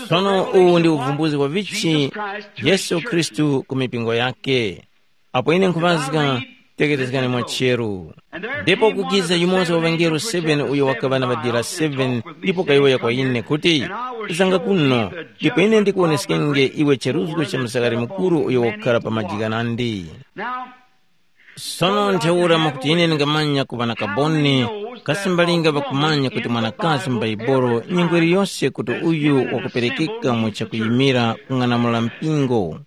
Sono uwu ndi uvumbuzi wa vichi Yesu Khristu ku mipingo yake. Apo ine nkhuŵazga, tekerezgani mwa cheru. Ndipo kukiza yumoza wa ŵangelo seven uyo wakaŵa na ŵadira seven, ndipo kayowoya kwa ine kuti, zanga kuno, ndipo ine ndikuwoneskenge iwe cheruzgo cha msakari mukuru uyo wakukhala pa maji ghanandi. Sono ntheura mwakuti ine ndingamanya kuŵa na kaboni, kasi mbalinga ŵakumanya kuti mwanakazi m'Baibolo nyengo iliyose kuti uyu wakuperekeka mu chakuyimira kung'anamula mpingo.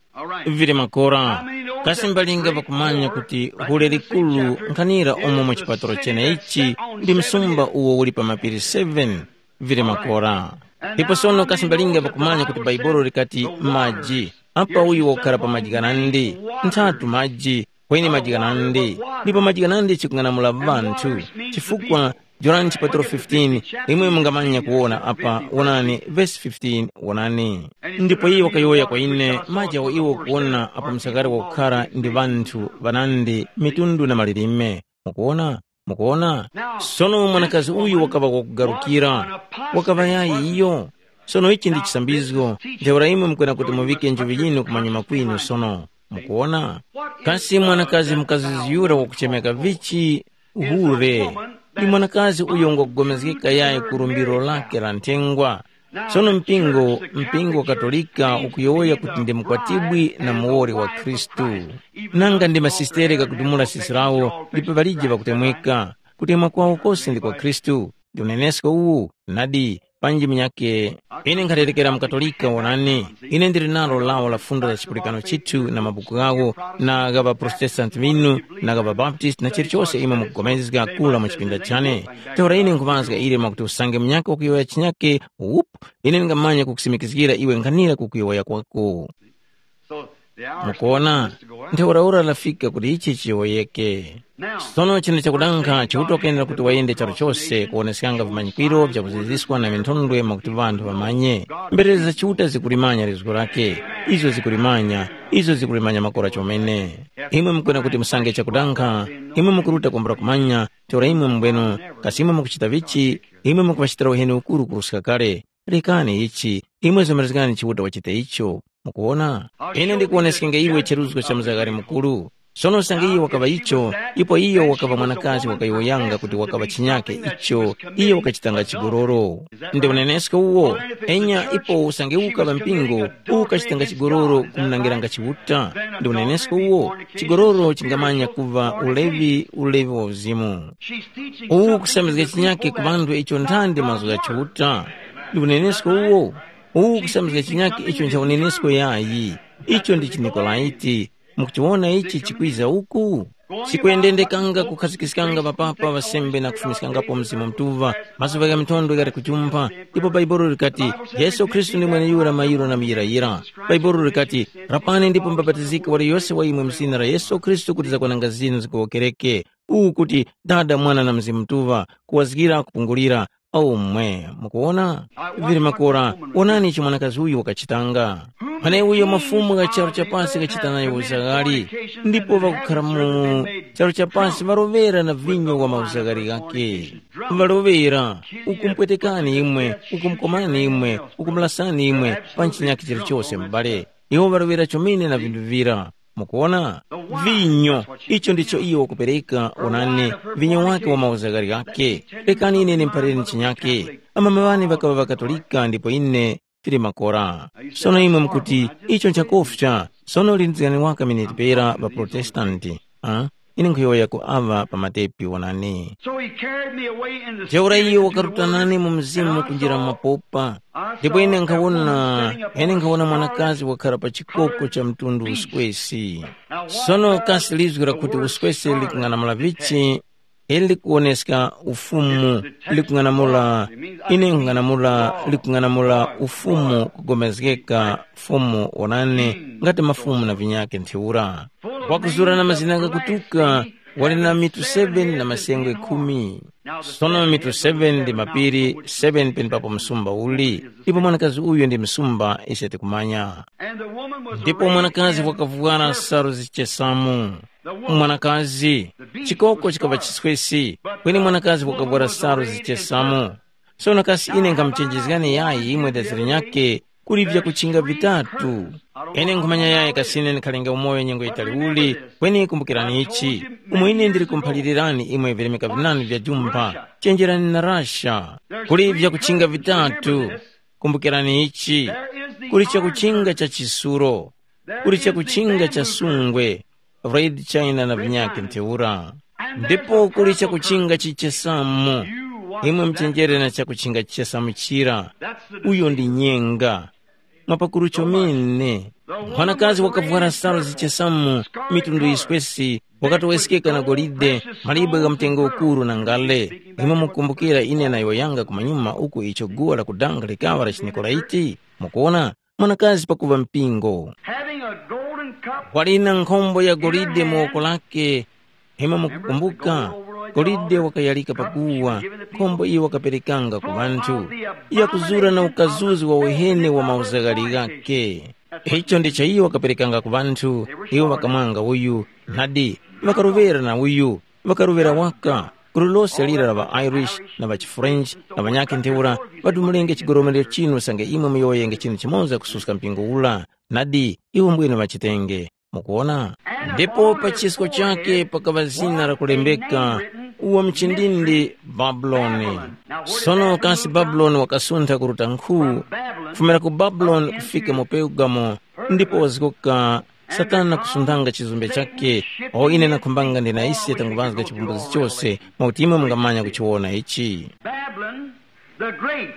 Vili makora, kasi mbalinga ŵakumanya kuti hule likuru nkhanira umo mu chipatalo chenechi ndi msumba uwo uli pa mapiri seven? Vili makora. Ndipo sono kasi mbalinga ŵakumanya kuti Baibolo likati maji, apa uyu wakukhala pa maji ghanandi, nthatu maji, kweni maji ghanandi, ndipo maji ghanandi chikung'anamula ŵanthu, chifukwa Jorani chipatalo fifteen, imwe mungamanya kuwona apa, wonani vesi fifteen, wonani. Ndipo iye wakayowoya kwa ine, maji awo iwo ukuwona apo msakari wakukhara ndi ŵanthu ŵanandi, mitundu na malilime. Mukuwona? Mukuwona? Sono mwanakazi uyu wakaŵa wakugarukira, wakaŵa yayi iyo? Sono ichi ndi chisambizgo, ntheura imwe mukwena kuti muŵike njuŵi yinu kumanyuma kwinu sono. Mukuwona? Kasi mwanakazi mukazizi yura wakuchemeka vichi? Hure. Ndi mwanakazi uyo ngwakupulikana yayi ku lumbiro lake la nthengwa. Sono mpingo, mpingo wa Katolika ukuyowoya kuti ndi mukwatibwi na muwoli wa Khristu. Nanga ndi masistere kakudumula sisi lawo, ndipo palije pakutemweka. Kutemwa kwawo kose ndi kwa Khristu. Ndi unenesko uwu, nadi, panji munyakhe. Ine nkhaterekera mukatolika wonani. Ine ndili nalo lawo la fundo la chipulikano chithu na mabuku ghawo, na gha ŵaprotestanti ŵinu, na gha ŵabaptisti na chilichose imwe mukupulikana kula mu chipinda chane. Ntheura ine nkhumazga ile mwakuti usange munyakhe wakuyowoya chinyakhe, wupu, ine ndingamanya kukusimikizgira iwe nkhanira kukuyowoya kwako. Mukuona, ntheuraura lafika kuti ichi chiyowoyeke. Sono chinthu chakudankha Chiuta wakwenera kuti wayende charu chose kuwoneskanga vimanyikwiro vyakuziziswa na minthondwe mwakuti ŵanthu ŵamanye. Mberere za Chiuta zikulimanya lizgu lake. Izo zikulimanya, izo zikulimanya makora chomene. Imwe mukwena kuti musange chakudankha, imwe mukuruta kwambula kumanya, ntheura imwe mbwenu, kasi imwe mukuchita vichi, imwe mukuŵachitira uheni ukuru kuruska kale. Rekani ichi, imwe zomerezgani Chiuta wachite icho. Mukuwona? Ine ndikuwoneskenge iwe cheruzgo cha mzagari mukuru. Sono usange iyo wakaŵa icho, ipo iyo wakaŵa mwanakazi wakayowoyanga kuti wakaŵa chinyake icho, iyo wakachitanga chigololo. Ndi unenesko uwo? Enya ipo usange ukaŵa mpingo, uwu ukachitanga chigololo kumunangiranga Chiuta. Ndi unenesko uwo? Chigololo chingamanya kuŵa ulevi, ulevi wa uzimu. Uwu kusambizga chinyake ku ŵanthu icho nthandi mazgu gha Chiuta. Ndi unenesko uwo? Uwu kusambizga chinyake icho ncha unenesko yayi. Icho ndi chiNikolaiti. Mukuchiwona ichi chikwiza uku? Chikuyendendekanga kukhazikiskanga ŵapapa ŵasembe na kufumiskangapo Mzimu Mutuŵa, mazuŵa gha mitondo ghali kujumpha, ndipo Bhaibuli likati, Yesu Khristu ndi mweneyura mayiro na muyirayira. Bhaibuli likati, rapani ndipo mubapatizike waliyose wa imwe mu zina la Yesu Khristu kuti zakwananga zinu zigowokereke. Uwu kuti Dada, Mwana na Mzimu Mutuŵa, kuwazgira, kupungulira. Omwe, mukuwona? Vili makora, wonani icho mwanakazi uyu wakachitanga. Mwaneuyo mafumu gha charu cha pasi ghachita nayo uzaghali, ndipo ŵakukhara mu charu cha pasi ŵaloŵera na vinyo wa mauzaghali ghakhe. Ŵaloŵera, ukumpwetekani imwe, ukumkomani imwe, ukumulasani imwe pa chinyakhe chilichose m'bale. Iwo ŵaloŵera chomene na vinthu vira. Mukuwona? Vinyo, icho ndicho iyo wakupereka, onani, vinyo wake wa mauzaghali ghakhe. Rekani ine ndimuphalireni chinyakhe. Amama ŵane ŵakaŵa ŵakatolika ndipo ine tili makora. Sono imwe mukuti, icho nchakofya. Sono lindirizgani waka miniti pera ŵaprotestanti. Ah? Ine nkhuyowoya ku aŵa pa matepi wonani. So he carried me away in the Ntheura spirit iyo into the wakaruta wilderness, nane mu mzimu kunjira mu mapopa. Ndipo ine nkhawona, ine nkhawona mwanakazi wakhala pa chikoko cha mtundu uswesi. Sono kasi lizgu lakuti uswesi likung'anamula vichi? Ili likuwoneska ufumu, likung'anamula, ine nkung'anamula, likung'anamula ufumu kugomezgeka, fumu wonani, ngati mafumu na vinyake ntheura. Wakuzura na mazina ghakutuka, wali na mitu seven na masengwe khumi. Sono mitu seven ndi mapiri, seven penepapo msumba uli, ndipo mwanakazi uyu ndi msumba ise tikumanya. Ndipo mwanakazi wakavwara salu zichesamu. Mwanakazi, chikoko chikaŵa chiswesi, kweni mwanakazi wakavwara salu zichesamu. Sono kasi ine nkhamuchenjezgani yayi imwe daziri nyakhe kuli vyakuchinga vitatu. Ine nkhumanya yayi kasi ine ndikhalenge umoyo nyengo yitali uli, kweni kumbukirani ichi, umo ine ndili kumuphalilirani imwe vilemeka vinandi vya jumpha, chenjerani na rasha. Kuli vyakuchinga vitatu. Kumbukirani ichi, kuli chakuchinga cha chisuro, kuli chakuchinga cha sungwe, red china na vinyakhe ntheura. Ndipo kuli chakuchinga chichesamu. Imwe muchenjere na chakuchinga chichesamu chira. Uyo ndi nyenga. Mwapakuru chomene. Mwanakazi wakavwara salu zichesamu, mitundu yiswesi, wakatoweskeka na golide, malibwe gha mtengo ukuru na ngale. Imwe mukumbukira ine nayowoyanga kumanyuma uku icho guwa la kudanga likaŵa la chiNikolaiti? Mukuona, mwanakazi pakuva mpingo. Having a golden cup Wali na nkhombo ya golide mu woko lake. Imwe mukukumbuka, golide wakayalika paguwa, nkhombo iyo wakaperekanga ku ŵanthu, yakuzura na ukazuzi wa uhene wa mauzaghali ghake. Icho ndicho iyo wakaperekanga ku ŵanthu, iwo ŵakamwanga uyu, nadi, ŵakaruŵera na uyu, ŵakaruŵera waka. Gulu lose lira la ŵa-Irish na ŵa-chiFrench na ŵanyakhe ntheura, ŵadumulenge chigoromerero chinu usange imwe muyowoyenge chinthu chimoza kususka mpingo ura. Nadi, iwo mbwene ŵachitenge. Mukuwona? Ndipo pa chisko chakhe pakaŵa zina lakulembeka, uwo mchindindi Babuloni. Sono kasi Babuloni wakasuntha kuruta nkhu, kufumira ku Babuloni kufika mu Pergamo, ndipo wazgoka Satana kusunthanga chizumbe chakhe, awo ine nakhumbanga ndi na ise tanguŵazga chipumbuzi chose, mwakuti imwe mungamanya kuchiwona ichi. Babylon the Great,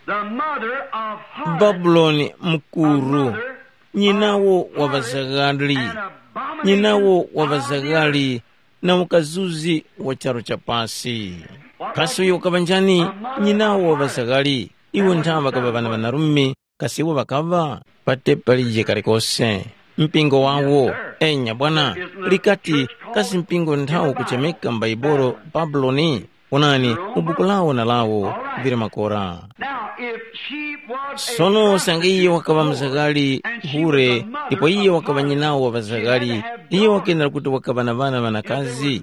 the mother of harlots, Babuloni a mukuru, mother nyinawo of wa harlots ŵazaghali, and abominations nyinawo wa of the earth. Ŵazaghali na ukazuzi wa charu cha pasi. Kasi uyo wakaŵa njani? Nyinawo wa ŵazaghali, iwo nthawe ŵakaŵa ŵana ŵanarume, kasi iwo ŵakaŵa? Pate palije kalikose. Mpingo wawo, enya bwana, likati, kasi mpingo nthawo kuchemeka m'Baibolo Babuloni? Onani, mu buku lawo na lawo vili makora. Now, if she was a Sono usange iye wakaŵa mzakali hure, ndipo iye wakaŵa nyinawo wa ŵazakali, iye wakenera kuti wakaŵa na ŵana ŵanakazi.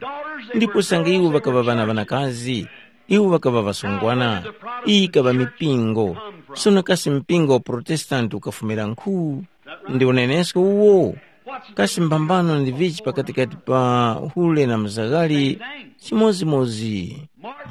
Ndipo usange iwo ŵakaŵa ŵana ŵanakazi, iwo ŵakaŵa ŵasungwana. Iyi ikaŵa mipingo. Sono kasi mpingo wa Protestanti ukafumira nkhu? Ndi unenesko uwo. Kasi mphambano ndi vichi pakatikati pa hule na mzagari? Chimodzimodzi.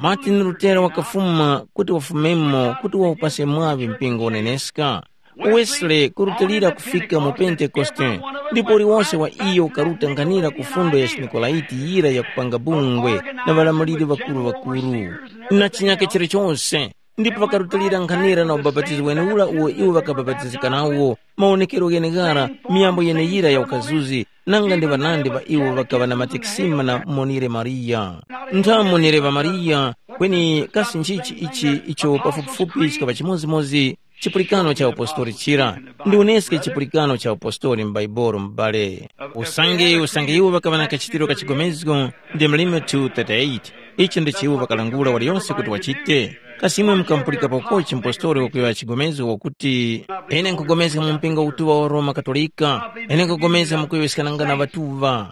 Martin Lutera wakafuma kuti wafumemo kuti wawupase mwaŵi mpingo uneneska. Wesley kurutilira kufika mu Pentekoste, ndipo uliwonse wa iyo ukaruta nkhanira ku fundo ya chinikolaiti yira ya kupanga bungwe na ŵalamuliri ŵakuru-ŵakuru, na chinyake chilichose. Ndipo ŵakarutilira nkhanira na ubapatizo wenewura uwo iwo ŵakabapatizika nawo, mawonekero gheneghara, miyambo yeneyira ya ukazuzi, nanga ndi ŵanandi ŵa iwo ŵakaŵa na matekisima na monire Mariya. Ntha monire ŵa Mariya, kweni kasi nchichi ichi icho pafupifupi chikaŵa chimodzimodzi chipulikano cha upostori chira? Ndi uneske chipulikano cha upostori m'Baibolo m'bale. Usange usange iwo ŵakaŵa na kachitiro ka chigomezgo, ndi mlimi two thirty-eight. Ichi ndicho iwo ŵakalangula waliyonse kuti wachite. Kasi imwe mukamupulikapokochi mpostoli wakuyowoya chigomezgo wakuti, ine nkugomezga mu mpingo utuŵa wa Roma Katolika, ine nkugomezga mukuyowoyeskananga na ŵatuŵa?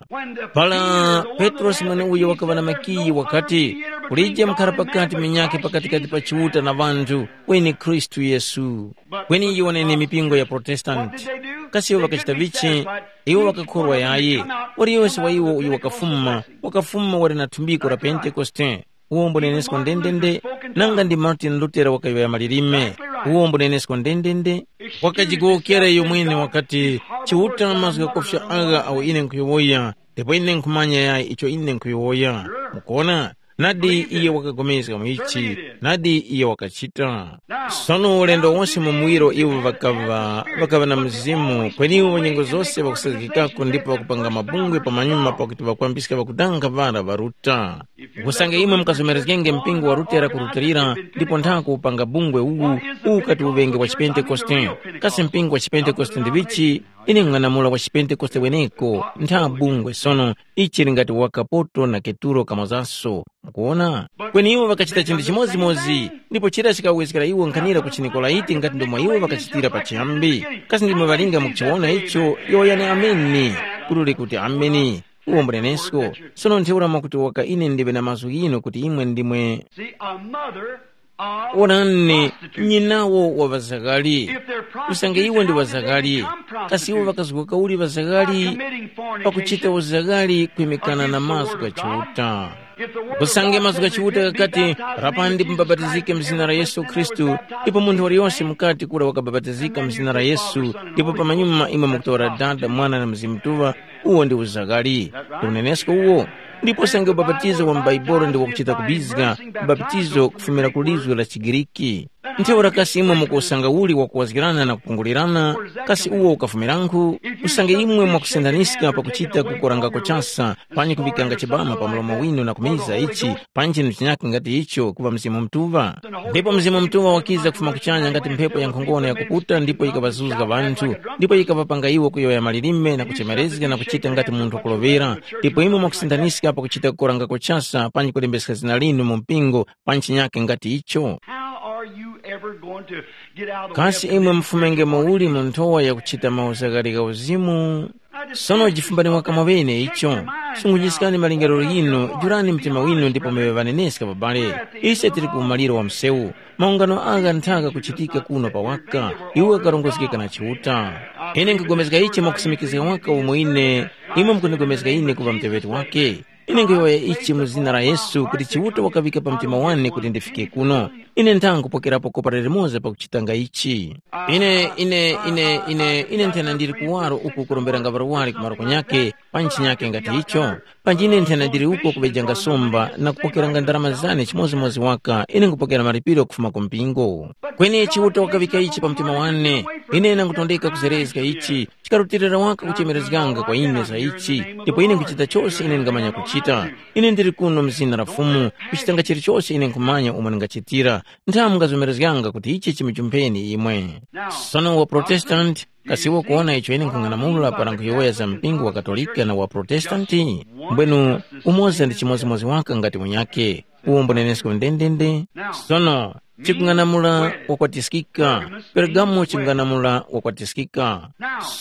Para Petrosi mweneuyo wakaŵa na makiyi wakati, kulije mukhara pakati minyakhe pakatikati pa Chiuta na ŵanthu, kweni Khristu Yesu. Kweni iyo wanene mipingo ya Protestanti. Kasi iwo ŵakachita vichi? Iwo ŵakakhorwa yayi. Waliyose wa iwo uyo wakafuma, wakafuma wali na thumbiko la Pentekoste. Uwo mbunenesko ndendende, nanga ndi Martin Lutera wakayowoya malilime. Uwo mbunenesko ndendende, wakajigowokera iyo mwene wakati, Chiuta mazgu ghakofya agha awo ine nkhuyowoya, ndipo ine nkhumanya yayi icho ine nkhuyowoya. Mukuona? Nadi iye wakapulikana mu ichi, nadi iye wakachita. Sono ulendo wose mu muwiro iwo ŵakaŵa, ŵakaŵa na Mzimu, kweni iwo nyengo zose ŵakusazgikako ndipo ŵakupanga mabungwe pamanyuma pakuti ŵakwambiska ŵakudanga ŵara ŵaruta. Usange imwe mukazomerezgenge mpingo wa Lutera kurutilira, ndipo nthako upanga bungwe uwu, uwu ukati uŵenge wa chiPentekoste. Kasi mpingo wa chiPentekoste ndi vichi? Ine ng'anamula wa chiPentekoste weneko, ntha bungwe sono, ichi chili ngati waka Poto na Keturo kamozaso. Mukuwona? Kweni iwo ŵakachita chinthu chimodzimodzi, ndipo chira chikawezgera iwo nkhanira ku chiNikolaiti ngati ndomwe iwo ŵakachitira pachiyambi. Kasi ndimwe ŵalinga mukuchiwona icho? Yowoyani ameni. Kuti uli kuti ameni. Uwo mbunenesko. Sono ntheura mwakuti waka ine ndiwe na mazgu ghinu kuti imwe ndimwe See, a mother of Wonani, prostitutes. Nyinawo wa ŵazakali. If they're Usange iwo ndi prostitutes, then they ŵazakali, become kasi iwo prostitutes. Ŵakazgoka uli ŵazakali? By committing fornication Pakuchita uzakali kwimikana na against the mazgu word of God. Gha Chiuta. If the word of Usange God mazgu gha says Chiuta repent, be gakati, baptized in the name of Jesus Christ, mubapatizike mu zina la Yesu Khristu, ndipo munthu waliyonse mukati kura wakabapatizika mu zina la Yesu, ndipo pamanyuma imwe mukutora Dada, Mwana na Mzimu Mutuŵa, uwo ndi uzakali. Ndi unenesko uwo. Ndipo usange ubapatizo wa m'Baibulo ndi wakuchita kubizga, ubapatizo kufumira ku lizgu la chiGiriki. Ntheura kasi imwe mukusanga uli wakuwazgirana na kupungulirana, kasi uwo ukafumirankhu? Usange imwe mwakusindaniska pakuchita kukorangako chasa, panyi kuŵikanga chibama pa mlomo winu na kumiza ichi, panji chinthu chinyakhe ngati icho kuŵa Mzimu Mutuŵa. Ndipo Mzimu Mutuŵa wakiza kufuma kuchanya ngati mphepo ya nkhongono yakuputa ndipo yikaŵazuzga ŵanthu, ndipo yikaŵapanga iwo kuyowoya malilime na kuchemerezga na kuchita ngati munthu wakuloŵera, ndipo imwe mwakusindaniska pakuchita kukorangako chasa panji kulembeska zina linu mu mpingo pa chinyakhe ngati icho? How are you ever going to get out of the way Kasi of imwe fornication? Mufumenge muuli mu nthowa yakuchita mauzakali gha uzimu? Sono jifumbani waka mwaŵene icho. Sungujiskani malingaliro ghinu, jurani mtima winu ndipo muŵe ŵaneneska babale. Ise tili ku umaliro wa msewu. Maungano agha nthaka kuchitika kuno pa waka, iwo ghakarongozgeka na Chiuta. Ine nkhupulikana ichi mwakusimikizga waka umo ine, imwe mukundipulikana ine kuŵa muteŵeti wake. Ine nkhuyowoya ichi mu zina la Yesu kuti Chiuta wakaŵika pa mtima wane kuti ndifike kuno. Ine nthangupokerapo kopa lilimoza pakuchitanga ichi. Ine, ine, ine, ine, ine nthena ndili kuwaro uku kuromberanga ŵarwari ku maluko nyakhe, pa ntchi nyakhe ngati icho. Panji ine nthena ndili uko kuŵejanga somba na kupokeranga ndarama zane chimodzimodzi waka, ine nkupokera malipiro kufuma ku mpingo. Kweni Chiuta wakaŵika ichi pa mtima wane. Ine nangutondeka kuzerezga ichi, chikarutilira waka kuchemerezganga kwa ine za ichi, ndipo ine nkuchita chose ine ndingamanya kuchita. Ine ndili kuno mu zina la Fumu, kuchitanga chilichose ine nkhumanya umo ndingachitira. Nthawe mungazomerezganga kuti ichi chimuchumpheni imwe. Sono wa Protestanti, kasi iwo kuwona icho ine nkhung'anamula para nkhuyowoya za mpingo wa Katolika na wa Protestanti? Mbwenu, umoza ndi chimodzimodzi waka ngati munyakhe. Uwo mbunenesko ndendende. Sono, chikung'anamula wakwatiskika. Pergamo chikung'anamula wakwatiskika.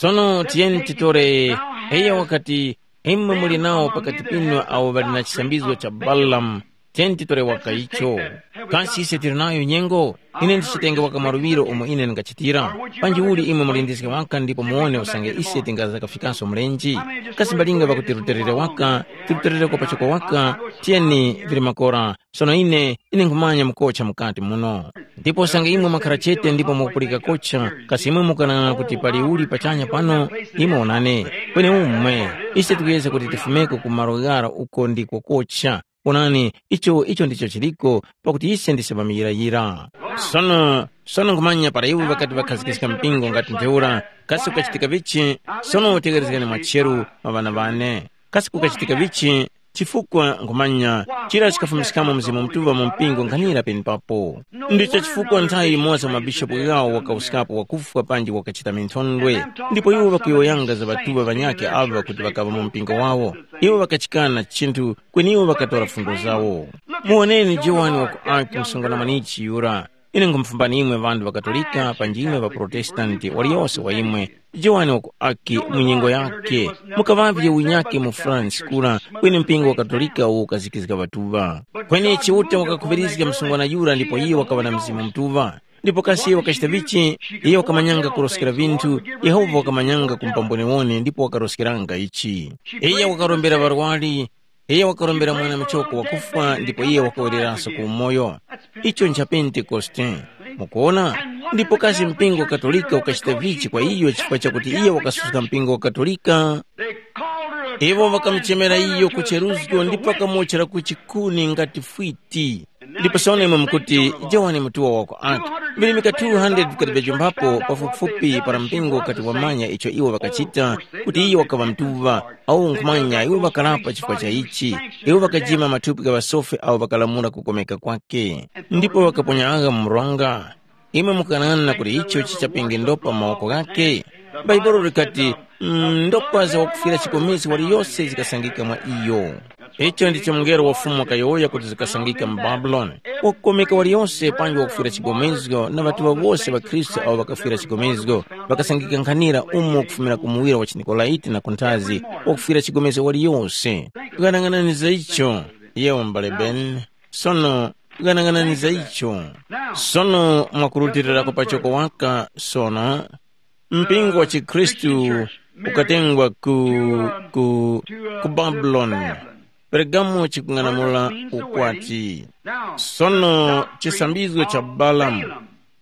Sono tiyeni titore, iye wakati, imwe muli nawo pakati pinu awo ŵali na chisambizgo cha Balamu, tiyeni titore waka icho. Kasi ise tili nayo nyengo? Ine ndichitenge waka maluŵiro umo ine ndingachitira. Panji uli imwe mulindizge waka ndipo muwone usange ise tingazakafikanso mlenji. Kasi mbalinga pakuti ruterere waka, tiruterereko pachoko waka, tiyeni vili makora. Sono ine, ine nkhumanya mukocha mukati muno. Ndipo usange imwe mwakhara chete ndipo mukupulika kocha, kasi imwe mukanang'ana kuti pali uli pachanya pano? Imwe onani, kweni umwe, ise tikuyezga kuti tifumeko ku malo ghara uko ndiko kocha. Onani, icho icho ndicho chiliko, pakuti ise ndise ŵamuyirayira. Sono, sono nkhumanya para iwo ŵakati ŵakhazikiska mpingo ngati ntheura, kasi kukachitika vichi? Sono utegherezgani mwacheru, maŵana ŵane. Kasi kukachitika vichi? Chifukwa nkhumanya chira chikafumiskamo Mzimu Mutuŵa mu mpingo nkhanira penepapo. Ndicho chifukwa nthawi yimoza mabishopu ghawo wakawuskapo wakufwa panji wakachita minthondwe, ndipo iwo ŵakuyowoyanga za ŵatuŵa ŵanyakhe aŵa kuti ŵakaŵa mu mpingo wawo. Iwo ŵakachikana chinthu kweni iwo ŵakatora fundo zawo. Muwoneni Johani wa ku Arki msungwana mwanichi yura. Ine nkhumufumbanimwe ŵanthu ŵa Katolika panji imwe ŵa Protestanti waliyose wa imwe, Johani wa ku Aki mu nyengo yakhe, mukaŵavye unyakhe mu France kura kweni mpingo wa Katolika uwo ukazikizga ŵatuŵa. Kweni Chiuta wakakhuŵirizga msungwana yura ndipo iye wakaŵa na Mzimu Mutuŵa. Ndipo kasi iye wakachita vichi? Iye wakamanyanga kuroskera vinthu, Yehova wakamanyanga ku mpambwenewone ndipo wakaroskeranga ichi. Iye wakarombera ŵarwari, iye wakarombera mwana muchoko wakufwa ndipo iye wakawereranso ku umoyo. Icho ncha Pentekoste. Mukuona? Ndipo kasi mpingo wa Katolika ukachita vichi kwa iyo chifukwa chakuti iye wakasuska mpingo wa Katolika? Iwo ŵakamuchemera iyo ku cheruzgo ndipo ŵakamuwotchera ku chikuni ngati fwiti. Ndipo sono imwe mukuti, Johani mutuŵa wako ati, virimika two hundred vikati vyajumbapo pafupifupi para mpingo ukati wamanya icho iwo ŵakachita, kuti iyo wakaŵa mutuŵa, awo nkhumanya iwo ŵakarapa chifukwa cha ichi, iwo ŵakajima mathupi gha ŵasofi awo ŵakalamula kukomeka kwake, ndipo ŵakaponya agha mu mronga. Imwe mukanana kuti icho chichapenge ndopa mu mawoko ghakhe? Bhaibuli likati, mm, ndopa za wakufwira chikomezi waliyose zikasangika mwa iyo. Icho ndicho mungelo wa Fumu wakayowoya kuti zikasangika mu Babuloni. Wakukomeka waliyose panji wakufwira chigomezgo na ŵatuŵa wose ŵa Khristu awo ŵakafwira chigomezgo, ŵakasangika nkhanira umo kufumira ku muwiro wa chiNikolaiti na kunthazi, wakufwira chigomezgo waliyose. Ghanaghanani za icho, yewo m'bale Ben. Sono, ghanaghanani za icho. Sono mwakurutilirako pachoko waka, sono, mpingo wa chikhristu ukatengwa ku, ku, ku Babuloni. Pergamo chikung'anamula ukwati. Sono chisambizgo cha Balamu.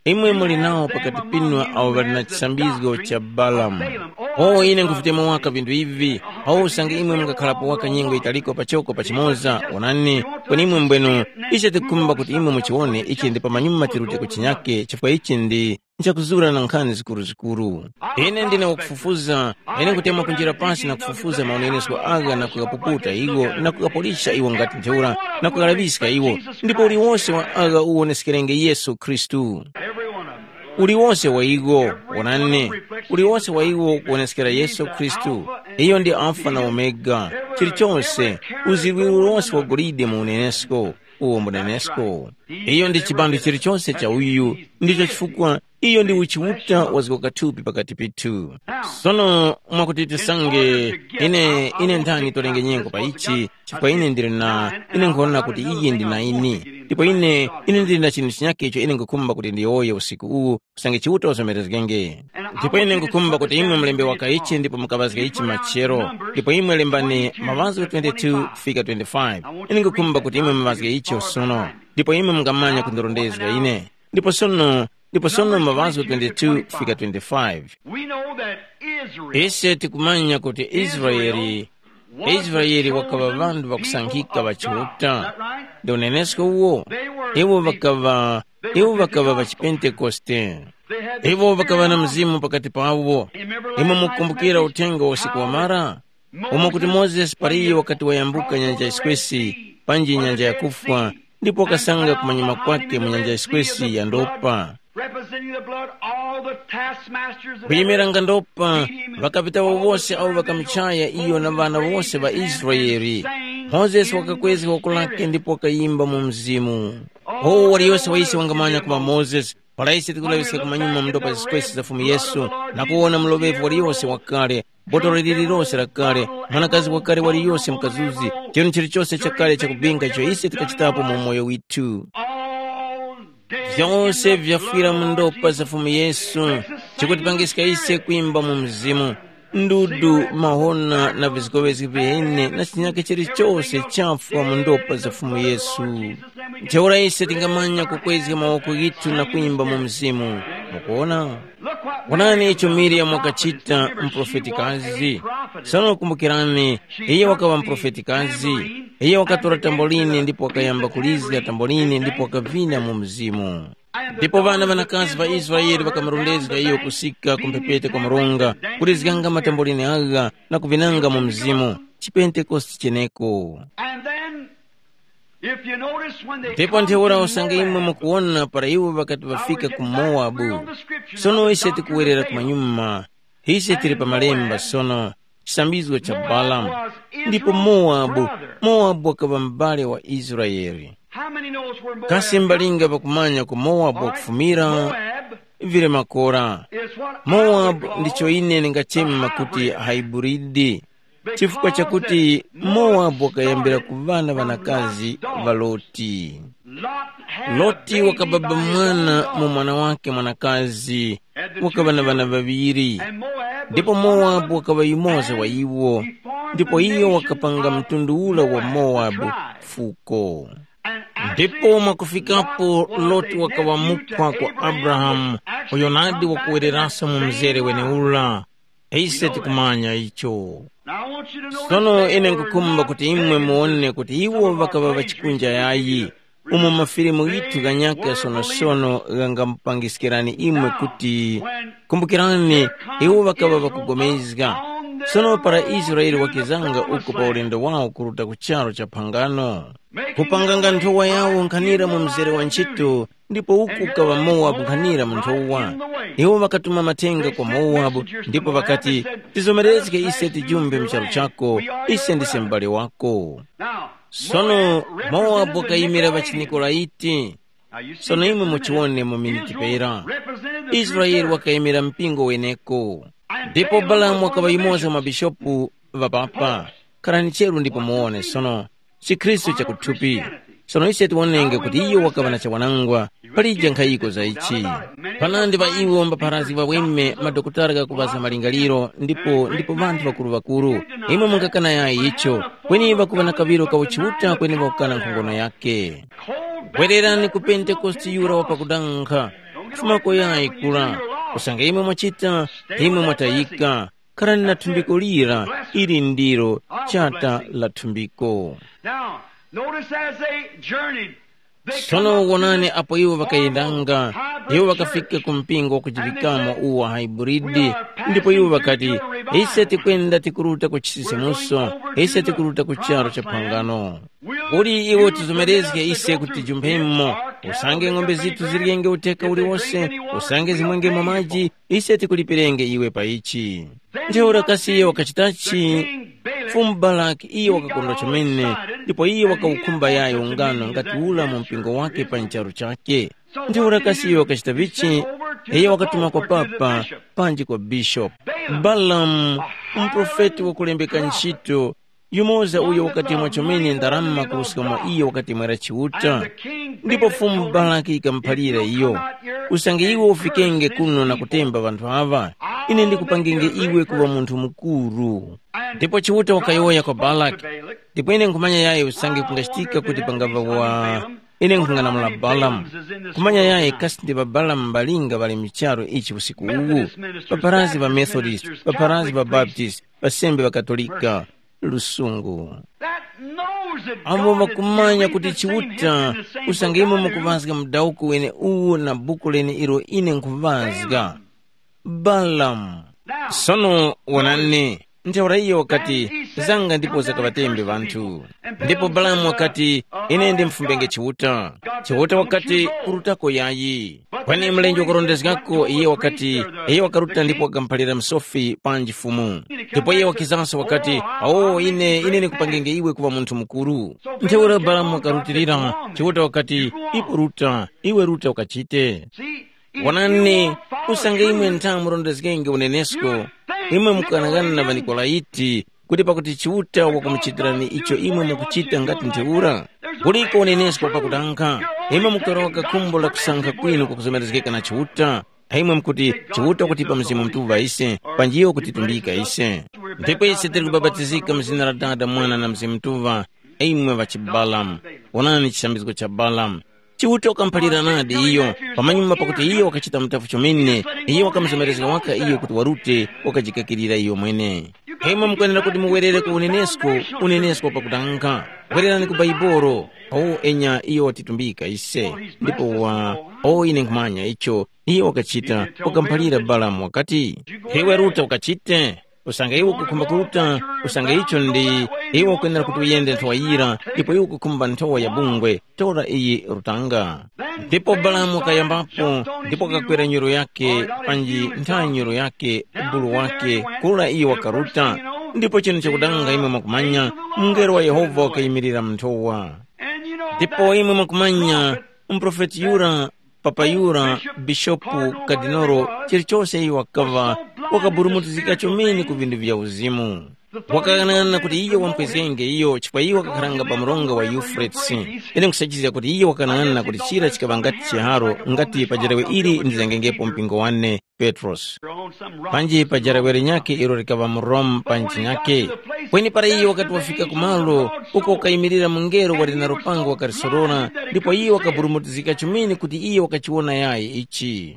Imwe muli nawo pakati pinu awo ŵali na chisambizgo cha Balamu. O ine nkuvitema waka vinthu ivi, awo usange imwe mungakhalapo waka nyengo yitaliko pachoko pachimoza, onani, kweni imwe mbwenu, icho tikukhumba kuti imwe muchiwone ichi ndi pamanyuma tirute ku chinyake chifukwa ichi ndi nchakuzura na nkhani zikuruzikuru. Ine ndine wakufufuza, ine nkutemwa kunjira pasi na kufufuza maonenesko agha na kughapuputa iwo na kughapolisha iwo ngati ntheura na kughalaŵiska iwo, ndipo uliwose wa agha uwoneskerenge Yesu Khristu. Uliwose wa iwo, wonani, uliwose wa iwo kuwoneskera Yesu Khristu. Iyo ndi Alfa na Omega, chilichonse, uzirwiro wose wa golide mu unenesko, uwo mbunenesko. Iyo ndi chibandu chilichonse cha uyu, Ndicho chifukwa iyo ndi uchiuta wazgoka thupi pakati pithu. Sono mwakuti tisange, ine ine nthani tolenge nyengo pa ichi, chifukwa ine ndili na ine nkhuwona kuti iye ndi na ine. Ndipo ine ine ndili na chinthu chinyakhe icho ine nkhukhumba kuti ndiyowoye usiku uwu, kusange Chiuta uzomerezgenge. Ndipo ine nkhukhumba kuti imwe mulembe wakaichi ndipo mukaŵazge ichi machero, ndipo imwe lembani maŵazgo twenty-two kufika twenty-five. Ine nkhukhumba kuti imwe muŵazge icho sono, ndipo imwe mungamanya kundirondezga ine. Ndipo sono, ndipo sono maŵazgo twenty-two kufika twenty-five. We know that Israel, ise tikumanya kuti Israeli Israeli wakaŵa ŵanthu ŵakusankhika ŵa Chiuta. Ndi unenesko uwo? Iwo ŵakaŵa iwo ŵakaŵa ŵa chipentekoste. Iwo ŵakaŵa na mzimu pakati pawo. Imwe mukumbukira uthenga wa usiku wamara, umo kuti Mozesi paliye wakati wayambuka nyanja yiswesi, panji nyanja yakufwa, ndipo wakasanga kumanyuma kwake mu nyanja yiswesi ya ndopa. Representing the blood, all the taskmasters of kuyimira nga ndopa, ŵakapitawo wose awo ŵakamuchaya iyo na ŵana wose ŵa Israeli. Mozesi wakakwezga woko lake ndipo wakayimba mu mzimu. O waliyose wa ise wangamanya kuma Mozesi, para ise tikulaŵiska kumanyuma mu ndopa zisikweso za Fumu Yesu, na kuwona muloŵevu waliyose wakale, botolo lililose lakale, mwanakazi wakale waliyose mukazuzi, chinthu chilichose chakale chakubinga icho ise tikachitapo mu umoyo withu. All vyose vyafwira mu ndopa za Fumu Yesu, chikutipangiska ise kwimba mu mzimu. Ndudu, mahona na vizgoŵezgi vyene na chinyake chilichose chafwa mu ndopa za Fumu Yesu. Ntheura ise tingamanya kukwezga mawoko ghithu na kwimba mu mzimu. Mukuona? Wonani icho Miriyamu wakachita, muprofetikazi. Sono kumbukirani, iye wakaŵa muprofetikazi. Iye wakatora tamboline ndipo wakayamba kulizga tamboline ndipo wakavina mu mzimu. Ndipo ŵana ŵanakazi ŵa Israele ŵakamurondezga iyo kusika ku mphepete kwa mronga, kulizganga matamboline agha na kuvinanga mu mzimu, chipentekoste cheneko. And then, if you notice, when they ndipo come ntheura to usange imwe Moab, mukuwona para iwo ŵakati ŵafika ku Mowabu. Sono ise tikuwerera kumanyuma, ise tili pa malemba sono, chisambizgo cha Balamu. Ndipo Mowabu, Mowabu wakaŵa m'bale wa Israeli. How many knows where Moab? Kasi mbalinga pakumanya ku Mowabu wakufumira? Moab Vile makora. Is what I would Mowabu call ndicho ine ndingachema kuti hybrid. Haiburidi. Chifukwa chakuti Mowabu wakayambira ku ŵana ŵanakazi ŵa Loti. Loti wakababa mwana mu mwana wake mwanakazi, wakaŵa na ŵana ŵaŵiri. Ndipo Mowabu wakaŵa yumoza wa iwo, ndipo iyo wakapanga mtundu ura wa Mowabu fuko. Ndipo mwakufikapo Loti wakaŵa mukwa kwa Abrahamu, uyo nadi wakuwereraso mu mzere weneura. Ise tikumanya icho. Sono ine nkukhumba kuti imwe muwone kuti iwo ŵakaŵa ŵachikunja yayi, umo mafilimu ghithu ghanyaka sonosono ghangamupangiskirani imwe kuti, kumbukirani, iwo ŵakaŵa ŵakugomezga. Sono para Israele wakizanga uko pa ulendo wawo kuruta ku charu cha phangano, kupanganga nthowa yawo nkhanira mu mzere wa ntchito, ndipo uku ukaŵa Mowabu nkhanira mu nthowa. Iwo ŵakatuma mathenga kwa Mowabu, ndipo ŵakati, tizomerezge ise tijumbe mu charu chako, ise ndise m'bale wako. Sono Mowabu wakayimira ŵachinikolaiti. Sono imwe muchiwone mu miniti pera. Israele wakayimira mpingo weneko. Ndipo Balamu wakaŵa yumoza mwa bishopu ŵapapa. Kharani cheru ndipo muwone sono. Chikhristu chakuthupi. Sono ise tiwonenge kuti iyo wakaŵa na chawanangwa palije nkhayiko za ichi. Panandi pa iwo mbapharazgi ŵaweme madokotala ghakuŵazga malingaliro ndipo ndipo ŵanthu ŵakuru-ŵakuru. Imwe mungakana yayi icho, kweni ŵakuŵa na kaŵiro ka uchiuta kweni ŵakukana nkhongono yake. Bwererani ku Pentekoste yura wa pakudankha. Fumako yayi kura. Usange imwe mwachita, imwe mwatayika. Kharani na thumbiko lira, ili ndilo chata la thumbiko. Now, notice as they journeyed, they come Sono up to wonani apo iwo ŵakayendanga, iwo ŵakafika ku mpingo wakujiŵikamo uwu wa haiburidi, ndipo iwo ŵakati, ise tikwenda tikuruta ku chisisimuso, ise tikuruta ku charu cha phangano. Kuli iwo tizomerezge ise kuti tijumphemo, usange ng'ombe zithu ziryenge uteka uliwose, usange zimwengemo maji, ise tikulipirenge iwe pa ichi. Ntheura kasi iyo wakachitachi? Fumu Baraki iyo wakakondwa chomene, ndipo iyo wakawukhumba yayo ungano ngati ula mu mpingo wake pa ncharu chake. Ntheura kasi iyo wakachita vichi? Iyo wakatuma kwa papa, panji kwa bishopu. Balamu, muprofeti wakulembeka ntchito, yumoza uyo wakatemwa chomene ndarama kuruska mwa iyo wakatemwera Chiuta. Ndipo Fumu Balaki yikamuphalira iyo, usange iwe ufikenge kuno na kutemba ŵanthu aŵa, ine ndikupangenge iwe kuŵa munthu mukuru. Ndipo Chiuta wakayowoya kwa Balaki, ndipo ine nkhumanya yayi usange kungachitika kuti pangava wa ine nkhung'anamula Balamu. Kumanya yayi kasi ndi ŵaBalamu ŵalinga ŵali mu charu ichi usiku uwu, ŵapharazgi ŵa Methodist, ŵapharazgi ŵa Baptist, ŵasembe ŵa Katolika, lusungu. Amo ŵakumanya kuti Chiuta, usange imwe mukuŵazga mudawuko wene uwu na buku lene ilo ine nkhuŵazga. Balamu. Sono wonani, ntheura iyo wakati, zanga ndipo zakaŵatembe ŵanthu. Ndipo Balamu wakati, ine ndimfumbenge Chiuta. Chiuta wakati, urutako yayi. Kweni mlenje wakarondezgako iye wakati, iye wakaruta ndipo wakamuphalira msofi panji Fumu. Ndipo iye wakizanso wakati, awo ine ine ndikupangenge iwe kuŵa munthu mukuru. Ntheura Balamu wakarutilira, Chiuta wakati, ipo ruta, iwe ruta ukachite. Wonani, usange imwe ntha murondezgenge unenesko, imwe mukughanaghana na ŵaNikolaiti, kuti pakuti Chiuta wakumuchitirani icho imwe mukuchita ngati ntheura? Kuliko unenesko pakutankha, imwe mukuyowoka khumbo la kusankha kwinu kukuzomerezgeka na Chiuta. Imwe mukuti, Chiuta kutipa Mzimu Mutuŵa ise, panji iyo kutitumbika ise. Ndipo ise tili kubapatizika mu zina la Dada, Mwana na Mzimu Mutuŵa, imwe ŵa chiBalamu. Wonani chisambizgo cha Balamu. Chiuta wakamuphalira nadi iyo, pamanyuma pakuti iyo wakachita mutafu chomene, iyo wakamuzomerezga waka iyo kuti warute, wakajikakirira iyo mwene. Imwe mukwenera kuti muwerere ku unenesko, unenesko pakutanga. Wererani ku Baibolo, o enya iyo watitumbika ise, ndipo wa, o ine nkhumanya icho, iyo wakachita, wakamuphalira Balamu wakati, iwe ruta ukachite. Usange iwe ukukhumba kuruta, usange icho ndi, iwe ukwenera kuti uyende nthowa yira, ndipo iwe ukukhumba nthowa ya bungwe, tora iyi rutanga. Ndipo Balamu wakayambapo, ndipo wakakwera nyuru yake, panji ntha nyuru yake, bulu wake, kura iyo wakaruta. Ndipo chinu chakudanga imwe mwakumanya, mungelo wa Yehova wakayimirira mu nthowa. Ndipo imwe mwakumanya, muprofeti yura, papa yura, bishopu, kadinolo, chilichose iyo wakaŵa, wakaburumutizika chomene ku vindu vya uzimu. Wakaghanaghanana kuti iyo wampwezgenge iyo chifukwa iyo wakakharanga pa mronga wa Yufretesi. Ine nkusachizga kuti iyo wakaghanaghanana kuti chira chikaŵa ngati chiharo ngati pa jerawe ili ndizangengepo mpingo wane, Petrosi. Panji pa jerawe linyakhe ilo likaŵa mu Rome pa nchinyakhe. Kweni para iyo wakati wafika ku malo uko wakayimirira mungelo wali na lupango wakalisorora, ndipo iyo wakaburumutizika chomene kuti iyo wakachiwona yayi ichi.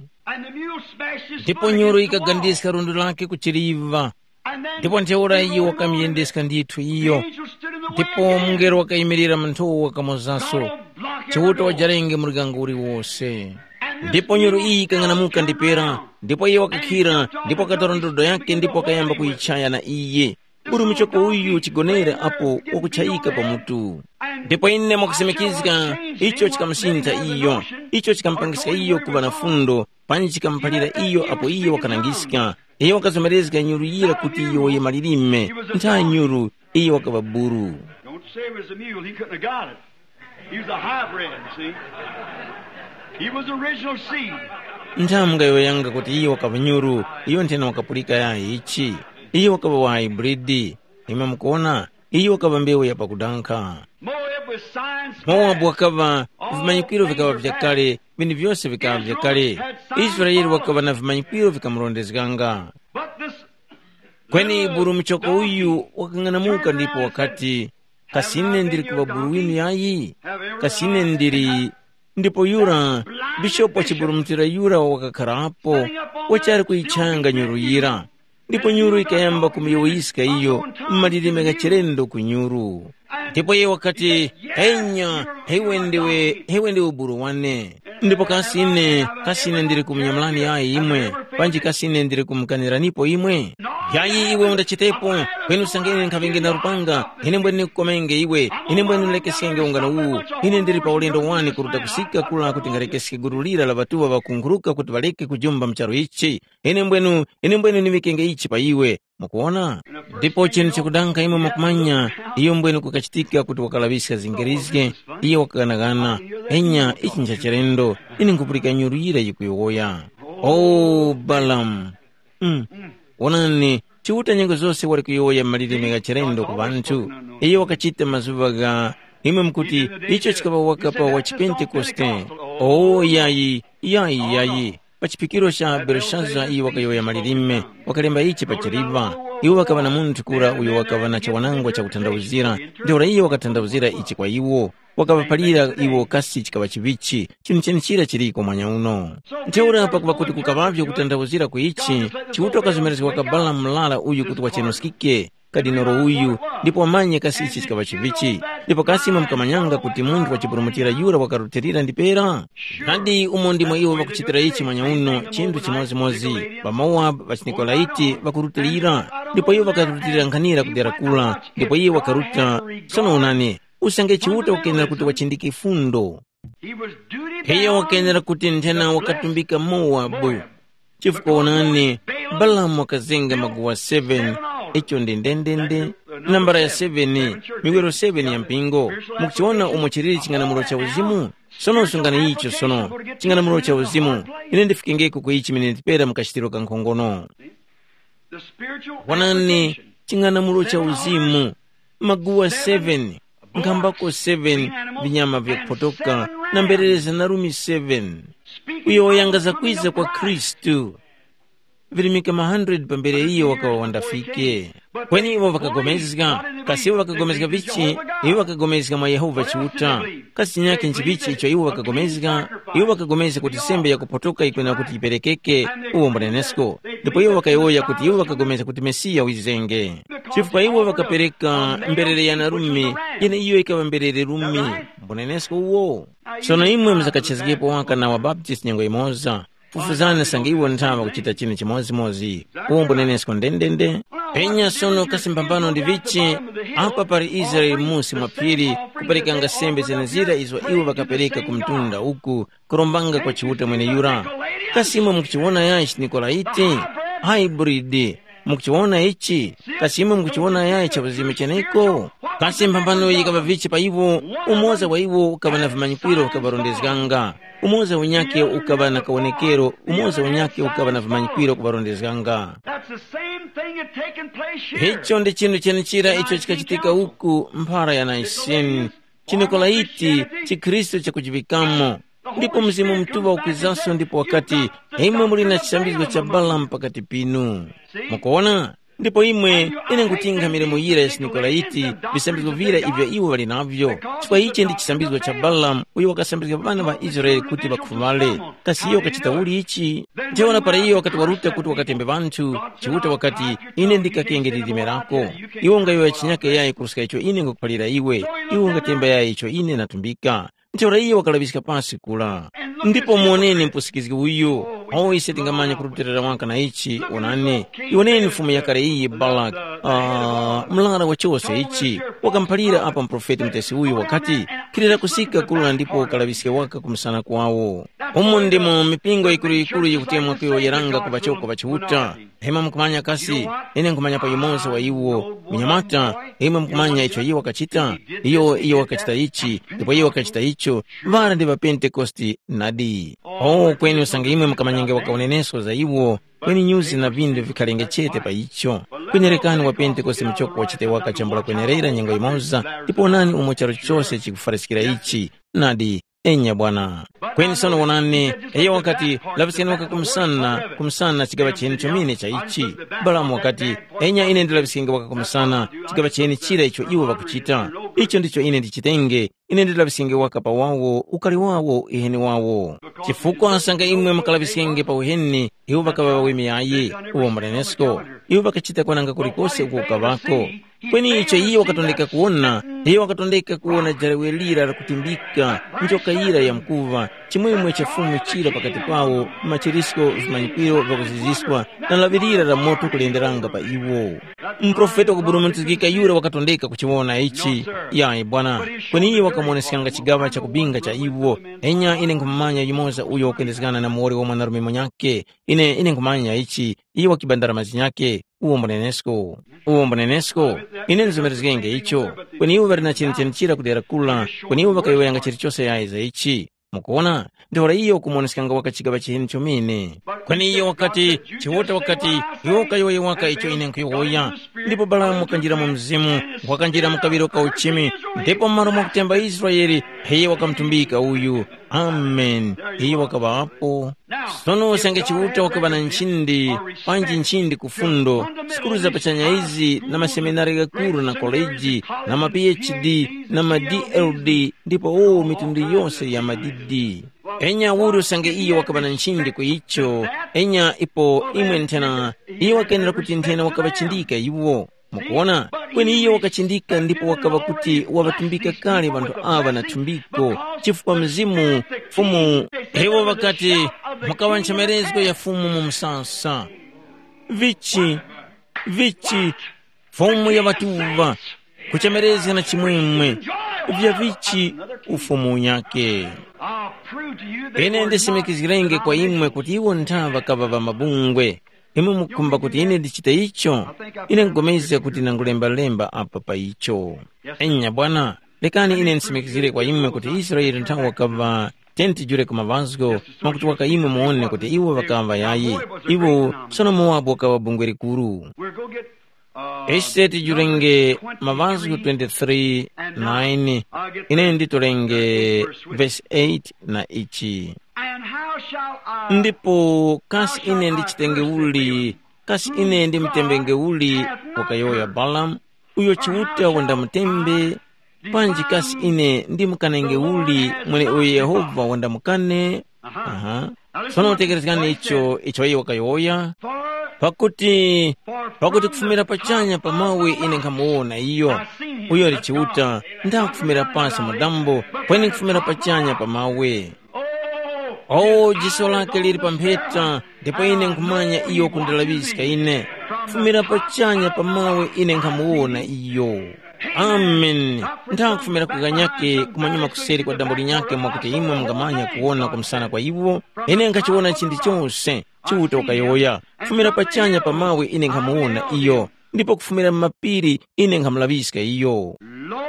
Ndipo nyuru yikagandiska lundo lake ku chiliva. Ndipo ntheura iyo wakamuyendeska ndithu iyo. Ndipo mungelo wakayimirira mu nthowa wakamozaso, Chiuta wajarenge muryango uliwose. Ndipo nyuru iyi yikang'anamuka ndipera, ndipo iyo wakakhira, ndipo wakatora ndodo yake ndipo wakayamba kuyichaya na iye. Uri muchoko uyu chigonere apo wakuchayika pa mutu. Ndipo ine mwakusimikizga, icho chikamusintha iyo, icho chikamupangiska iyo kuŵa na fundo, panji chikamuphalira iyo apo iyo wakanangiska. Iyo wakazomerezga nyuru yira kuti iyo wayemalirime, ntha nyuru, iyo wakaŵa buru. Don't say it was a mule, he couldn't have got it. He was a hybrid, see? He was original seed. Ntha mungayowoyanga kuti iyo wakaŵa nyuru, iyo nthena wakapulika yayi ichi. Iyo wakaŵa wa hybrid. Imwe mukuona, iyo wakaŵa mbewu ya pakudankha. Moab was signs. Mowabu wakaŵa, vimanyikiro vikaŵa vyakale, vintu vyose vikaŵa vyakale. Israele wakaŵa na vimanyikiro vikamurondezganga. But this Kweni buru muchoko uyu wakang'anamuka ndipo wakati, kasi ine ndili kuŵa buru winu yayi? Kasi ine ndili. Ndipo yura, bishopu wachiburumutira yura wakakharapo, wachali kuyichanga nyuru yira. Ndipo nyuru yikayamba kumuyowoyiska iyo, mmalilime ghachilendo ku nyuru. Ndipo iye wakati, enya, iwe ndiwe, iwe ndiwe buru wane. Ndipo kasi ine, kasi ine ndili kumunyamulani yayi imwe, panji kasi ine ndili kumukaniranipo imwe? Yayi iwe undachitepo, kweni usange ine nkhaŵenge na lupanga, ine mbwene ndikukomenge iwe, ine mbwene ndilekeskenge ungano uwu. Ine ndili pa ulendo wani kuruta kusika kula kuti ngalekeske gulu lira la ŵatuŵa ŵakunguruka kuti ŵaleke kujumba mu charu ichi. Ine mbwenu, ine mbwenu ndiŵikenge ichi pa iwe. Mukuwona? Ndipo chinthu chakudanga imwe mukumanya, iyo mbwenu kukachitika kuti wakalaŵiska zingerizge, iyo wakaghanaghana. Enya, ichi ncha chilendo, ine nkhupulika nyuru yira yikuyowoya. O Balamu! Mm. Wonani, Chiuta nyengo zose wali kuyowoya malilime gha chilendo ku ŵanthu. Iyo wakachita mazuŵa gha, imwe mukuti, icho chikaŵa wakapa wa chipentekoste. O yayi, yayi, yayi. Pa chiphikiro cha Belushaza iyo wakayowoya malilime, wakalemba ichi pa chiliva. Iwo ŵakaŵa na munthu kura uyo wakaŵa na chawanangwa chakuthandauzira, ntheura iyo wakathandauzira ichi kwa iwo. Wakaŵaphalira iwo kasi chikaŵa chiŵichi, chinthu chenechira chiliko mwanyauno. Ntheura pakuŵa kuti kukaŵavyo kutandawuzira ku ichi, Chiuta wakazomerezga kwa Balamu murara uyu kuti wachenuskike, kadinoro uyu, ndipo wamanye kasi ichi chikaŵa chiŵichi. Ndipo kasi imwe mukamanyanga kuti munthu wachiburumutira yura wakarutilira ndi pera? Nadi umo ndimo iwo ŵakuchitira ichi mwanyauno chinthu chimodzimodzi, ŵaMowabu, ŵachiNikolaiti ŵakurutilira, ndipo iwo ŵakarutilira nkhanira ku dera kula, ndipo iye wakaruta. Sono onani, usange Chiuta wakenera kuti wachindike fundo. Iyo wakenera kuti nthena wakatumbika Mowabu. Chifukwa onani, Balamu wakazenga maguwa seven, icho ndi ndendende, nambala ya seven, miwiro seven ya mpingo. Mukuchiona umo chiliri ching'anamulo cha uzimu? Sono sungani icho sono, ching'anamulo cha uzimu. Ine ndifikengeko ku ichi miniti pera mukachitiro kankhongono. Wonani, ching'anamulo cha uzimu, maguwa seven, nkhambako seven, vinyama vyakuphotoka, na mberere za narumi seven. Uyo wayanga zakwiza kwa Khristu. Virimika ma hundred pambere iyo wakaŵa wandafike. Kweni iwo ŵakagomezga, kasi iwo ŵakagomezga vichi? Iwo ŵakagomezga mwa Yehova Chiuta. Kasi chinyakhe nchivichi icho iwo ŵakagomezga? Iwo ŵakagomezga kuti sembe yakuphotoka yikwenera kuti yiperekeke, uwo mbunenesko. Ndipo iwo ŵakayowoya kuti iwo ŵakagomezga kuti Mesiya wizenge. Chifukwa iwo ŵakapereka mberere ya narume, yeneiyo yikaŵa mberere rume, mbunenesko uwo. Sono imwe muzakachezgepo waka na ŵabaptisi nyengo yimoza, fufuzani sange iwo nthawa kuchita chinu chimodzimozi, uwo mbunenesko ndendende. Penya sono kasi mphambano ndi vichi, apa pali Israele musi mwa phiri, kuperekanga sembe zenezira izo iwo ŵakapereka ku mtunda uku, kurombanga kwa Chiuta mweneyura. Kasi imwe mukuchiwona yachi Nikolaiti? Hybrid. Mukuchiwona ichi? Kasi imwe mukuchiwona yayi cha uzimu cheneko? Kasi mphambano yikaŵa vichi pa iwo? Umoza wa iwo ukaŵa na vimanyikwiro vikaŵarondezganga. Umoza unyakhe ukaŵa na kawonekero, umoza unyakhe ukaŵa na vimanyikwiro kuŵarondezganga. That's the same thing had taken place here. Icho ndi chinthu chenechira icho chikachitika uku mphara ya Naiseni, chiNikolaiti, chikhristu chakujiŵikamo. Ndipo Mzimu Mutuŵa ukwizaso ndipo wakati, imwe muli na chisambizgo cha Balamu pakati pinu. Mukuona? Ndipo imwe, ine nkutingha milimo yira ya chiNikolaiti, visambizgo vira ivyo iwo ŵali navyo. Chifukwa ichi ndi chisambizgo cha Balamu, uyo wakasambizga ŵana ŵa Israele kuti ŵakhuŵale. Kasi iyo wakachita uli ichi? Ntheura para iyo wakati waruta kuti wakatembe ŵanthu, Chiuta wakati, ine ndikakenge lilime lako. Iwe ungayowoya chinyake yayi kuruska icho ine ngakuphalira iwe, iwe ungatemba yayi icho ine natumbika. Ntheura iyo wakalaŵiska pasi kura. Ndipo muwoneni mpusikizgi uyu, awo ise tingamanya kurutilira waka na ichi, onani, iwoneni mfumu yakale iyi Balaki, uh, mlara wa chose ichi, wakamuphalira apa muprofeti mutesi uyu wakati, khilira kusika kura ndipo ukalaŵiske waka kumusana kwawo. Umu ndimo mipingo yikuru-yikuru yikutemwa kuyowoyeranga ku ŵachoko ŵa Chiuta. Imwe mukumanya kasi, ine nkhumanya pa yumoza wa iwo, munyamata, imwe mukumanya icho iwo wakachita? Iyo, iyo wakachita ichi, ndipo iyo wakachita icho, ŵara ndi ŵaPentekoste nadi. Oh, kweni usange imwe mukamanyenge waka unenesko za iwo, kweni nyuzi na vindu vikhalenge chete pa icho. Kwenerekani wa Pentekoste muchoko wachite waka chambula kwenerera nyengo yimoza, ndipo onani umo charu chose chikufwaraskira ichi. Nadi, enya bwana. Kweni sono wonani, iyo wakati, laŵiskani waka kumsana, kumsana chigaŵa cheni chomene cha ichi. Balamu wakati, enya ine ndilaŵiskenge waka kumsana, chigaŵa cheni chira icho iwo ŵakuchita. Icho ndicho ine ndichitenge, ine ndilaŵiskenge waka pa wawo, ukali wawo, iheni wawo. Chifukwa sanga imwe mukalaŵiskenge pa uheni, iwo ŵakaŵa ŵaweme yayi, uwo mbunenesko. Iwo ŵakachita kwananga kulikose uko kukaŵako. Kweni icho iye wakatondeka kuwona, iye wakatondeka kuwona jalewe lira lakutimbika, njoka yira yamkuŵa, chimwemwe cha Fumu chira pakati pawo, machirisko, vimanyikiro vyakuziziska, na lawi lira la moto kulenderanga pa iwo. Muprofeti wakuburumutizgika yura wakatondeka kuchiwona ichi. Yayi bwana. Kweni iye wakamuoneskanga chigaŵa cha kubinga cha iwo. Enya ine nkhumumanya yumoza uyo wakuyendezgana na muwoli wa mwanarume munyakhe. Ine ine nkhumanya ichi. Iye wakibandara mazi nyakhe. Uwo mbunenesko. Uwo mbunenesko. Ine nzumerezgenge icho. Kweni iwo ŵali na chenicheni chira kudera kula. Kweni iwo ŵakayowoyanga chilichose yayi za ichi. Mukuwona, ntheura iyo ukumuwoneskanga waka chigaŵa chiheni chomene. Kweni iyo wakati, Chiuta wakati, iwe ukayowoye waka icho ine nkhuyowoya. Ndipo Balamu wakanjira mu mzimu, wakanjira mu kaŵiro ka uchimi, ndipo m'malo mwa kutemba Israele, iyo wakamutumbika uyu. Amen. Iyo wakaŵapo. Sono usange Chiuta wakaŵa na nchindi, panji nchindi ku fundo, sukulu za pachanya izi na maseminari ghakuru na koleji, na ma P H D, na ma D L D, ndipo o mitundu yose ya madidi. Enya uli usange iyo wakaŵa na nchindi ku icho, enya ipo imwe nthena, iyo wakenera kuti nthena wakaŵachindika iwo. Mukuwona? Kweni iyo wakachindika ndipo wakaŵa kuti waŵatumbika kale ŵanthu aŵa na thumbiko, chifukwa Mzimu, Fumu, iwo ŵakati, mukaŵa nchemerezgo ya Fumu mu msasa. Vichi, vichi, Fumu ya ŵatuŵa, kuchemerezga na chimwemwe, vya vichi ufumu unyakhe. Ine ndisimikizgirenge kwa imwe kuti iwo nthaŵa kaŵa ŵa mabungwe. Imwe mukukhumba kuti ine ndichite icho? Ine nkupulikana kuti ndangulemba-lemba apa pa icho. Enya bwana, lekani ine ndisimikizgire kwa imwe kuti Israele nthaŵa wakaŵa tenti jule ku maŵazgo, mwakuti waka imwe muwone kuti iwo ŵakaŵa yayi. Iwo sono Mowabu wakaŵa bungwe likuru. Ise tijulenge maŵazgo twenty-three nine, ine nditolenge vesi eight na ichi. Ndipo kasi ine ndichitenge uli, kasi ine ndimutembenge uli? Wakayowoya Balamu, uyo Chiuta wandamutembe, panji kasi ine ndimukanenge uli mweneuyo Yehova wandamukane? Aha. Sono tekerezgani icho icho iye wakayowoya. Pakuti, pakuti kufumira pachanya pa mawe ine nkhamuwona iyo, uyo ali Chiuta, ndakufumira pasi mu dambo, kweni kufumira pachanya pa mawe. O, jiso lake lili pa mpheta, ndipo ine nkhumanya iyo kundalaŵiska ine. Kufumira pachanya pa mawe ine nkhamuwona iyo. Amen. Nthakufumira ku ghanyakhe kumanyuma kuseri kwa dambo linyakhe mwakuti imwe mungamanya kuwona kumsana kwa iwo. Ine nkhachiwona chinthu chose. Chiuta wakayowoya, kufumira pachanya pa mawe ine nkhamuwona iyo, ndipo kufumira mu mapiri ine nkhamulaŵiska iyo. Lo,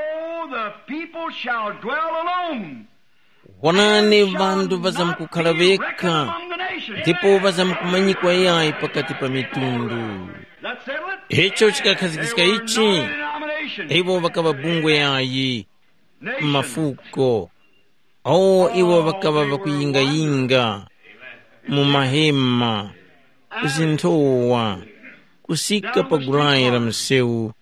the people shall dwell alone. Wonani, ŵanthu ŵazamkukhala ŵekha, ndipo ŵazamkumanyikwa yayi pakati pa mitundu. Icho chikakhazikika ichi, iwo ŵakaŵa bungwe yayi, mafuko, awo iwo ŵakaŵa ŵakuyingayinga mu mahema, zinthowa, kusika pa gulayi la msewu,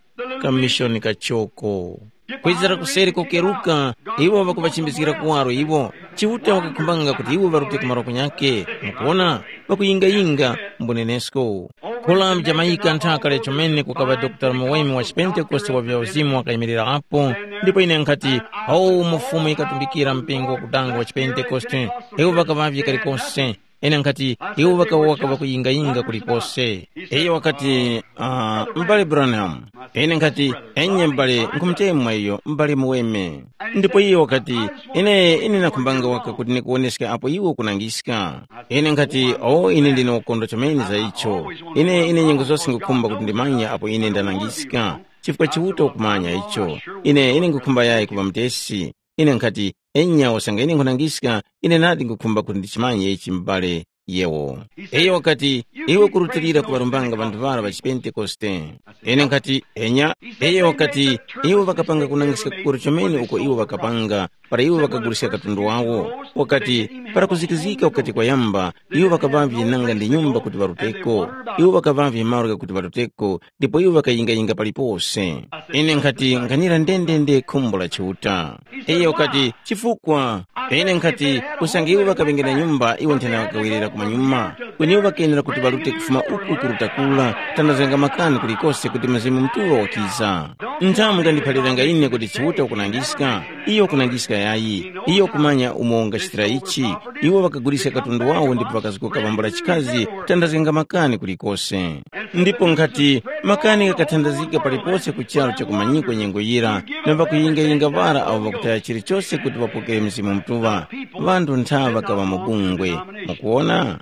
kamishoni kachoko. Kwezera kuseri kokeruka, iwo ŵakuŵachimbizgira kuwaro iwo. Chiuta wakakhumbanga kuti iwo ŵarute ku malo kunyakhe. Mukuwona, ŵakuyingayinga mbunenesko. Kula mu Jamaica nthaka lya chomene kukaŵa Dr. Muweme wa Chipentekoste wa vya uzimu wakayimirira apo, ndipo ine nkhati, awo umo Fumu yikatumbikira mpingo wakudanga wa Chipentekoste, iwo ŵakaŵavye kalikose. Ine nkhati, iwo ŵakawoka ŵakuyingayinga kulikose. Iyo wakati, uh, m'bale Branham. Ine nkhati, enye m'bale, nkhumutemwa iyo, m'bale Muweme. Ndipo iyo wakati, ine, ine nakhumbanga waka kuti nikuwoneske apo iwe ukunangiska. Ine nkhati, o, ine ndine wakondwa chomene za icho. Ine, ine nyengo zose ngukhumba kuti ndimanye apo ine ndanangiska. Chifukwa Chiuta ukumanya icho. Ine, ine ngukhumba yayi kuŵa mutesi. Ine nkhati, enya usange ine nkhunangiska, ine nadi ngukhumba kuti ndichimanye ichi m'bale yewo. Iyo wakati, iwe kurutilira kuŵarumbanga ŵanthu ŵara ŵa chipentekoste. Ine nkhati, enya. Iyo wakati, iwo ŵakapanga kunangiska kukuru chomene uko iwo ŵakapanga, para iwo ŵakaguliska katundu wawo. Wakati, para kuzikizika kukati kwayamba, iwo ŵakaŵavye nanga ndi nyumba kuti ŵaruteko. Iwo ŵakaŵavye malo ghakuti ŵaruteko, ndipo iwo ŵakayingayinga palipose. Ine nkhati, nkhanira ndendende khumbo la Chiuta. Iyo wakati, chifukwa. Ine nkhati, usange iwo ŵakaŵenge na nyumba, iwo nthena ŵakawerera kumanyuma. Kweni iwo ŵakenera kuti ŵarute kufuma uku kuruta kura, tandazganga makani kulikose kuti Mzimu Mutuŵa wakiza. Nthamu mungandiphaliranga ine kuti Chiuta wakunangiska, iyo wakunangiska yayi, iyo wakumanya umo ungachitira ichi. Iwo ŵakaguliska katundu wawo ndipo ŵakazgoka pambula chikazi, tandazganga makani kulikose. Ndipo nkhati, makani ghakathandazgika palipose ku charu chakumanyikwa nyengo yira, na ŵakuyingayinga ŵara awo ŵakutaya chilichose kuti ŵapokere Mzimu Mutuŵa, ŵanthu nthaŵa kaŵa mu bungwe. Mukuwona?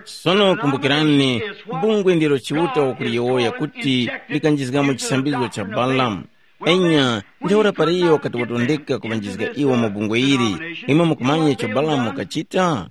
Sono kumbukirani, bungwe ndilo Chiuta wakuliyowoya kuti likanjizgamo chisambizgo cha Balamu. Enya, ntheura para iyo wakati watondeka kuŵanjizga iwo mu bungwe ili, imwe mukumanya icho Balamu wakachita?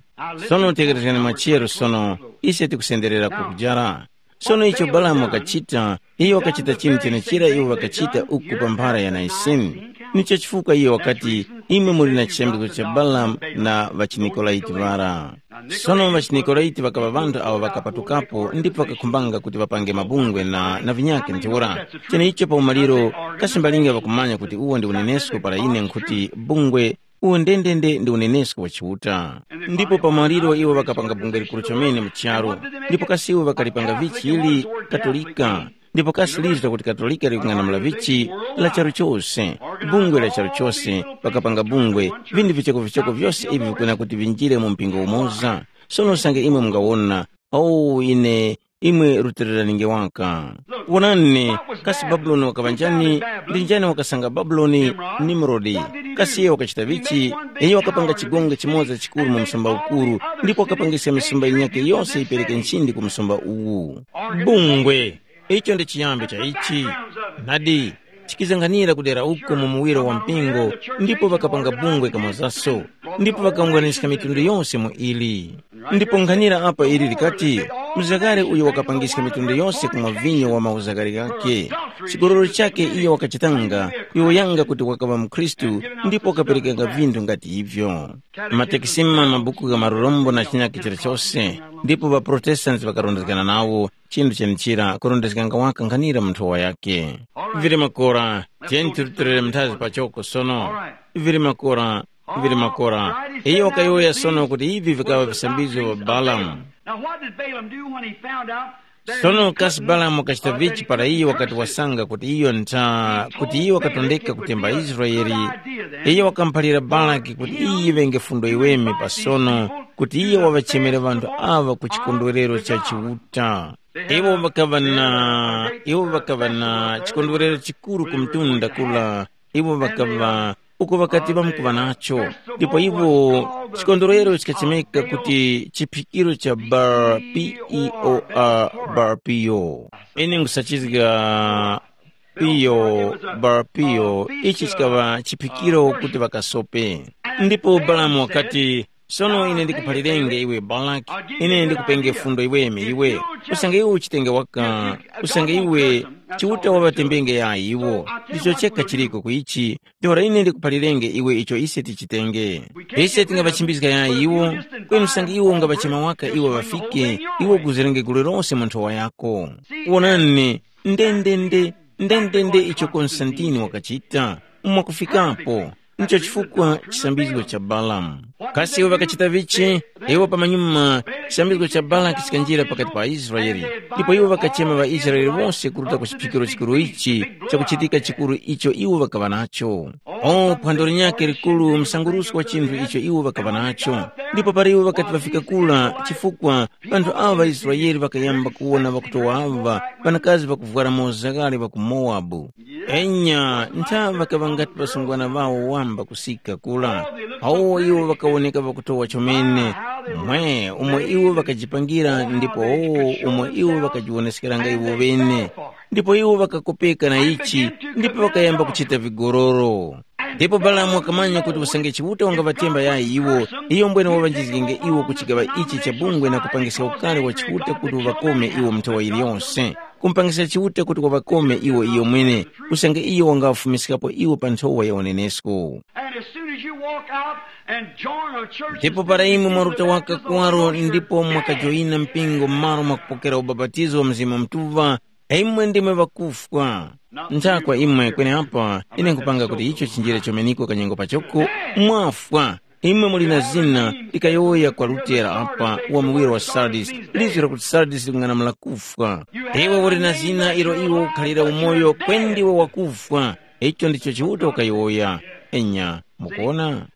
Sono tegherezgani machero sono, ise tikusenderera kukujara. Sono icho Balamu wakachita, iyo wakachita chinthu chenechera iwo ŵakachita uku pa mphara ya Naisini. Nicho chifukwa iyo wakati, imwe muli na chiyambiko cha Balamu na ŵachiNikolaiti ŵara. Sono ŵachiNikolaiti ŵakaŵa ŵanthu awo ŵakapatukapo ndipo ŵakakhumbanga kuti ŵapange mabungwe na, na vinyakhe ntheura. Cheneicho pa umaliro, kasi mbalinga ŵakumanya kuti uwo ndi unenesko para ine nkhuti bungwe, uwo ndendende ndi unenesko wa Chiuta. Ndipo pa maliro iwo ŵakapanga bungwe likuru chomene mu charu, ndipo kasi iwo ŵakalipanga vichi ili Katolika? Ndipo kasi lizgu lakuti Katolika likung'anamula vichi la charu chose, bungwe la charu chose, ŵakapanga bungwe, vinthu vichokovichoko vyose ivi vikwena kuti vinjire mu mpingo umoza. Sono usange imwe mungawona, oh ine, imwe rutiliraninge waka. Wonani, kasi Babuloni wakaŵa njani? Ndi njani wakasanga Babuloni? Nimrodi. Kasi iyo wakachita vichi? Iyo wakapanga chigongo chimoza chikuru mu msumba ukuru, ndipo wakapangiska misumba yinyakhe yose yipereke nchindi ku msumba uwu. Bungwe. Icho ndi chiyambi cha ichi. Nadi, chikizanganira kudera uko mu muwiro wa mpingo, ndipo ŵakapanga bungwe kamozaso, ndipo ŵakawungwaniska mitundu yose mu ili. Ndipo nkhanira apa ili likati, mzakare uyo wakapangiska mitundu yose ku mavinyo wa mauzakare ghakhe. Chigololo chakhe iyo wakachitanga, kuyowoyanga kuti wakaŵa mukhristu, ndipo wakaperekanga vinthu ngati ivyo. Matekisima, mabuku gha marurombo na chinyakhe chilichose, ndipo ŵaProtestanti ŵakarondezgana nawo, chinthu chenichira kurondezganga waka nkhanira mu nthowa yakhe. Vili makora, tiyeni tirutilire mnthazi pachoko sono. Vili makora, vili makora. Iyo wakayowoya sono kuti ivi vikaŵa visambizgo vya Balamu. Now what did Balaam do when he found out that Sono he kasi couldn't Balamu wakachita vichi para iyo wakati wasanga kuti iyo ntha kuti iyo wakatondeka kutemba Israeli? Iyo wakamuphalira Balaki kuti iyi yiŵenge fundo yiweme pasono, kuti iyo wawachemere ŵanthu aŵa ku chikondwerero cha Chiuta. Iwo ŵakaŵa na iwo ŵakaŵa na chikondwerero chikuru ku mtunda kula. Iwo ŵakaŵa uko ŵakati ŵamkuŵa nacho. Ndipo iwo chikondwerero chikachemeka kuti chiphikiro cha Bar P E O R Bar P O. Ine nkusachizga P O Bar P O. Ichi chikaŵa chiphikiro kuti ŵakasope. Ndipo Balamu wakati, sono ine ndikuphalirenge iwe Balaki, ine ndikupenge fundo iweme iwe. Usange iwe uchitenge waka, usange iwe Chiuta waŵatembenge yayi iwo. Ndicho chekha chiliko ku ichi. Ntheura ine ndikuphalirenge iwe icho ise tichitenge. Ise tingaŵachimbizga yayi iwo, kweni usange iwo ungawachema waka iwo ŵafike, iwe ukuzirenge gulu lose mu nthowa yako. Wonani, ndendende, ndendende icho Konstantini wakachita. Mwakufikapo, ncho chifukwa chisambizgo cha Balamu. Kasi iwo ŵakachita vichi? Iwo pamanyuma, chisambizgo cha Balaki chikanjira pakati pa Israeli, ndipo iwo ŵakachema ŵaIsraele wose kuruta ku chiphikiro chikuru ichi chakuchitika chikuru icho iwo ŵakaŵa nacho. O phwando linyakhe likuru msangurusko wa chinthu icho iwo ŵakaŵa nacho. Ndipo para iwo ŵakati ŵafika kura, chifukwa ŵanthu awo ŵaIsraele ŵakayamba kuwona ŵakutowa aŵa ŵanakazi ŵakuvwara mozagale ŵa ku Mowabu. Enya, ntha ŵakaŵa ngati ŵasungwana ŵawo wamba kusika kura. Awo iwo ŵakawoneka ŵakutowa chomene. Mwe, umo iwo ŵakajipangira ndipo umo iwo ŵakajiwoneskeranga iwo ŵene. Ndipo iwo ŵakakopeka na ichi, ndipo ŵakayamba kuchita vigororo. Ndipo Balamu wakamanya kuti usange Chiuta wangaŵatemba yayi iwo, iyo mbwene waŵanjizgenge iwo ku chigaŵa ichi cha bungwe na kupangiska ukari wa Chiuta kuti uŵakome iwo mu nthowa yiliyonse. Kumpangiska Chiuta kuti waŵakome iwo iyo mwene, usange iyo wangaŵafumiskapo iwo pa nthowa ya unenesko. And as soon as you walk out and join a church, ndipo para imwe mwaruta waka kuwaro ndipo mwakajoyina mpingo m'malo mwakupokera ubapatizo wa Mzimu Mutuŵa, imwe ndimwe ŵakufwa. Nthakwa imwe kweneapa, ine nkupanga kuti icho chinjire chomeneko kanyengo pachoko, mwafwa. Imwe muli na zina likayowoya kwa Lutera apa wa muwiro wa Sardis, lizgu lakuti Sardis likung'anamula kufwa. Iwe uli na zina ilo iwe ukhalira umoyo kwendi iwe wakufwa. Icho ndicho Chiuta wakayowoya. Enya, mukuona?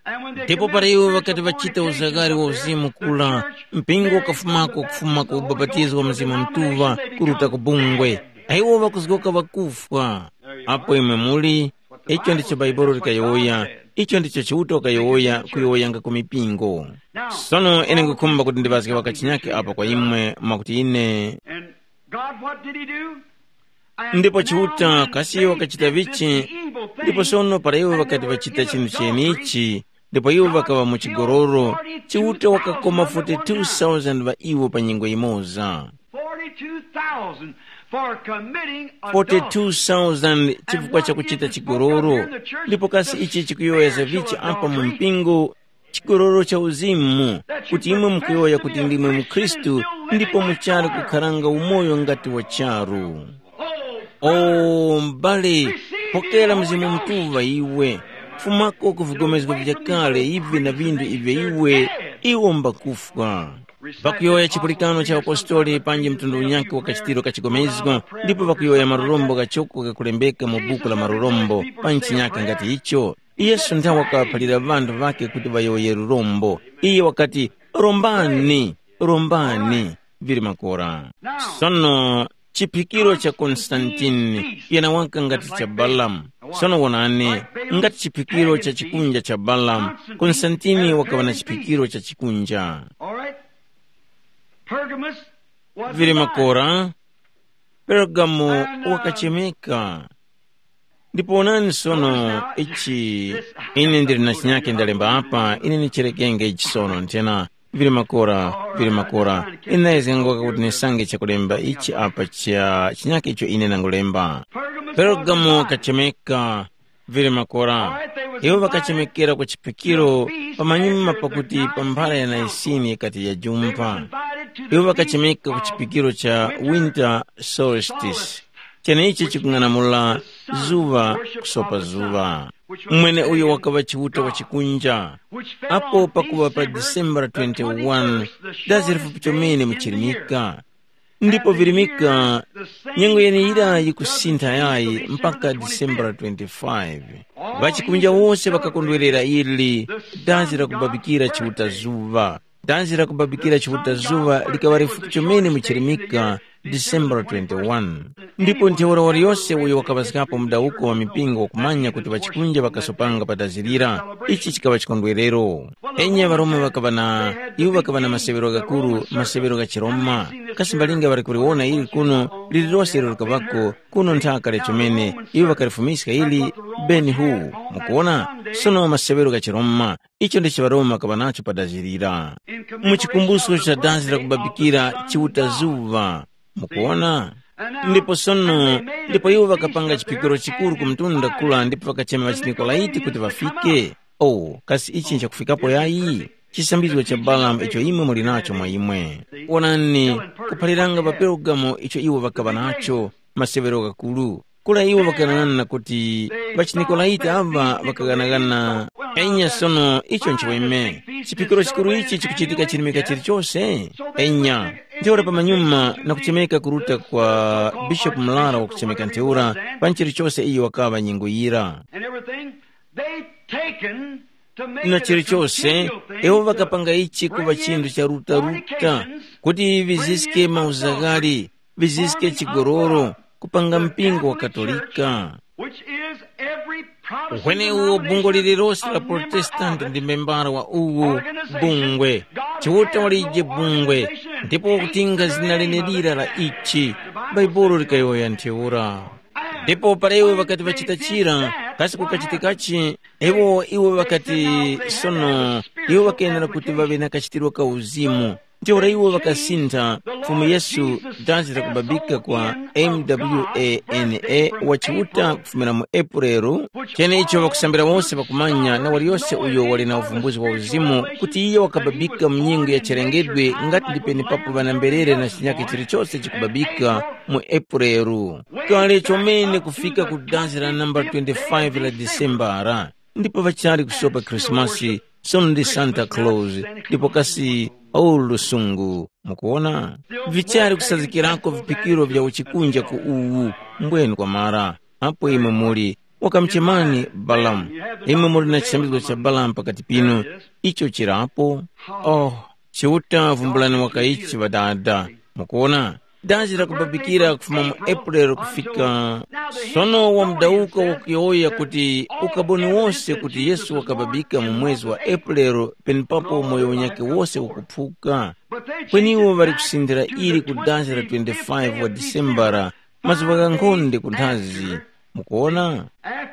Ndipo para iwo ŵakati ŵachita uzagari wa uzimu kula, mpingo ukafumako kufuma ku ubapatizo wa Mzimu Mutuŵa kuruta ku bungwe, iwo ŵakuzgoka ŵakufwa. Apo imwe muli, icho ndicho Bhaibuli likayowoya, icho ndicho Chiuta wakayowoya kuyowoyanga ku mipingo. Sono ine nkhukhumba kuti ndiŵazge wakachinyake apa kwa imwe mwakuti ine. And God, what did he do? Ndipo Chiuta kasi wakachita vichi? Ndipo sono para iwo ŵakati ŵachita chinthu chenichi, ndipo iwo ŵakaŵa mu chigololo, Chiuta wakakoma forty-two thousand ŵa iwo pa nyengo yimoza. Forty-two thousand for committing adultery. Forty-two thousand chifukwa cha kuchita chigololo. Ndipo kasi ichi chikuyowoyeza vichi apa mu mpingo? Chigololo cha uzimu, kuti imwe mukuyowoya kuti ndimwe mukhristu ndipo muchali kukharanga umoyo ngati wa charu. O m'bale, pokera Mzimu Mutuŵa iwe, fumako ku vigomezgo vyakale ivi na vindu ivyo iwe, iwo mbakufwa. Pakuyowoya chipulikano cha apostoli panji mtundu unyakhe wa kachitiro ka chigomezgo, ndipo pakuyowoya marurombo ghachoko ghakulembeka mu buku la marurombo pa chinyakhe ngati icho, Yesu nthawe wakaphalira ŵanthu ŵakhe kuti ŵayowoye lurombo. Iye wakati, “Rombani, rombani,” vili makora. Sono chiphikiro cha Konstantini yenawaka ngati cha Balamu. Sono wonani, ngati chiphikiro cha chikunja cha Balamu, Konstantini wakaŵa na chiphikiro cha chikunja. All right. Pergamos was vili divided. Makora, Pergamo wakachemeka. Ndipo onani sono ichi, ine ndili na chinyake ndalemba apa, ine ndicherekenge ichi sono nthena, vili makora, vili makora. Ine ndayezganga kuti ndisange chakulemba ichi apa cha chinyake icho ine ndangulemba. Pergamo kachemeka, vili makora. Iwo ŵakachemekera ku chiphikiro pamanyuma pakuti pa mphara ya Naisini yikati yajumpha. Iwo ŵakachemeka ku chiphikiro cha winter solstice, cheneichi chikung'anamula zuŵa kusopa zuŵa. Mweneuyo wakaŵa Chiuta wa chikunja, apo pakuŵa pa December twenty-one, dazi lifupi chomene muchirimika. Ndipo virimika, nyengo yeneyira yikusintha yayi mpaka December twenty-five. Ŵachikunja wose ŵakakondwerera ili, dazi lakubabikira Chiuta zuŵa. Dazi lakubabikira Chiuta zuŵa likaŵa lifupi chomene muchirimika, December twenty-one. Ndipo ntheura waliyose uyo wakaŵazgapo mudawuko wa mipingo wakumanya kuti ŵachikunja ŵakasopanga pa dazi lira. Ichi chikaŵa chikondwerero. Enya ŵaRoma ŵakaŵa na, iwo ŵakaŵa na maseŵero ghakuru, maseŵero gha chiRoma. Kasi mbalinga ŵali kuliwona ili kuno, lililose ilo likaŵako, kuno nthaka lya chomene, iwo ŵakalifumiska ili, beni hu, mukuwona? Sono maseŵero gha chiRoma, icho ndicho ŵaRoma ŵakaŵa nacho pa dazi lira. Mu chikumbuso cha dazi lakubabikira Chiuta zuŵa, mukuwona? Ndipo sono, ndipo iwo ŵakapanga chiphikiro chikuru ku mtunda kula ndipo ŵakachema ŵachiNikolaiti kuti ŵafike. Oh, kasi ichi nchakufikapo yayi? Chisambizgo cha Balamu icho imwe muli nacho mwa imwe. Wonani, kuphaliranga pa Perugamo icho iwo ŵakaŵa nacho, maseŵero ghakuru. Kula iwo ŵakaghanagana kuti ŵachiNikolaiti aŵa ŵakaghanagana. Enya sono icho nchiweme. Chiphikiro chikuru ichi chikuchitika chirimika chilichose? Enya. Ntheura pamanyuma na kuchemeka kuruta kwa Bishopu Murara wakuchemeka ntheura, pa nchilichose iyo wakaŵa nyengo yira. And everything they taken to make na it a chilichose, continual thing iwo to ŵakapanga ichi kuŵa bring chinthu in cha rutaruta, fornications, kuti bring viziske in mauzagari, adultery, viziske forming a chigololo, corrupt kupanga the mpingo wa Catholic Church, Katolika. Which is every Protestant uhwenewo bungwe denomination, lililose la a member Protestanti of it, ndi membara wa uwu organization, bungwe. God Chiuta has walije no bungwe, organization and ndipo hates wakutinga their zina name of it. Lenelira la ichi. The Bible Baibulo says likayowoya ntheura. Ndipo para iwo ŵakati ŵachita chira, kasi kukachitikachi? Iwo iwo ŵakati, sono, iwo ŵakayenera kuti ŵaŵe na kachitiro ka uzimu. Ntheura iwo ŵakasintha Fumu Yesu dazi lakubabika kwa M W A N A wa Chiuta kufumira mu Epureru, cheneicho ŵakusambira wose ŵakumanya na waliyose uyo wali na uvumbuzi wa uzimu kuti iye wakababika mu nyengo ya chilengedwe ngati ndi penepapo ŵanamberere na chinyakhe chilichose chikubabika mu Epureru. Kale chomene kufika ku dazi la namba twenty-five la Disembara, ndipo ŵachali kusopa Khrisimasi sono ndi Santa Claus, ndipo kasi awu lusungu. Mukuwona? Vichali kusazgikirako viphikiro vya uchikunja ku uwu, mbwenu kwa mara. Apo imwe muli, wakamuchemani Balamu. Imwe muli na chisambizgo cha Balamu pakati pinu. Icho chirapo. Oh, Chiuta vumbulani wakaichi ŵadada. Mukuwona? Dazi la kubabikira kufuma mu April kufika. Sono wamudawuka wakuyowoya kuti ukaboni wose kuti Yesu wakababika mu mwezi wa April penepapo moyo wanyakhe wose ukuphuka. Kweni iwo ŵali kusindira ili ku dazi la twenty-five wa Disembara, mazuŵa ghankhonde kunthazi. Mukuwona?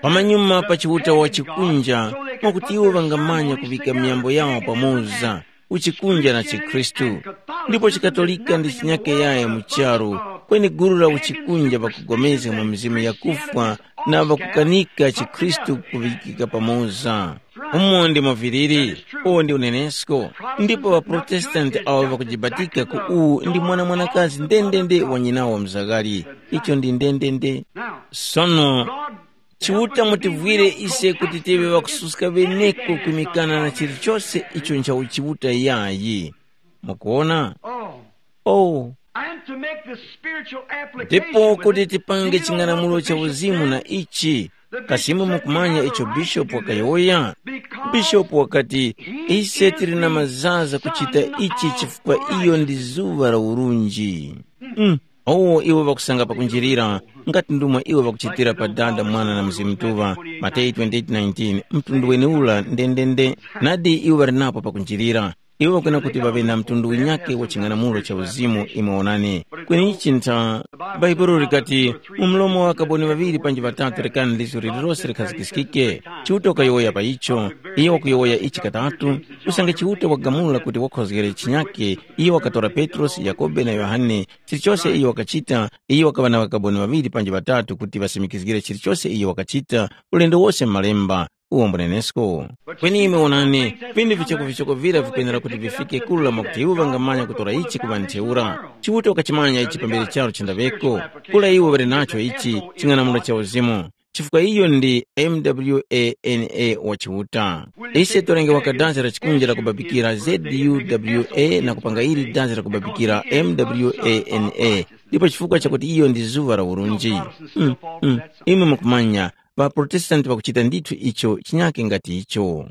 Pamanyuma pa Chiuta wa chikunja, mwakuti iwo ŵangamanya kuŵika miyambo yawo pamoza, uchikunja na chikhristu. Ndipo chikatolika ndi chinyake yaye mu charu, kweni gulu la uchikunja ŵakugomezga mu mizimu yakufwa na ŵakukanika chikhristu kuŵikika pamoza. Umo ndimo viliri, uwo ndi unenesko. Ndipo ŵaprotestanti awo ŵakujibatika ku uwu ndi mwana-mwanakazi ndendende wa nyinawo mzaghali. Icho ndi ndendende. Sono, Chiuta mutivwire ise kuti tive ŵakususka ŵeneko kwimikana na chilichose icho ncha uchiuta yayi. Mukuwona? Oh, and to make the spiritual application ndipo with kuti it, tipange do you know ching'anamulo what the cha bishop uzimu said? Na ichi, Kasi imwe mukumanya icho bishopu wakayowoya? Bishopu wakati, ise tili na mazaza kuchita ichi chifukwa iyo ndi zuŵa la urunji. Mm. Owo iwo ŵakusanga pakunjirira, ngati ndumwe iwo ŵakuchitira pa Dada, Mwana na Mzimu Mutuŵa, Mateyu twenty-eight nineteen, mtundu weneura ndendende, nadi iwo ŵali napo pakunjirira. Iwo ŵakwena kuti ŵaŵe na mtundu winyake wa ching'anamulo cha uzimu imwe wonani. Kweni ichi ntha, Bhaibuli likati, mu mlomo wa ŵakaboni ŵaŵiri panji ŵatatu rekani lizgu lililose likhazikiskike. Chiuta wakayowoya pa icho, iyo wakuyowoya ichi katatu, usange Chiuta wagamula kuti wakhozgere chinyake, iyo wakatora Petrosi, Yakobe na Yohane, chilichose iyo wakachita, iyo wakaŵa na ŵakaboni ŵaŵiri panji ŵatatu kuti ŵasimikizgire chilichose iyo wakachita, ulendo wose mu Malemba. Uwo mbunenesko. Kweni imwe wonani, vinthu vichokovichoko vira vikwenera kuti vifike kula mwakuti iwo ŵangamanya kutora ichi kuŵa ntheura. Chiuta wakachimanya ichi pambere charu chindaŵeko. Kula iwo ŵali nacho ichi ching'anamulo cha uzimu, chifukwa iyo ndi M W A N A wa Chiuta. Ise tolengewa kadazi la chikunja la kubabikira Z U W A na kupanga ili dazi la kubabikira M W A N A, ndipo chifukwa chakuti iyo ndi zuŵa la urunji. Mm, mm. Imwe mukumanya, ŵaProtestanti ŵakuchita ndithu icho chinyake ngati icho.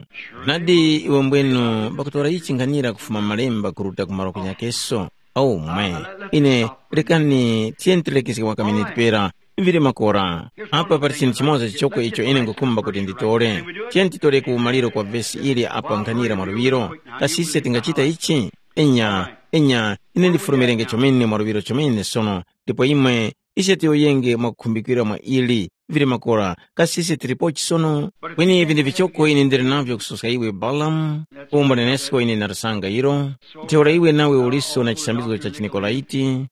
Nadi iwe mbwenu ŵakutora ichi nkhanira kufuma malemba kuruta ku malo kunyakeso? Awu mwe, ine, rekani tiyeni tilekeske kwa kaminiti pera, mvire makora. Apa pali chinthu chimoza chichoko icho ine ngukhumba kuti nditore. Tiyeni titore ku maliro kwa vesi ili apa nkhanira mwaluŵiro. Kasi ise tingachita ichi? Enya, enya, ine ndifulumirenge chomene mwaluŵiro chomene sono, ndipo imwe, ise tiyoyenge mwakukhumbikira mwa ili. Vili makora, kasi ise tilipochi sono? Kweni ivi ndi vichoko ine ndili navyo kusoska iwe Balamu, umo nenesko ine ndarisanga ilo. Ntheura iwe nawe uliso na chisambizgo cha chiNikolaiti.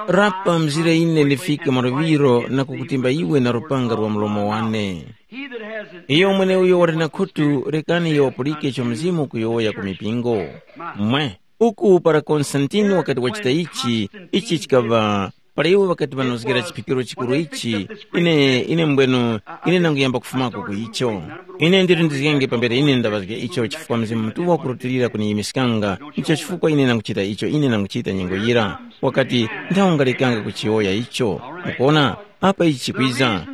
Rapa mzire ine ndifike mwaluŵiro na kukutimba iwe na lupanga lwa mlomo wane. Iyo mweneuyo wali na khutu, rekani iyo wapulike icho Mzimu ukuyowoya ku mipingo. Mwe, uku para Konstantini wakati wachita ichi, ichi chikaŵa, para iwo ŵakati ŵanozgera chiphikiro chikuru ichi, ine, ine mbwenu, ine nanguyamba kufumako ku icho. Ine ndilindizgenge pambere ine ndaŵazge icho chifukwa Mzimu Mutuŵa wakurutilira kuniyimiskanga, ndicho chifukwa ine nanguchita icho ine nanguchita nyengo yira. Wakati, nthawe ungalekanga kuchiyowoya icho. Mukuona, apa ichi chikwiza.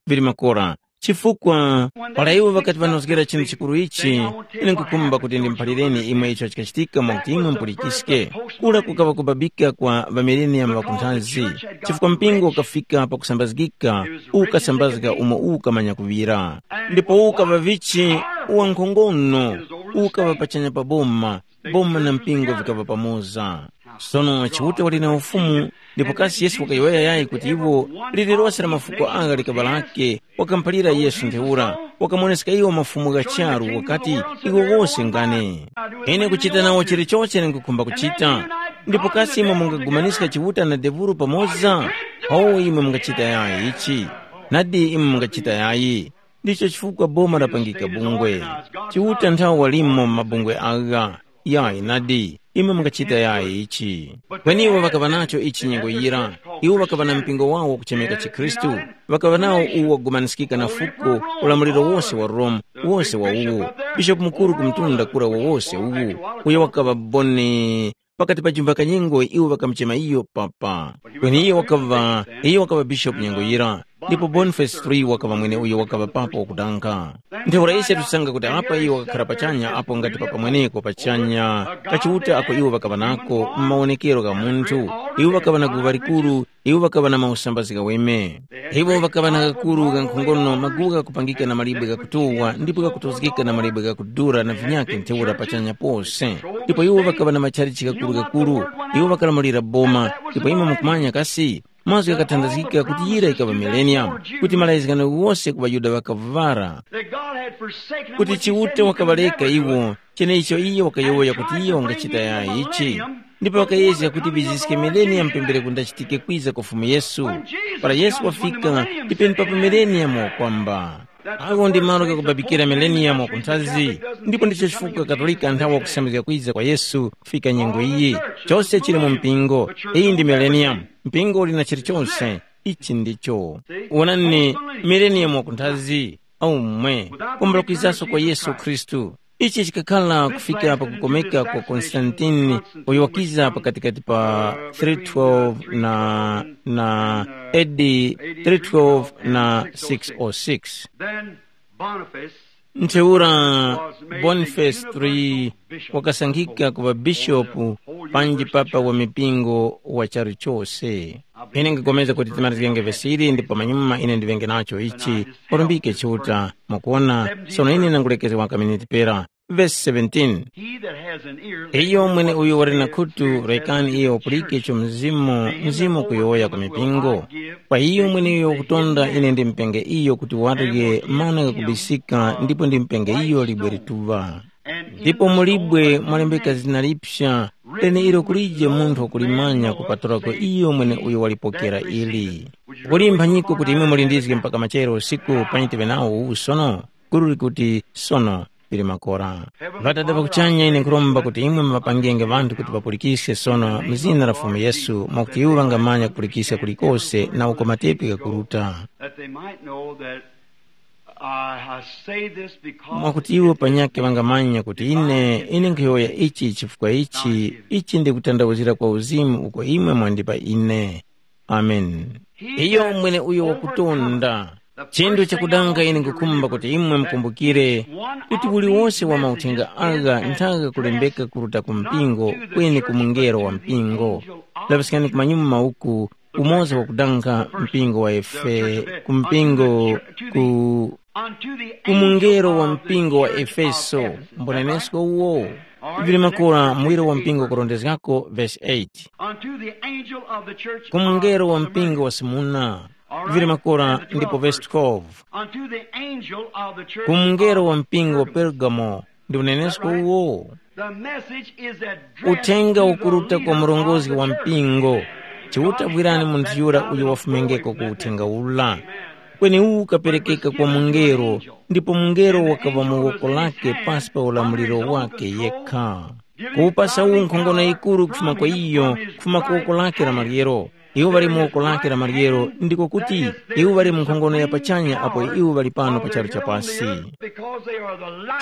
Vili makora. Chifukwa, para iwo ŵakati ŵanozgera chinthu chikuru ichi, ine nkukhumba kuti ndimuphalireni imwe icho chikachitika mwakuti imwe mupulikiske. Kura kukaŵa kubabika kwa ŵamileniyamu ŵakunthazi, chifukwa mpingo ukafika pakusambazgika, ukasambazga umo ukamanya kuŵira. Ndipo ukaŵa vichi, wankhongono, ukaŵa pachanya pa boma, boma na mpingo vikaŵa pamoza. Sono Chiuta wali na ufumu, ndipo kasi Yesu wakayowoya yayi kuti iwo, lililose la mafuko agha likaŵa lake, wakamuphalira Yesu ntheura, wakamuwoneska iwo mafumu gha charu wakati, iwo wose ngane. Ine kuchita nawo chilichose ine nkukhumba kuchita. Ndipo kasi imwe mungagumaniska Chiuta na devulu pamoza? Ho imwe mungachita yayi ichi. Nadi imwe mungachita yayi. Ndicho chifukwa boma lapangika bungwe. Chiuta nthawe walimo mabungwe agha. Yayi nadi. imwe mungachita yayi ichi. Kweni iwo ŵakaŵa nacho ichi nyengo yira. Iwo ŵakaŵa na mpingo wawo wakuchemeka chikhristu. Ŵakaŵa nawo uwo wagumaniskika na fuko, ulamuliro wose wa Rome, wose wa uwu. Bishopu mukuru ku mtunda kura wowose uwu, uyo wakaŵa Boni, pakati pa jumba kanyengo iwo ŵakamuchema iyo papa. Kweni iyo wakaŵa, iyo wakaŵa bishopu nyengo yira. Ndipo Boniface three wakaŵa mwene uyo wakaŵa papa wakudanga. Ntheura ise tusanga kuti apa iyo wakakhara pachanya apo ngati papa mweneko pachanya, kachiuta ako iwo ŵakaŵa nako m'mawonekero gha munthu. Iwo ŵakaŵa na guŵa likuru, iwo ŵakaŵa na mausambazi ghaweme. Iwo ŵakaŵa na gakuru ga nkhongono maguwa ghakupangika na malibwe ghakutuwa ndipo ghakutozgeka na malibwe ghakudura na vinyakhe ntheura pachanya pose. Ndipo iwo ŵakaŵa na matchalichi ghakuru-ghakuru. Iwo ŵakalamulira boma. Ndipo imwe mukumanya kasi, mazgu ghakathandazgika kuti yira yikaŵa millennium, kuti malayizgano ghose ku ŵaYuda ŵakavuvara, that God had forsaken them, kuti which he said Chiuta he could wakaŵareka never do. Iwo, cheneicho iye wakayowoya kuti iye wangachita yayi ichi. Ndipo wakayezga kuti viziske millennium pembereko ndachitike kwiza kwa Fumu Yesu. Para Yesu wafika, ndi penepapo millennium wakwamba. Awo ndi malo ghakubabikira millennium wakunthazi, ndipo ndicho chifukwa Katolika nthawe wakusambizga kwiza kwa Yesu kufika nyengo iyi. Chose chili mu mpingo. Iyi ndi millennium. Mpingo uli na chilichonse. Ichi ndicho. Wonani, millennium wakunthazi, aumwe, kumbula kwizaso kwa Yesu Khristu. Ichi chikakhala kufika pa kukomeka kwa Konstantini, uyo wakiza pakatikati pa three twelve na, na A D three twelve na six oh six. Then Boniface Ntheura, Boniface three wakasankhika kuŵa bishopu panji papa wa mipingo wa charu chose. Ine ngipulikana kuti timarizgenge vesi ili ndipo pamanyuma ine ndiŵenge nacho ichi. Urumbike Chiuta. Mwakuwona, sono ine ndangulekezga waka miniti pera. Vesi seventeen. He that has an ear, let Iyo him mwene hear uyo wali na khutu, rekani iyo wapulike icho mzimu mzimu kuyowoya ku mipingo. Kwa iyo mwene uyo wakutonda ine ndimupenge iyo kuti warye mana ghakubisika ndipo ndimupenge iyo libwe lituŵa. Ndipo mulibwe mwalembeka zina lipsa, leneilo kulije munthu wakulimanya kupatulako iyo mwene uyo walipokera ili. Kuli mphanyiko kuti imwe mulindizge mpaka machero usiku panyi tive nawo uwu sono? Gulu likuti sono, pili makora. Ŵadada ŵa kuchanya, ine nkhuromba kuti imwe mupangenge ŵanthu kuti ŵapulikiske sono mu zina la Fumu Yesu, mwakuti iwo ŵangamanya kupulikiska kulikose na uko matepi ghakuruta. That they might know that I, I say this because mwakuti iwo panyakhe ŵangamanya kuti ine ine nkhuyowoya ichi chifukwa ichi ichi ndikutandauzira kwa uzimu uko imwe mwandipa ine. Amen. Iyo mwene uyo wakutonda. Chinthu chakudanga ine nkukhumba kuti imwe mukumbukire kuti uliwonse wa mauthenga agha nthaga kulembeka kuruta ku mpingo kweni ku mungelo wa mpingo. Laŵiskani kumanyuma uku, umoza wakudanga mpingo wa Efe ku mpingo ku ku mungelo wa mpingo wa Efeso. Mbunenesko uwo vili makora muwiro wa mpingo kurondezgako vesi eight. Unto the angel of the church ku mungelo wa of mpingo wa Smurna. Vili makora ndipo vesi twelve. Unto the angel of the church ku mungelo wa mpingo wa Pergamo. Ndi unenesko uwo. The message is addressed uthenga to the ukuruta kwa leader mulongozi of wa the church. Mpingo. Chiuta bwirani munthu yura uyo wafumengeko ku uthenga ula. Kweni uwu ukaperekeka kwa mungelo, ndipo mungelo wakaŵa mu woko lake pasi pa ulamuliro wake yekha. Kuwupasa uwu nkhongono yikuru kufuma kwa iyo, kufuma ku woko lake la maryero. Iwo ŵali mu woko lake la maryero, ndiko kuti iwo ŵali mu nkhongono ya pachanya apo iwo ŵali pano pa charu cha pasi.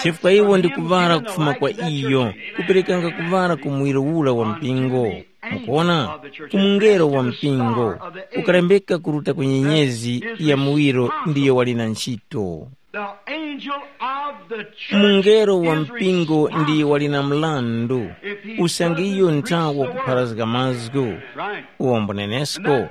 Chifukwa iwo ndi kuŵala kufuma kwa iyo, kuperekanga kuŵala ku muwiro ura wa mpingo. Mukuona, ku mungelo wa mpingo ukalembeka kuruta ku nyenyezi ya muwiro ndiyo wali na ntchito. Mungelo wa mpingo ndiyo wali na mlandu usange iyo nthawi wakupharazga mazgu. Uwombo nenesko.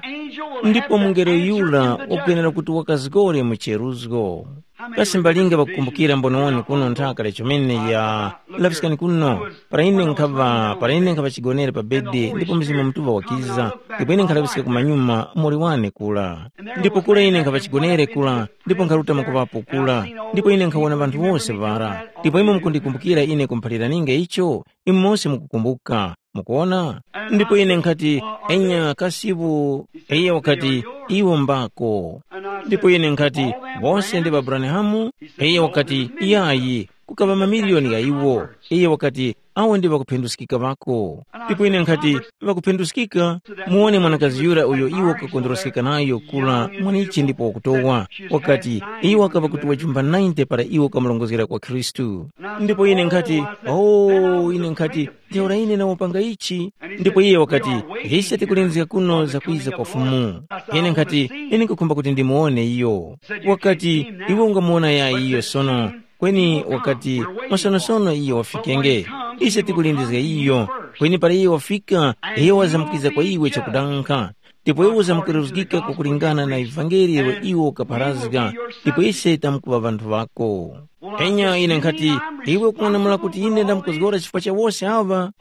Ndipo mungelo yura wakwenera kuti wakazgore mu cheruzgo. Kasi mbalinga ŵakukumbukira mbonewani kuno nthaka lya chomene ya laŵiskani kuno, para ine nkhaŵa para ine nkhaŵa chigonere pa bedi ndipo Mzimu Mutuŵa wakiza, ndipo ine nkhalaŵiska kumanyuma muli wane kula. Ndipo kula ine nkhaŵa chigonere kula, ndipo nkharuta mwakuŵapo kula, ndipo ine nkhawona ŵanthu wose ŵara. Ndipo imwe mukundikumbukira ine kumphaliraninge icho? Imwe mose mukukumbuka. Mukuona? Ndipo ine nkhati, enya kasipu. Iye wakati, iwo mbako. Ndipo ine nkhati, bose ndi Abrahamu? Iye wakati, yayi. kukaŵa mamiliyoni gha iwo. Iye wakati, awo ndi ŵakuphinduskika ŵako. Ndipo ine nkhati, ŵakuphinduskika? Muwone mwanakazi yura uyo iwo kakondweroskeka nayo kula mwanichi ndipo wakutowa. Wakati, iwo wakaŵa kuti wajumba ninety para iwo kamurongozgera kwa Khristu. Ndipo ine nkhati, oh, ine nkhati, ntheura ine nawopanga ichi. Ndipo iye wakati, ise tikulindizga kuno zakwiza kwa Fumu. Ine nkhati, ine nkukhumba kuti ndimuwone iyo. Wakati, iwe ungamuwona yayi iyo sono? Kweni wakati, masonosono iyo wafikenge. Ise tikulindizga iyo. Kweni para iyo wafika, iyo wazamkiza kwa iwe chakudankha. Ndipo iwe uzamkweruzgika kukulingana na ivangeli ilo iwo ukapharazga. Ndipo ise tamkuŵa ŵanthu ŵako. Enya ine nkhati, iwe ukung'anamula kuti ine ndamkuzgora chifukwa cha wose aŵa?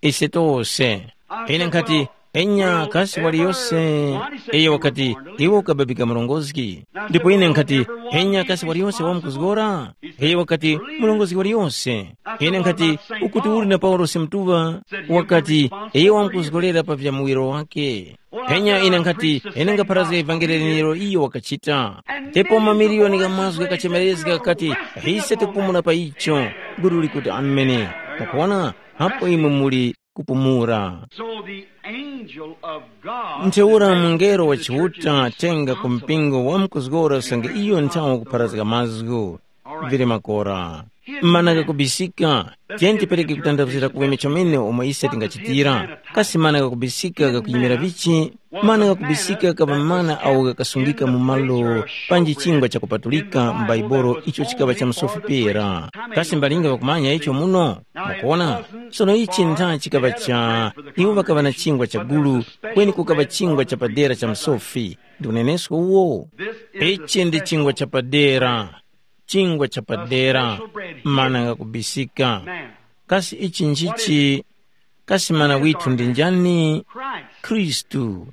Ise tose. Ine nkhati, enya kasi waliyose? Iyo wakati, iwe ukababika murongozgi. Ndipo ine nkhati, enya kasi waliyose wamkuzgora? Iyo wakati, murongozgi waliyose. Ine nkhati, ukuti uli na Paulosi mtuŵa? Wakati, iyo wamkuzgorera pa vya muwiro wake. Enya ine nkhati, ine ngapharazga ivangeli lenelo iyo wakachita. Ndipo mamiliyoni gha mazgu ghakachemerezga ghakati, ise tikupumula pa icho. Gulu likuti, amene. Mukuona? Apo imwe muli kupumula. So the angel of God Ntheura mungelo wa Chiuta tenga ku mpingo wamkuzgora usange iyo nthawi kupharazga mazgu. Vili makora. Mana gakubisika. Tiyeni tipereke kutanthauzira kuweme chomene omwe ise tingachitira. Kasi mana gakubisika gakuyimira vichi? Mana gakubisika kapa mana awo gakasungika mu malo panji chingwa chakupatulika m'Baibolo icho chikaŵa cha msofi pera. Kasi mbalinga ŵakumanya icho muno? Mukuona? Sono ichi ntha chikaŵa cha iwo ŵakaŵa na chingwa cha gulu, kweni kukaŵa chingwa chapadera cha msofi. Ndi unenesko uwo? Ichi ndi chingwa chapadera, chingwa chapadera, mana ghakubisika. Kasi ichi nchichi? Kasi mana withu ndi njani? Khristu.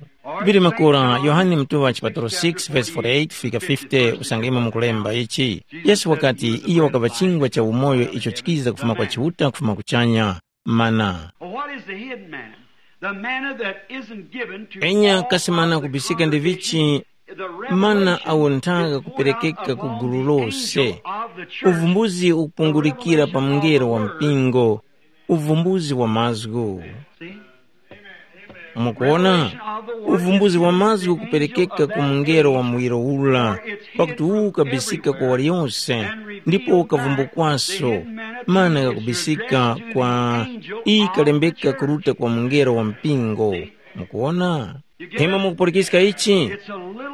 Vili makora Yohane Mtuŵa chipatalo six verse forty-eight fika fifty usange imwe mukulemba ichi. Yesu wakati iyo wakaŵa chingwa cha umoyo icho chikiza kufuma kwa Chiuta kufuma kuchanya. Mana. But what is the hidden manna? The manna that isn't given to Enya all kasi mana of the kubisika ndi congregation, vichi? The Mana revelation awo is nthaga poured out kuperekeka ku upon gulu the lose. Angel of the church. Uvumbuzi ukupungulikira pa mngelo wa mpingo, uvumbuzi wa mazgu. See? Mukuona? Uvumbuzi wa mazgu kuperekeka ku mngelo wa muwiro ula, pakuti uwu ukabisika kwa waliyonse, ndipo ukavumbukwaso, mana kakubisika kwa iyi kalembeka kuruta kwa mngelo wa mpingo. Mukuona? Imwe mukupulikiska ichi?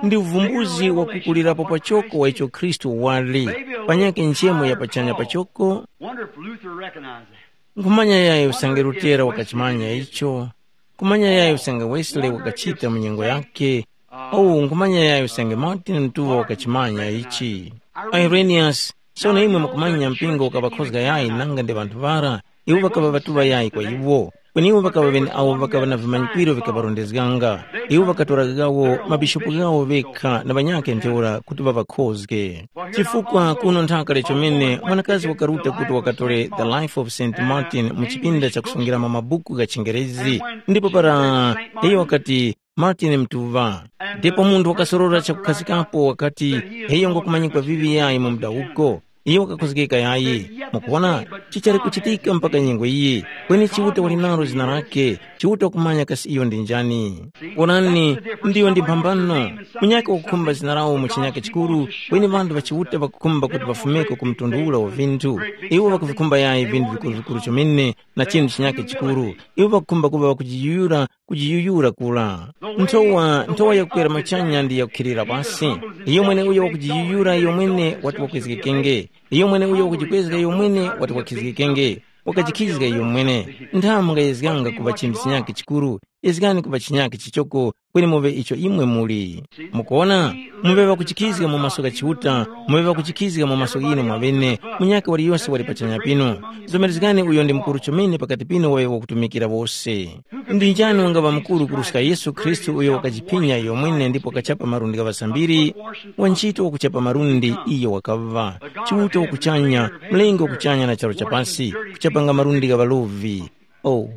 Ndi uvumbuzi wakukulirapo pachoko wa icho Khristu wali, panyakhe nchemo ya pachanya pachoko. Wonder if Luther recognized that. Nkhumanya yayi usange Lutera wakachimanya icho. Nkhumanya yayi usange Wesley wakachita mu nyengo yake. Au nkhumanya yayi usange Martin Mtuŵa wakachimanya ichi. Irenaeus, sono imwe mukumanya mpingo ukaŵakhozga yayi nanga ndi ŵanthu ŵara, iwo ŵakaŵa ŵatuŵa yayi kwa iwo. Kweni iwo ŵakaŵa ŵene awo ŵakaŵa na vimanyikwiro vikaŵarondezganga. Iwo ŵakatora ghawo mabishopu ghawo ŵekha na ŵanyakhe ntheura kuti ŵaŵakhozge. Chifukwa kuno nthaka lechomene mwanakazi wakaruta kuti wakatore The Life of Saint Martin mu chipinda chakusungiramo mabuku gha chingerezi, ndipo para iyo wakati, Martin Mtuŵa. Ndipo munthu wakasorora chakukhazikapo wakati, iyo ngokumanyikwa vivi yayi mu mudawuko. Iyo wakakhozgeka yayi. Mukuona, chichali kuchitika mpaka nyengo iyi. Kweni Chiuta wali nalo zina lake, Chiuta wakumanya kasi iyo ndi njani. Onani, ndiyo ndi mphambano. Munyakhe wakukhumba zina lawo mu chinyakhe chikuru, kweni ŵanthu ŵa Chiuta ŵakukhumba kuti ŵafumeko ku mtundu ula wa vinthu. Iwo ŵakuvikhumba yayi vinthu vikuru-vikuru chomene na chinthu chinyakhe chikuru. Iwo ŵakukhumba kuŵa ŵakujiyuyura, kujiyuyura kura. Nthowa, nthowa yakukwera machanya ndi yakukhilira pasi. Iyo mwene uyo wakujiyuyura iyo mwene wati wakwezgekenge. Iyo mwene uyo wakujikwezga iyo mwene wati wakhizgikenge. Wakajikhizga iyo mwene. Nthamu mungayezganga kuŵa chinthu chinyakhe chikuru, yezgani kuŵa chinyakhe chichoko, kweni muŵe icho imwe muli. Mukuona? Muŵe ŵakuchikizga mu maso gha Chiuta, muŵe ŵakuchikizga mu maso ghinu mwaŵene, munyakhe waliyose wali pachanya pinu. Zomerezgani uyo ndi mukuru chomene pakati pinu wayo wakutumikira wose. Ndi njani wangaŵa mukuru kuruska Yesu Khristu uyo wakajiphinya iyo mwene ndipo wakachapa malundi gha ŵasambiri? Wa ntchito wakuchapa malundi iyo wakaŵa. Chiuta wakuchanya, mlengi wakuchanya na charu cha pasi, kuchapanga malundi gha ŵalovi. Oh,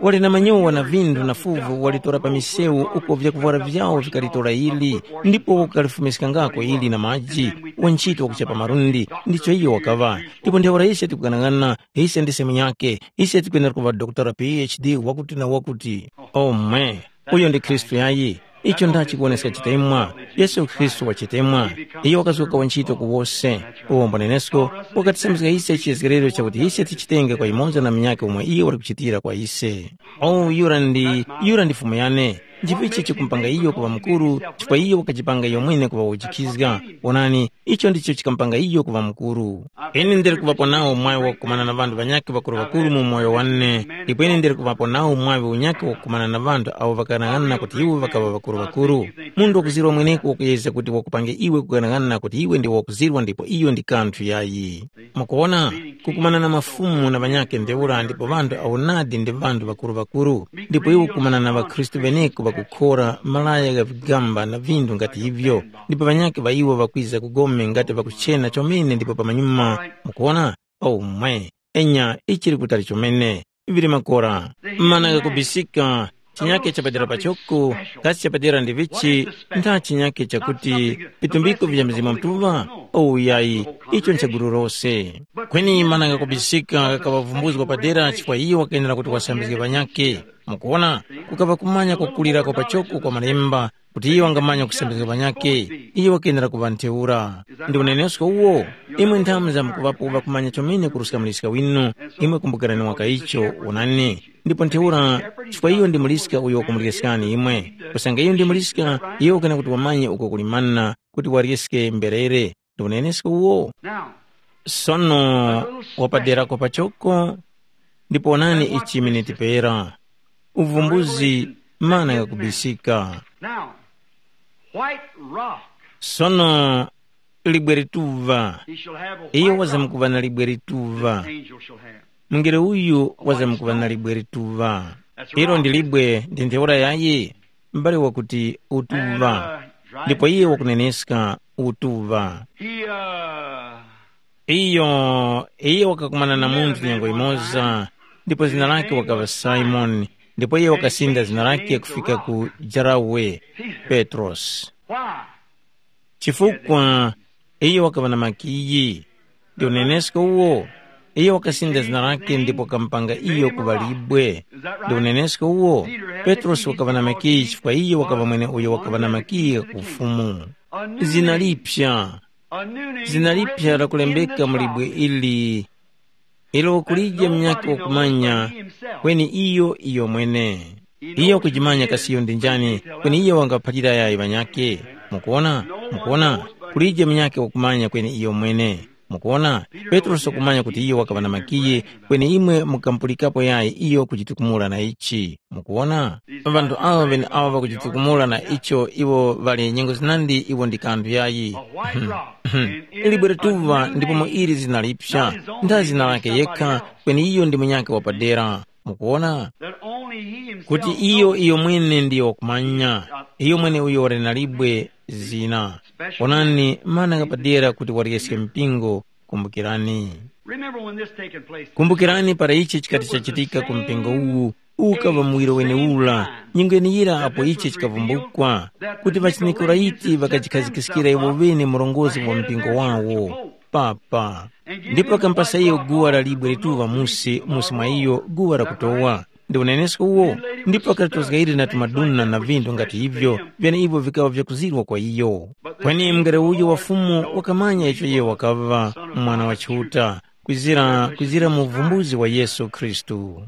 Wali na manyowa na vindu na fuvu walitora pa misewu uko vyakuvwara vyawo vikalitora ili, ndipo wakalifumiskangako ili na maji, wantchito wakuchapa malundi, ndicho iyo wakaŵa. Ndipo ntheura ise tikughanagana, ise ndise munyakhe, ise tikwenera kuŵa doktora P H D wakuti na wakuti. Omwe, uyo ndi Khristu yayi. Icho ndachi kuwoneska chitemwa, Yesu Khristu wa chitemwa. Iyo wakazuka wantchito ku wose, uwombo nenesko, wakatisambizga ise chiyezgerero chakuti ise tichitenge kwa yumoza na munyakhe umo iyo wali kuchitira kwa ise. O yura ndi yura ndi Fumu yane. Nchivichi chikumpanga iyo kuŵa mukuru, chifukwa iyo wakachipanga iyo mwene kuŵa wojikhizga. Wonani, icho ndicho chikamupanga iyo kuŵa mukuru. Ine ndili kuŵapo nawo mwayi wakukumana na ŵanthu ŵanyakhe ŵakuru-ŵakuru mu moyo wane, ndipo ine ndili kuŵapo nawo mwayi unyakhe wakukumana na ŵanthu awo ŵakanang'ana kuti iwo ŵakaŵa ŵakuru-ŵakuru. Munthu wakuzirwa mweneko wakuyezga kuti wakupange iwe kukanang'ana kuti iwe ndi wakuzirwa ndipo iyo ndi kanthu yayi. Mukuwona, kukumana na mafumu na ŵanyakhe ntheura ndipo ŵanthu awo nadi ndi ŵanthu ŵakuru-ŵakuru, ndipo iwo kukumana na ŵakhristu ŵeneko ŵakukhora malaya gha vigamba na vinthu ngati ivyo, ndipo ŵanyakhe ŵa iwo ŵakwiza ku gome ngati ŵakuchena chomene ndipo pamanyuma, mukuwona, omwe, enya ichili kutali chomene, vili makora, mana ghakubisika, chinyake chapadera pachoko, kasi chapadera ndi vichi, ntha chinyake chakuti vitumbiko vya Mzimu Mutuŵa? Owu yayi, icho nchagulu lose. Kweni mana ghakubisika ghakaŵavumbuzga padera chifukwa iyo wakenera kuti wasambizge ŵanyakhe. Mukuwona, kukaŵa kumanya kwakulirako pachoko kwa malemba, kuti iyo wangamanya kusambizga ŵanyakhe, iyo wakenera kuŵa ntheura. Ndi unenesko uwo, imwe nthamu za mukuŵapo ŵakumanya chomene kuruska muliska winu, imwe kumbukirani waka icho, wonani. Ndipo ntheura, chifukwa iyo ndi muliska uyo wakumulireskani imwe. Kusanga iyo ndi muliska, iyo wakana kuti wamanye uko kuli manna, kuti waryeske mberere. Ndi unenesko uwo. Sono wapaderako pachoko, ndipo wonani ichi chimene tipera. Uvumbuzi, mana ghakubisika. Now, white rock. Sono libwe lituva. He shall have a iyo white rock. Wazamkuva na libwe lituva. Angel shall have. Mungelo uyu wazamkuva na libwe lituva. Ilo ndi libwe ndi ntheura yayi. Mbale wakuti utuva. Ndipo iye wakuneneska utuva. He uh, Iyo, iye wakakumana na munthu nyengo imoza, ndipo zina lake wakaŵa Simoni, ndipo iye wakasinda zina lake kufika ku jarawe, Petrosi. Why? Chifukwa iyo wakaŵa na makiyi. Ndi unenesko uwo, iyo wakasinda zina lake ndipo wakamupanga iyo kuŵa libwe. Ndi unenesko uwo, Petrosi wakaŵa na makiyi chifukwa iyo wakaŵa mwene uyo wakaŵa na makiyi gha ku ufumu. Zina liphya. Zina liphya lakulembeka mu libwe ili, ilo kulije munyakhe wakumanya, kweni iyo iyomwene. Iyo kujimanya kasi iyo ndi njani, kweni iyo wangaphalira yayi ŵanyakhe. Mukuwona? Mukuwona? Kulije munyakhe wakumanya kweni iyomwene. Mukuwona? Petrosi wakumanya kuti iyo wakaŵa na makiyi, kweni imwe mukampulikapo yayi iyo kujitukumula na ichi. Mukuwona? Ŵanthu awo ŵeneawo ŵakujitukumula na icho iwo ŵali nyengo zinandi iwo ndi kanthu yayi. Libwe lituŵa ndipo mu ili zina lipsa, ntha zina lake yekha, kweni iyo ndi munyakhe wapadera. Mukuwona? Kuti iyo iyo mwene ndiyo wakumanya, iyo mwene uyo wali na libwe zina. Onani mana ghapadera kuti waryeske mpingo, kumbukirani. Remember when this taken place. Kumbukirani para ichi chikati chachitika ku mpingo uwu, ukaŵa muwiro wenewura, nyengo yeneyira apo ichi chikavumbukwa, kuti ŵachiNikolaiti ŵakajikhazikiskira iwo ŵene murongozgi wa mpingo wawo, papa. Ndipo ŵakampasa iyo guwa la libwe lituŵa musi, musi mwa iyo guwa lakutowa. Ndi unenesko uwo, ndipo ŵakalitozga ili na tumaduna na vinthu ngati ivyo, vyeneivo vikaŵa vyakuzirwa kwa iyo. Kweni mungelo uyo wa Fumu wakamanya icho iyo wakaŵa Mwana wa Chiuta, kwizira, kwizira mu uvumbuzi wa Yesu Khristu.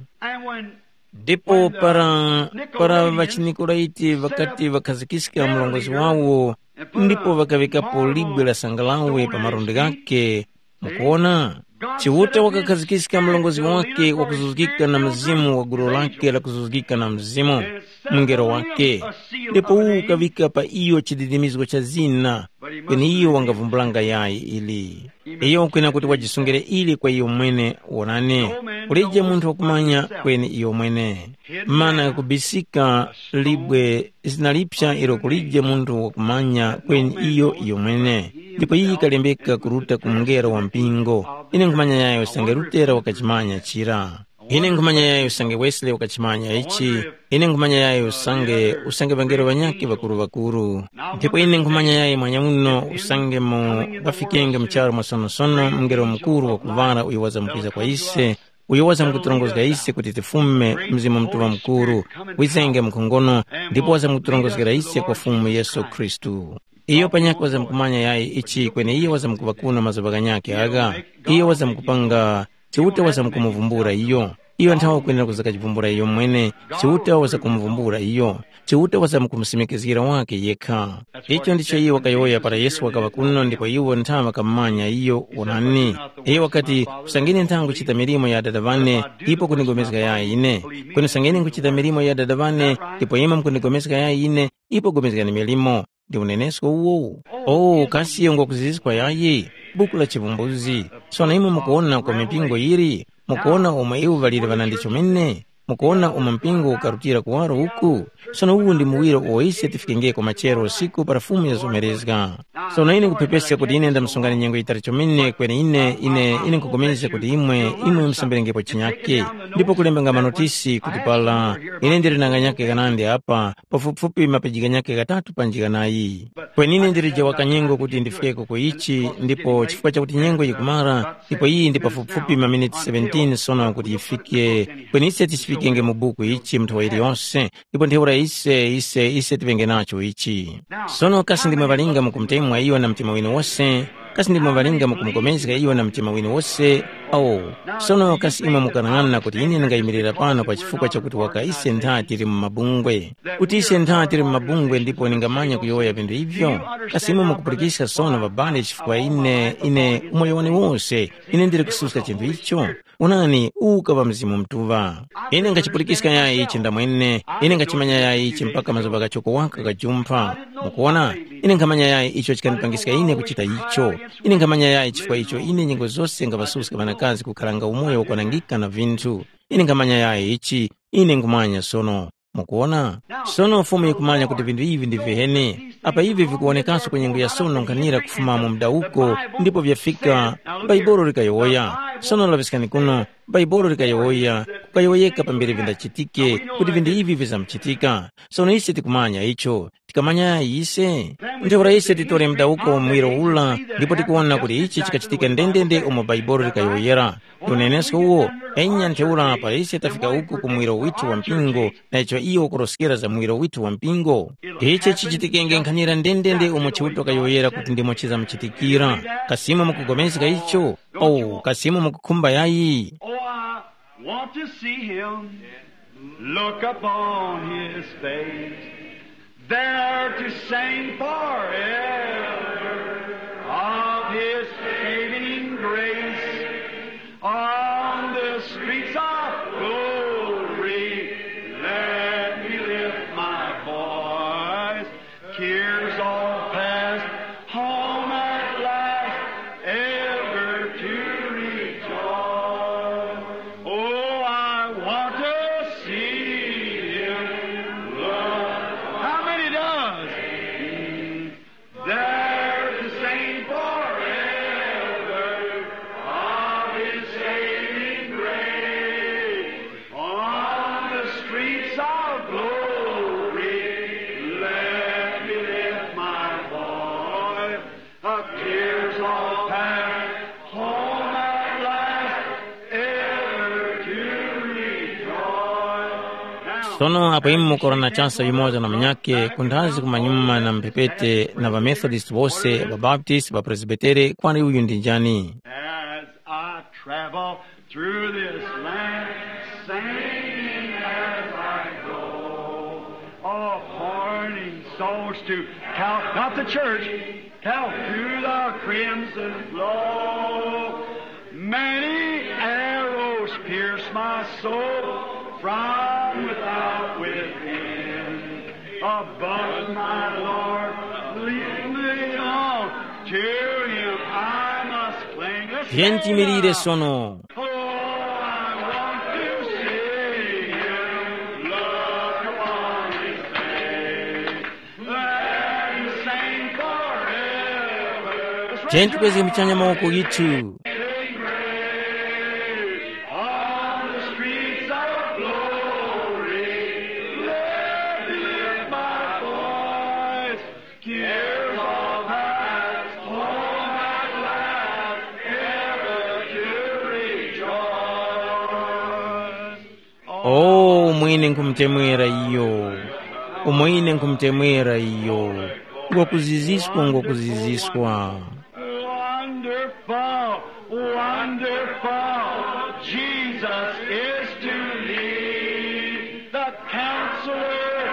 Ndipo para, para ŵachiNikolaiti ŵakati ŵakhazikiska mlongozi wawo, ndipo ŵakaŵikapo libwe la sangalawe pa malundi ghakhe, mukuwona, Chiuta wakakhazikika mlongozi wake wakuzuzgika na mzimu wa gulu lake lakuzuzgika na mzimu, mungelo wake, ndipo uwu ukaŵika pa iyo chididimizgo cha zina, kweni iyo wangavumbulanga yayi ili. Iyo ukwena kuti wajisungire ili kwa iyo mwene, wonani, kulije munthu wakumanya kweni iyo mwene. Mana kubisika libwe zina lipsa ilo kulije munthu wakumanya kweni iyo iyo mwene. Ndipo iyi yikalembeka kuruta ku mungelo wa mpingo. Ine nkhumanya yayo usange Lutera wakachimanya chira. Ine nkhumanya yayi usange Wesley wakachimanya ichi, ine nkhumanya yayi usange, usange ŵangelo ŵanyakhe ŵakuru-ŵakuru. Ndipo ine nkhumanya yayi mwanyamuno usange mu ŵafikenge mu charu mwasonosono mngelo mukuru wakuvara uyo wazamkwiza kwa ise, uyo wazamkuturongozga ise kuti tifume Mzimu Mutuŵa Mukuru, wizenge mkhongono, ndipo wazamkuturongozgera ise kwa Fumu Yesu Khristu. Iyo panyakhe wazamkumanya yayi ichi kweni iyo wazamkuŵa kuno mazuŵa ghanyakhe agha. Iyo wazamkupanga Chiuta wazamkumuvumbula iyo. Iyo nthawe kwenera kuzakachivumbula iyo mwene. Chiuta wazakumuvumbula iyo. Chiuta wazamkumusimikizgira wake yekha. Icho ndicho iye wakayowoya para Yesu wakaŵa kuno ndipo iwo nthawe ŵakamumanya iyo. Wonani, iyo wakati, usangene ntha nguchita milimo ya Adada ŵane, ipo kundigomezga yayi ine. Kweni usangene nguchita milimo ya Adada ŵane, ndipo imwe mukundigomezga yayi ine, ipo gomezgani milimo. Ndi unenesko uwowu. O, kasi iyo ngwakuziziskwa yayi? Buku la Chivumbuzgi. Sono imwe mukuwona kwa mipingo yiri? Mukuwona umo iwo ŵaliri ŵanandi chomene? Mukuwona umo mpingo ukarutira kuwaro uku? Sono uwu ndi muwiro uwo ise tifikengeko machero usiku para Fumu yazomerezga. Sono ine nkuphepeska kuti ine ndamsungani nyengo yitali chomene kweni ine ine ine nkupulikana kuti imwe imwe musambirengepo chinyake. Ndipo kulemba nga manotisi kuti pala ine ndili na nganyake ghanandi apa, pafupifupi mapeji ghanyakhe ghatatu panji ghanayi. Kweni ine ndilije wakanyengo kuti ndifikeko ku ichi, ndipo chifukwa chakuti nyengo yikumara, ndipo iyi ndi pafupifupi maminiti seventeen sono kuti yifike, kweni ise tichifikenge mu buku ichi mnthawa iliyonse, ndipo ntheura ise, ise, ise tiŵenge nacho ichi. Sono kasi ndimwe ŵalinga mukumutemwa iyo na mtima winu wose? Kasi ndimwe ŵalinga mukumupulikana iyo na mtima winu wose? Awo. Sono kasi imwe mukanang'ana kuti ine ndingayimirira pano pa chifukwa chakuti waka ise ntha tili mu mabungwe? Kuti ise ntha tili mu mabungwe ndipo ningamanya kuyowoya vinthu ivyo? Kasi imwe mukupulikiska sono ŵabale chifukwa ine, ine umoyo wane wose, ine ndili kususka chinthu icho? Onani, uwu ukaŵa Mzimu Mutuŵa. Ine ngachipulikiska yayi ichi ndamwene, ine ngachimanya yayi ichi mpaka mazuŵa ghachoko waka ghajumpha. Mukuwona? Ine nkhamanya yayi icho chikandipangiska ine kuchita icho. Ine nkhamanya yayi chifukwa icho ine nyengo zose ngaŵasuska ŵanakazi kukharanga umoyo wakwanangika na vinthu. Ine nkhamanya yayi ichi, ine nkhumanya sono. Mukuwona? Sono Fumu yikumanya kuti vinthu ivi ndi viheni. Apa ivi vikuwonekaso ku nyengo ya sono nkhanira kufuma mu mdawuko, ndipo vyafika, Baibolo likayowoya. Sono laŵiskani kuno, Baibolo likayowoya, kukayowoyeka pambere vindachitike, kuti vinthu ivi vizamchitika. Sono ise tikumanya icho. Tikamanya ise? Ntheura ise titore mdawuko muwiro ula, ndipo tikuwona kuti ichi chikachitika ndendende umo Baibolo likayowoyera. Unenesko uwo, enya ntheura para ise tafika uku ku muwiro withu wa mpingo, na icho iyo ukuroskera za muwiro withu wa mpingo. Ichi chichitikenge nkhanira ndendende umo Chiuta kayowoyera kuti ndimo chizamuchitikira. Kasi imwe mukupulikana icho? Oh, kasi imwe mukukhumba yayi? Oh, I want to see him. Look upon his face. There to sing forever of his saving grace. On the streets of glory, let me lift my voice. Cares all past, home at last, ever to rejoice. Oh, I want to see him. Lord. How many does? There to sing forever of his saving grace. On the streets of glory, let me lift my voice. Of tears all past, home at last, ever to rejoice. Now, Sono apo imwe mukorana chasa yumoza na munyakhe, kunthazi kumanyuma na mphepete na ŵaMethodist wose, ŵaBaptist, ŵaPresbitere, kwani uyu ndi njani? As I travel through this land, singing as I go, appointing souls to Cal-, not the church, Calcutta crimson flow. Many arrows pierce my soul from without within. But my Lord, lead me on to him I must cling. Let's Tiyeni tiyimirire sono. Oh, I want to see him, look upon his face, and sing forever. Tiyeni tikweze muchanya mawoko ghithu. On the street Tears of hearts home at last, ever to rejoice. O mwine nkhumutemwera iyo, umwine nkhumutemwera iyo, ngokuziziswa, ngokuziziswa. Wonderful, wonderful, Jesus is to me, the Counselor,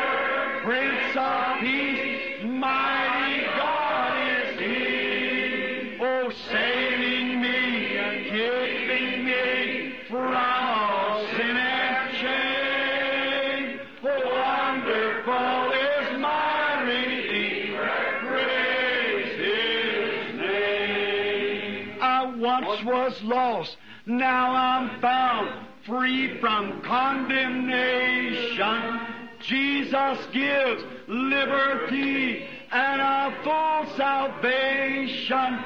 Prince of Peace, mighty God is He. Oh, saving me and keeping me from all sin and shame. Wonderful is my Redeemer, praise His name. I once was lost, now I'm found, free from condemnation. Jesus gives liberty and a full salvation,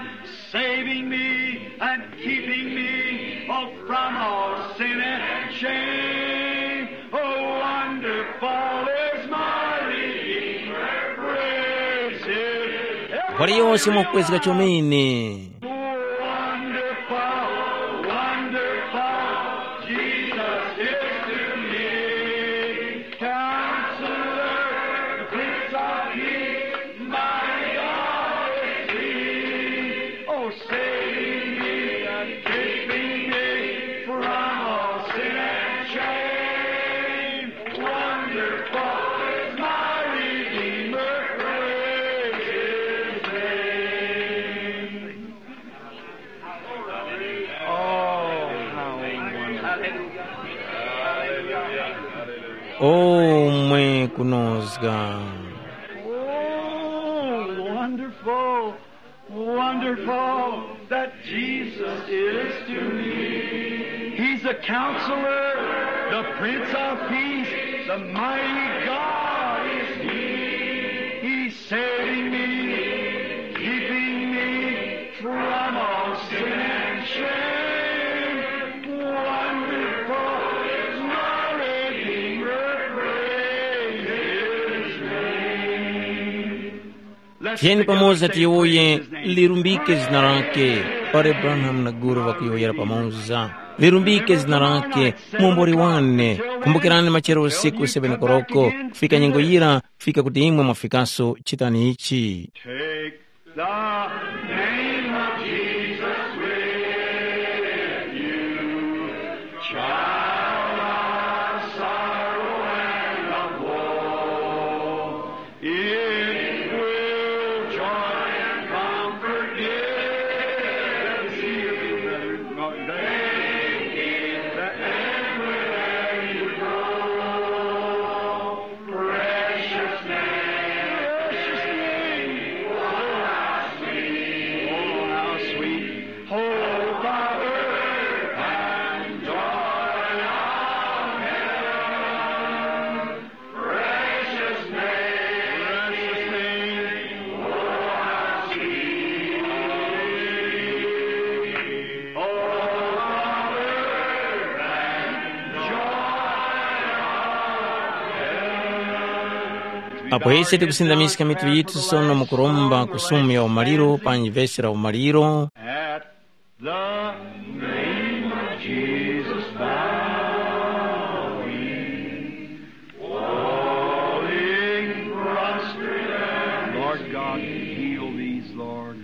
saving me and keeping me, oh, from all sin and shame. Oh, wonderful is my Redeemer, praise His. Mbali yonse mwakukwezeka chomene. Wonderful, wonderful, Jesus is to me. Counselor, Prince of Peace, mighty God is He. Oh, saving me and keeping me from all sin and shame. Wonderful is my Redeemer, praise His name. Oh, how wonderful. O mwe kunozga. Oh, wonderful, wonderful that Jesus is to me. He's the Counselor, the Prince of Peace, the mighty God is He. He's saving me, keeping me from all sin and shame. Wonderful is my Redeemer, praise His name. Let's Tiyeni pick up pamoza the tiyowoye, same praise His name. Lirumbike zina lake. Pare Branham na Guru ŵakuyowoyera pamoza. Lirumbike zina lake, muombori wane. Kumbukirani machero usiku seven koroko, kufika nyengo yira, kufika kuti imwe mwafikaso, chitani ichi. Take the name of Jesus with you, child of sorrow and of woe. It will joy and comfort give. Thank you, the end wherever you go. Precious name, precious name. Oh, how sweet, oh, how sweet. Hope of earth and joy of heaven. Precious name, precious name. Oh, how sweet. Oh, how earth and joy of heaven. Apo ise tikusindamiska mitu yitu sono mukuromba ku sumu ya umaliro panji vesi la umaliro. At the name of Jesus bowing, falling prostrate and Lord God, heal these, Lord.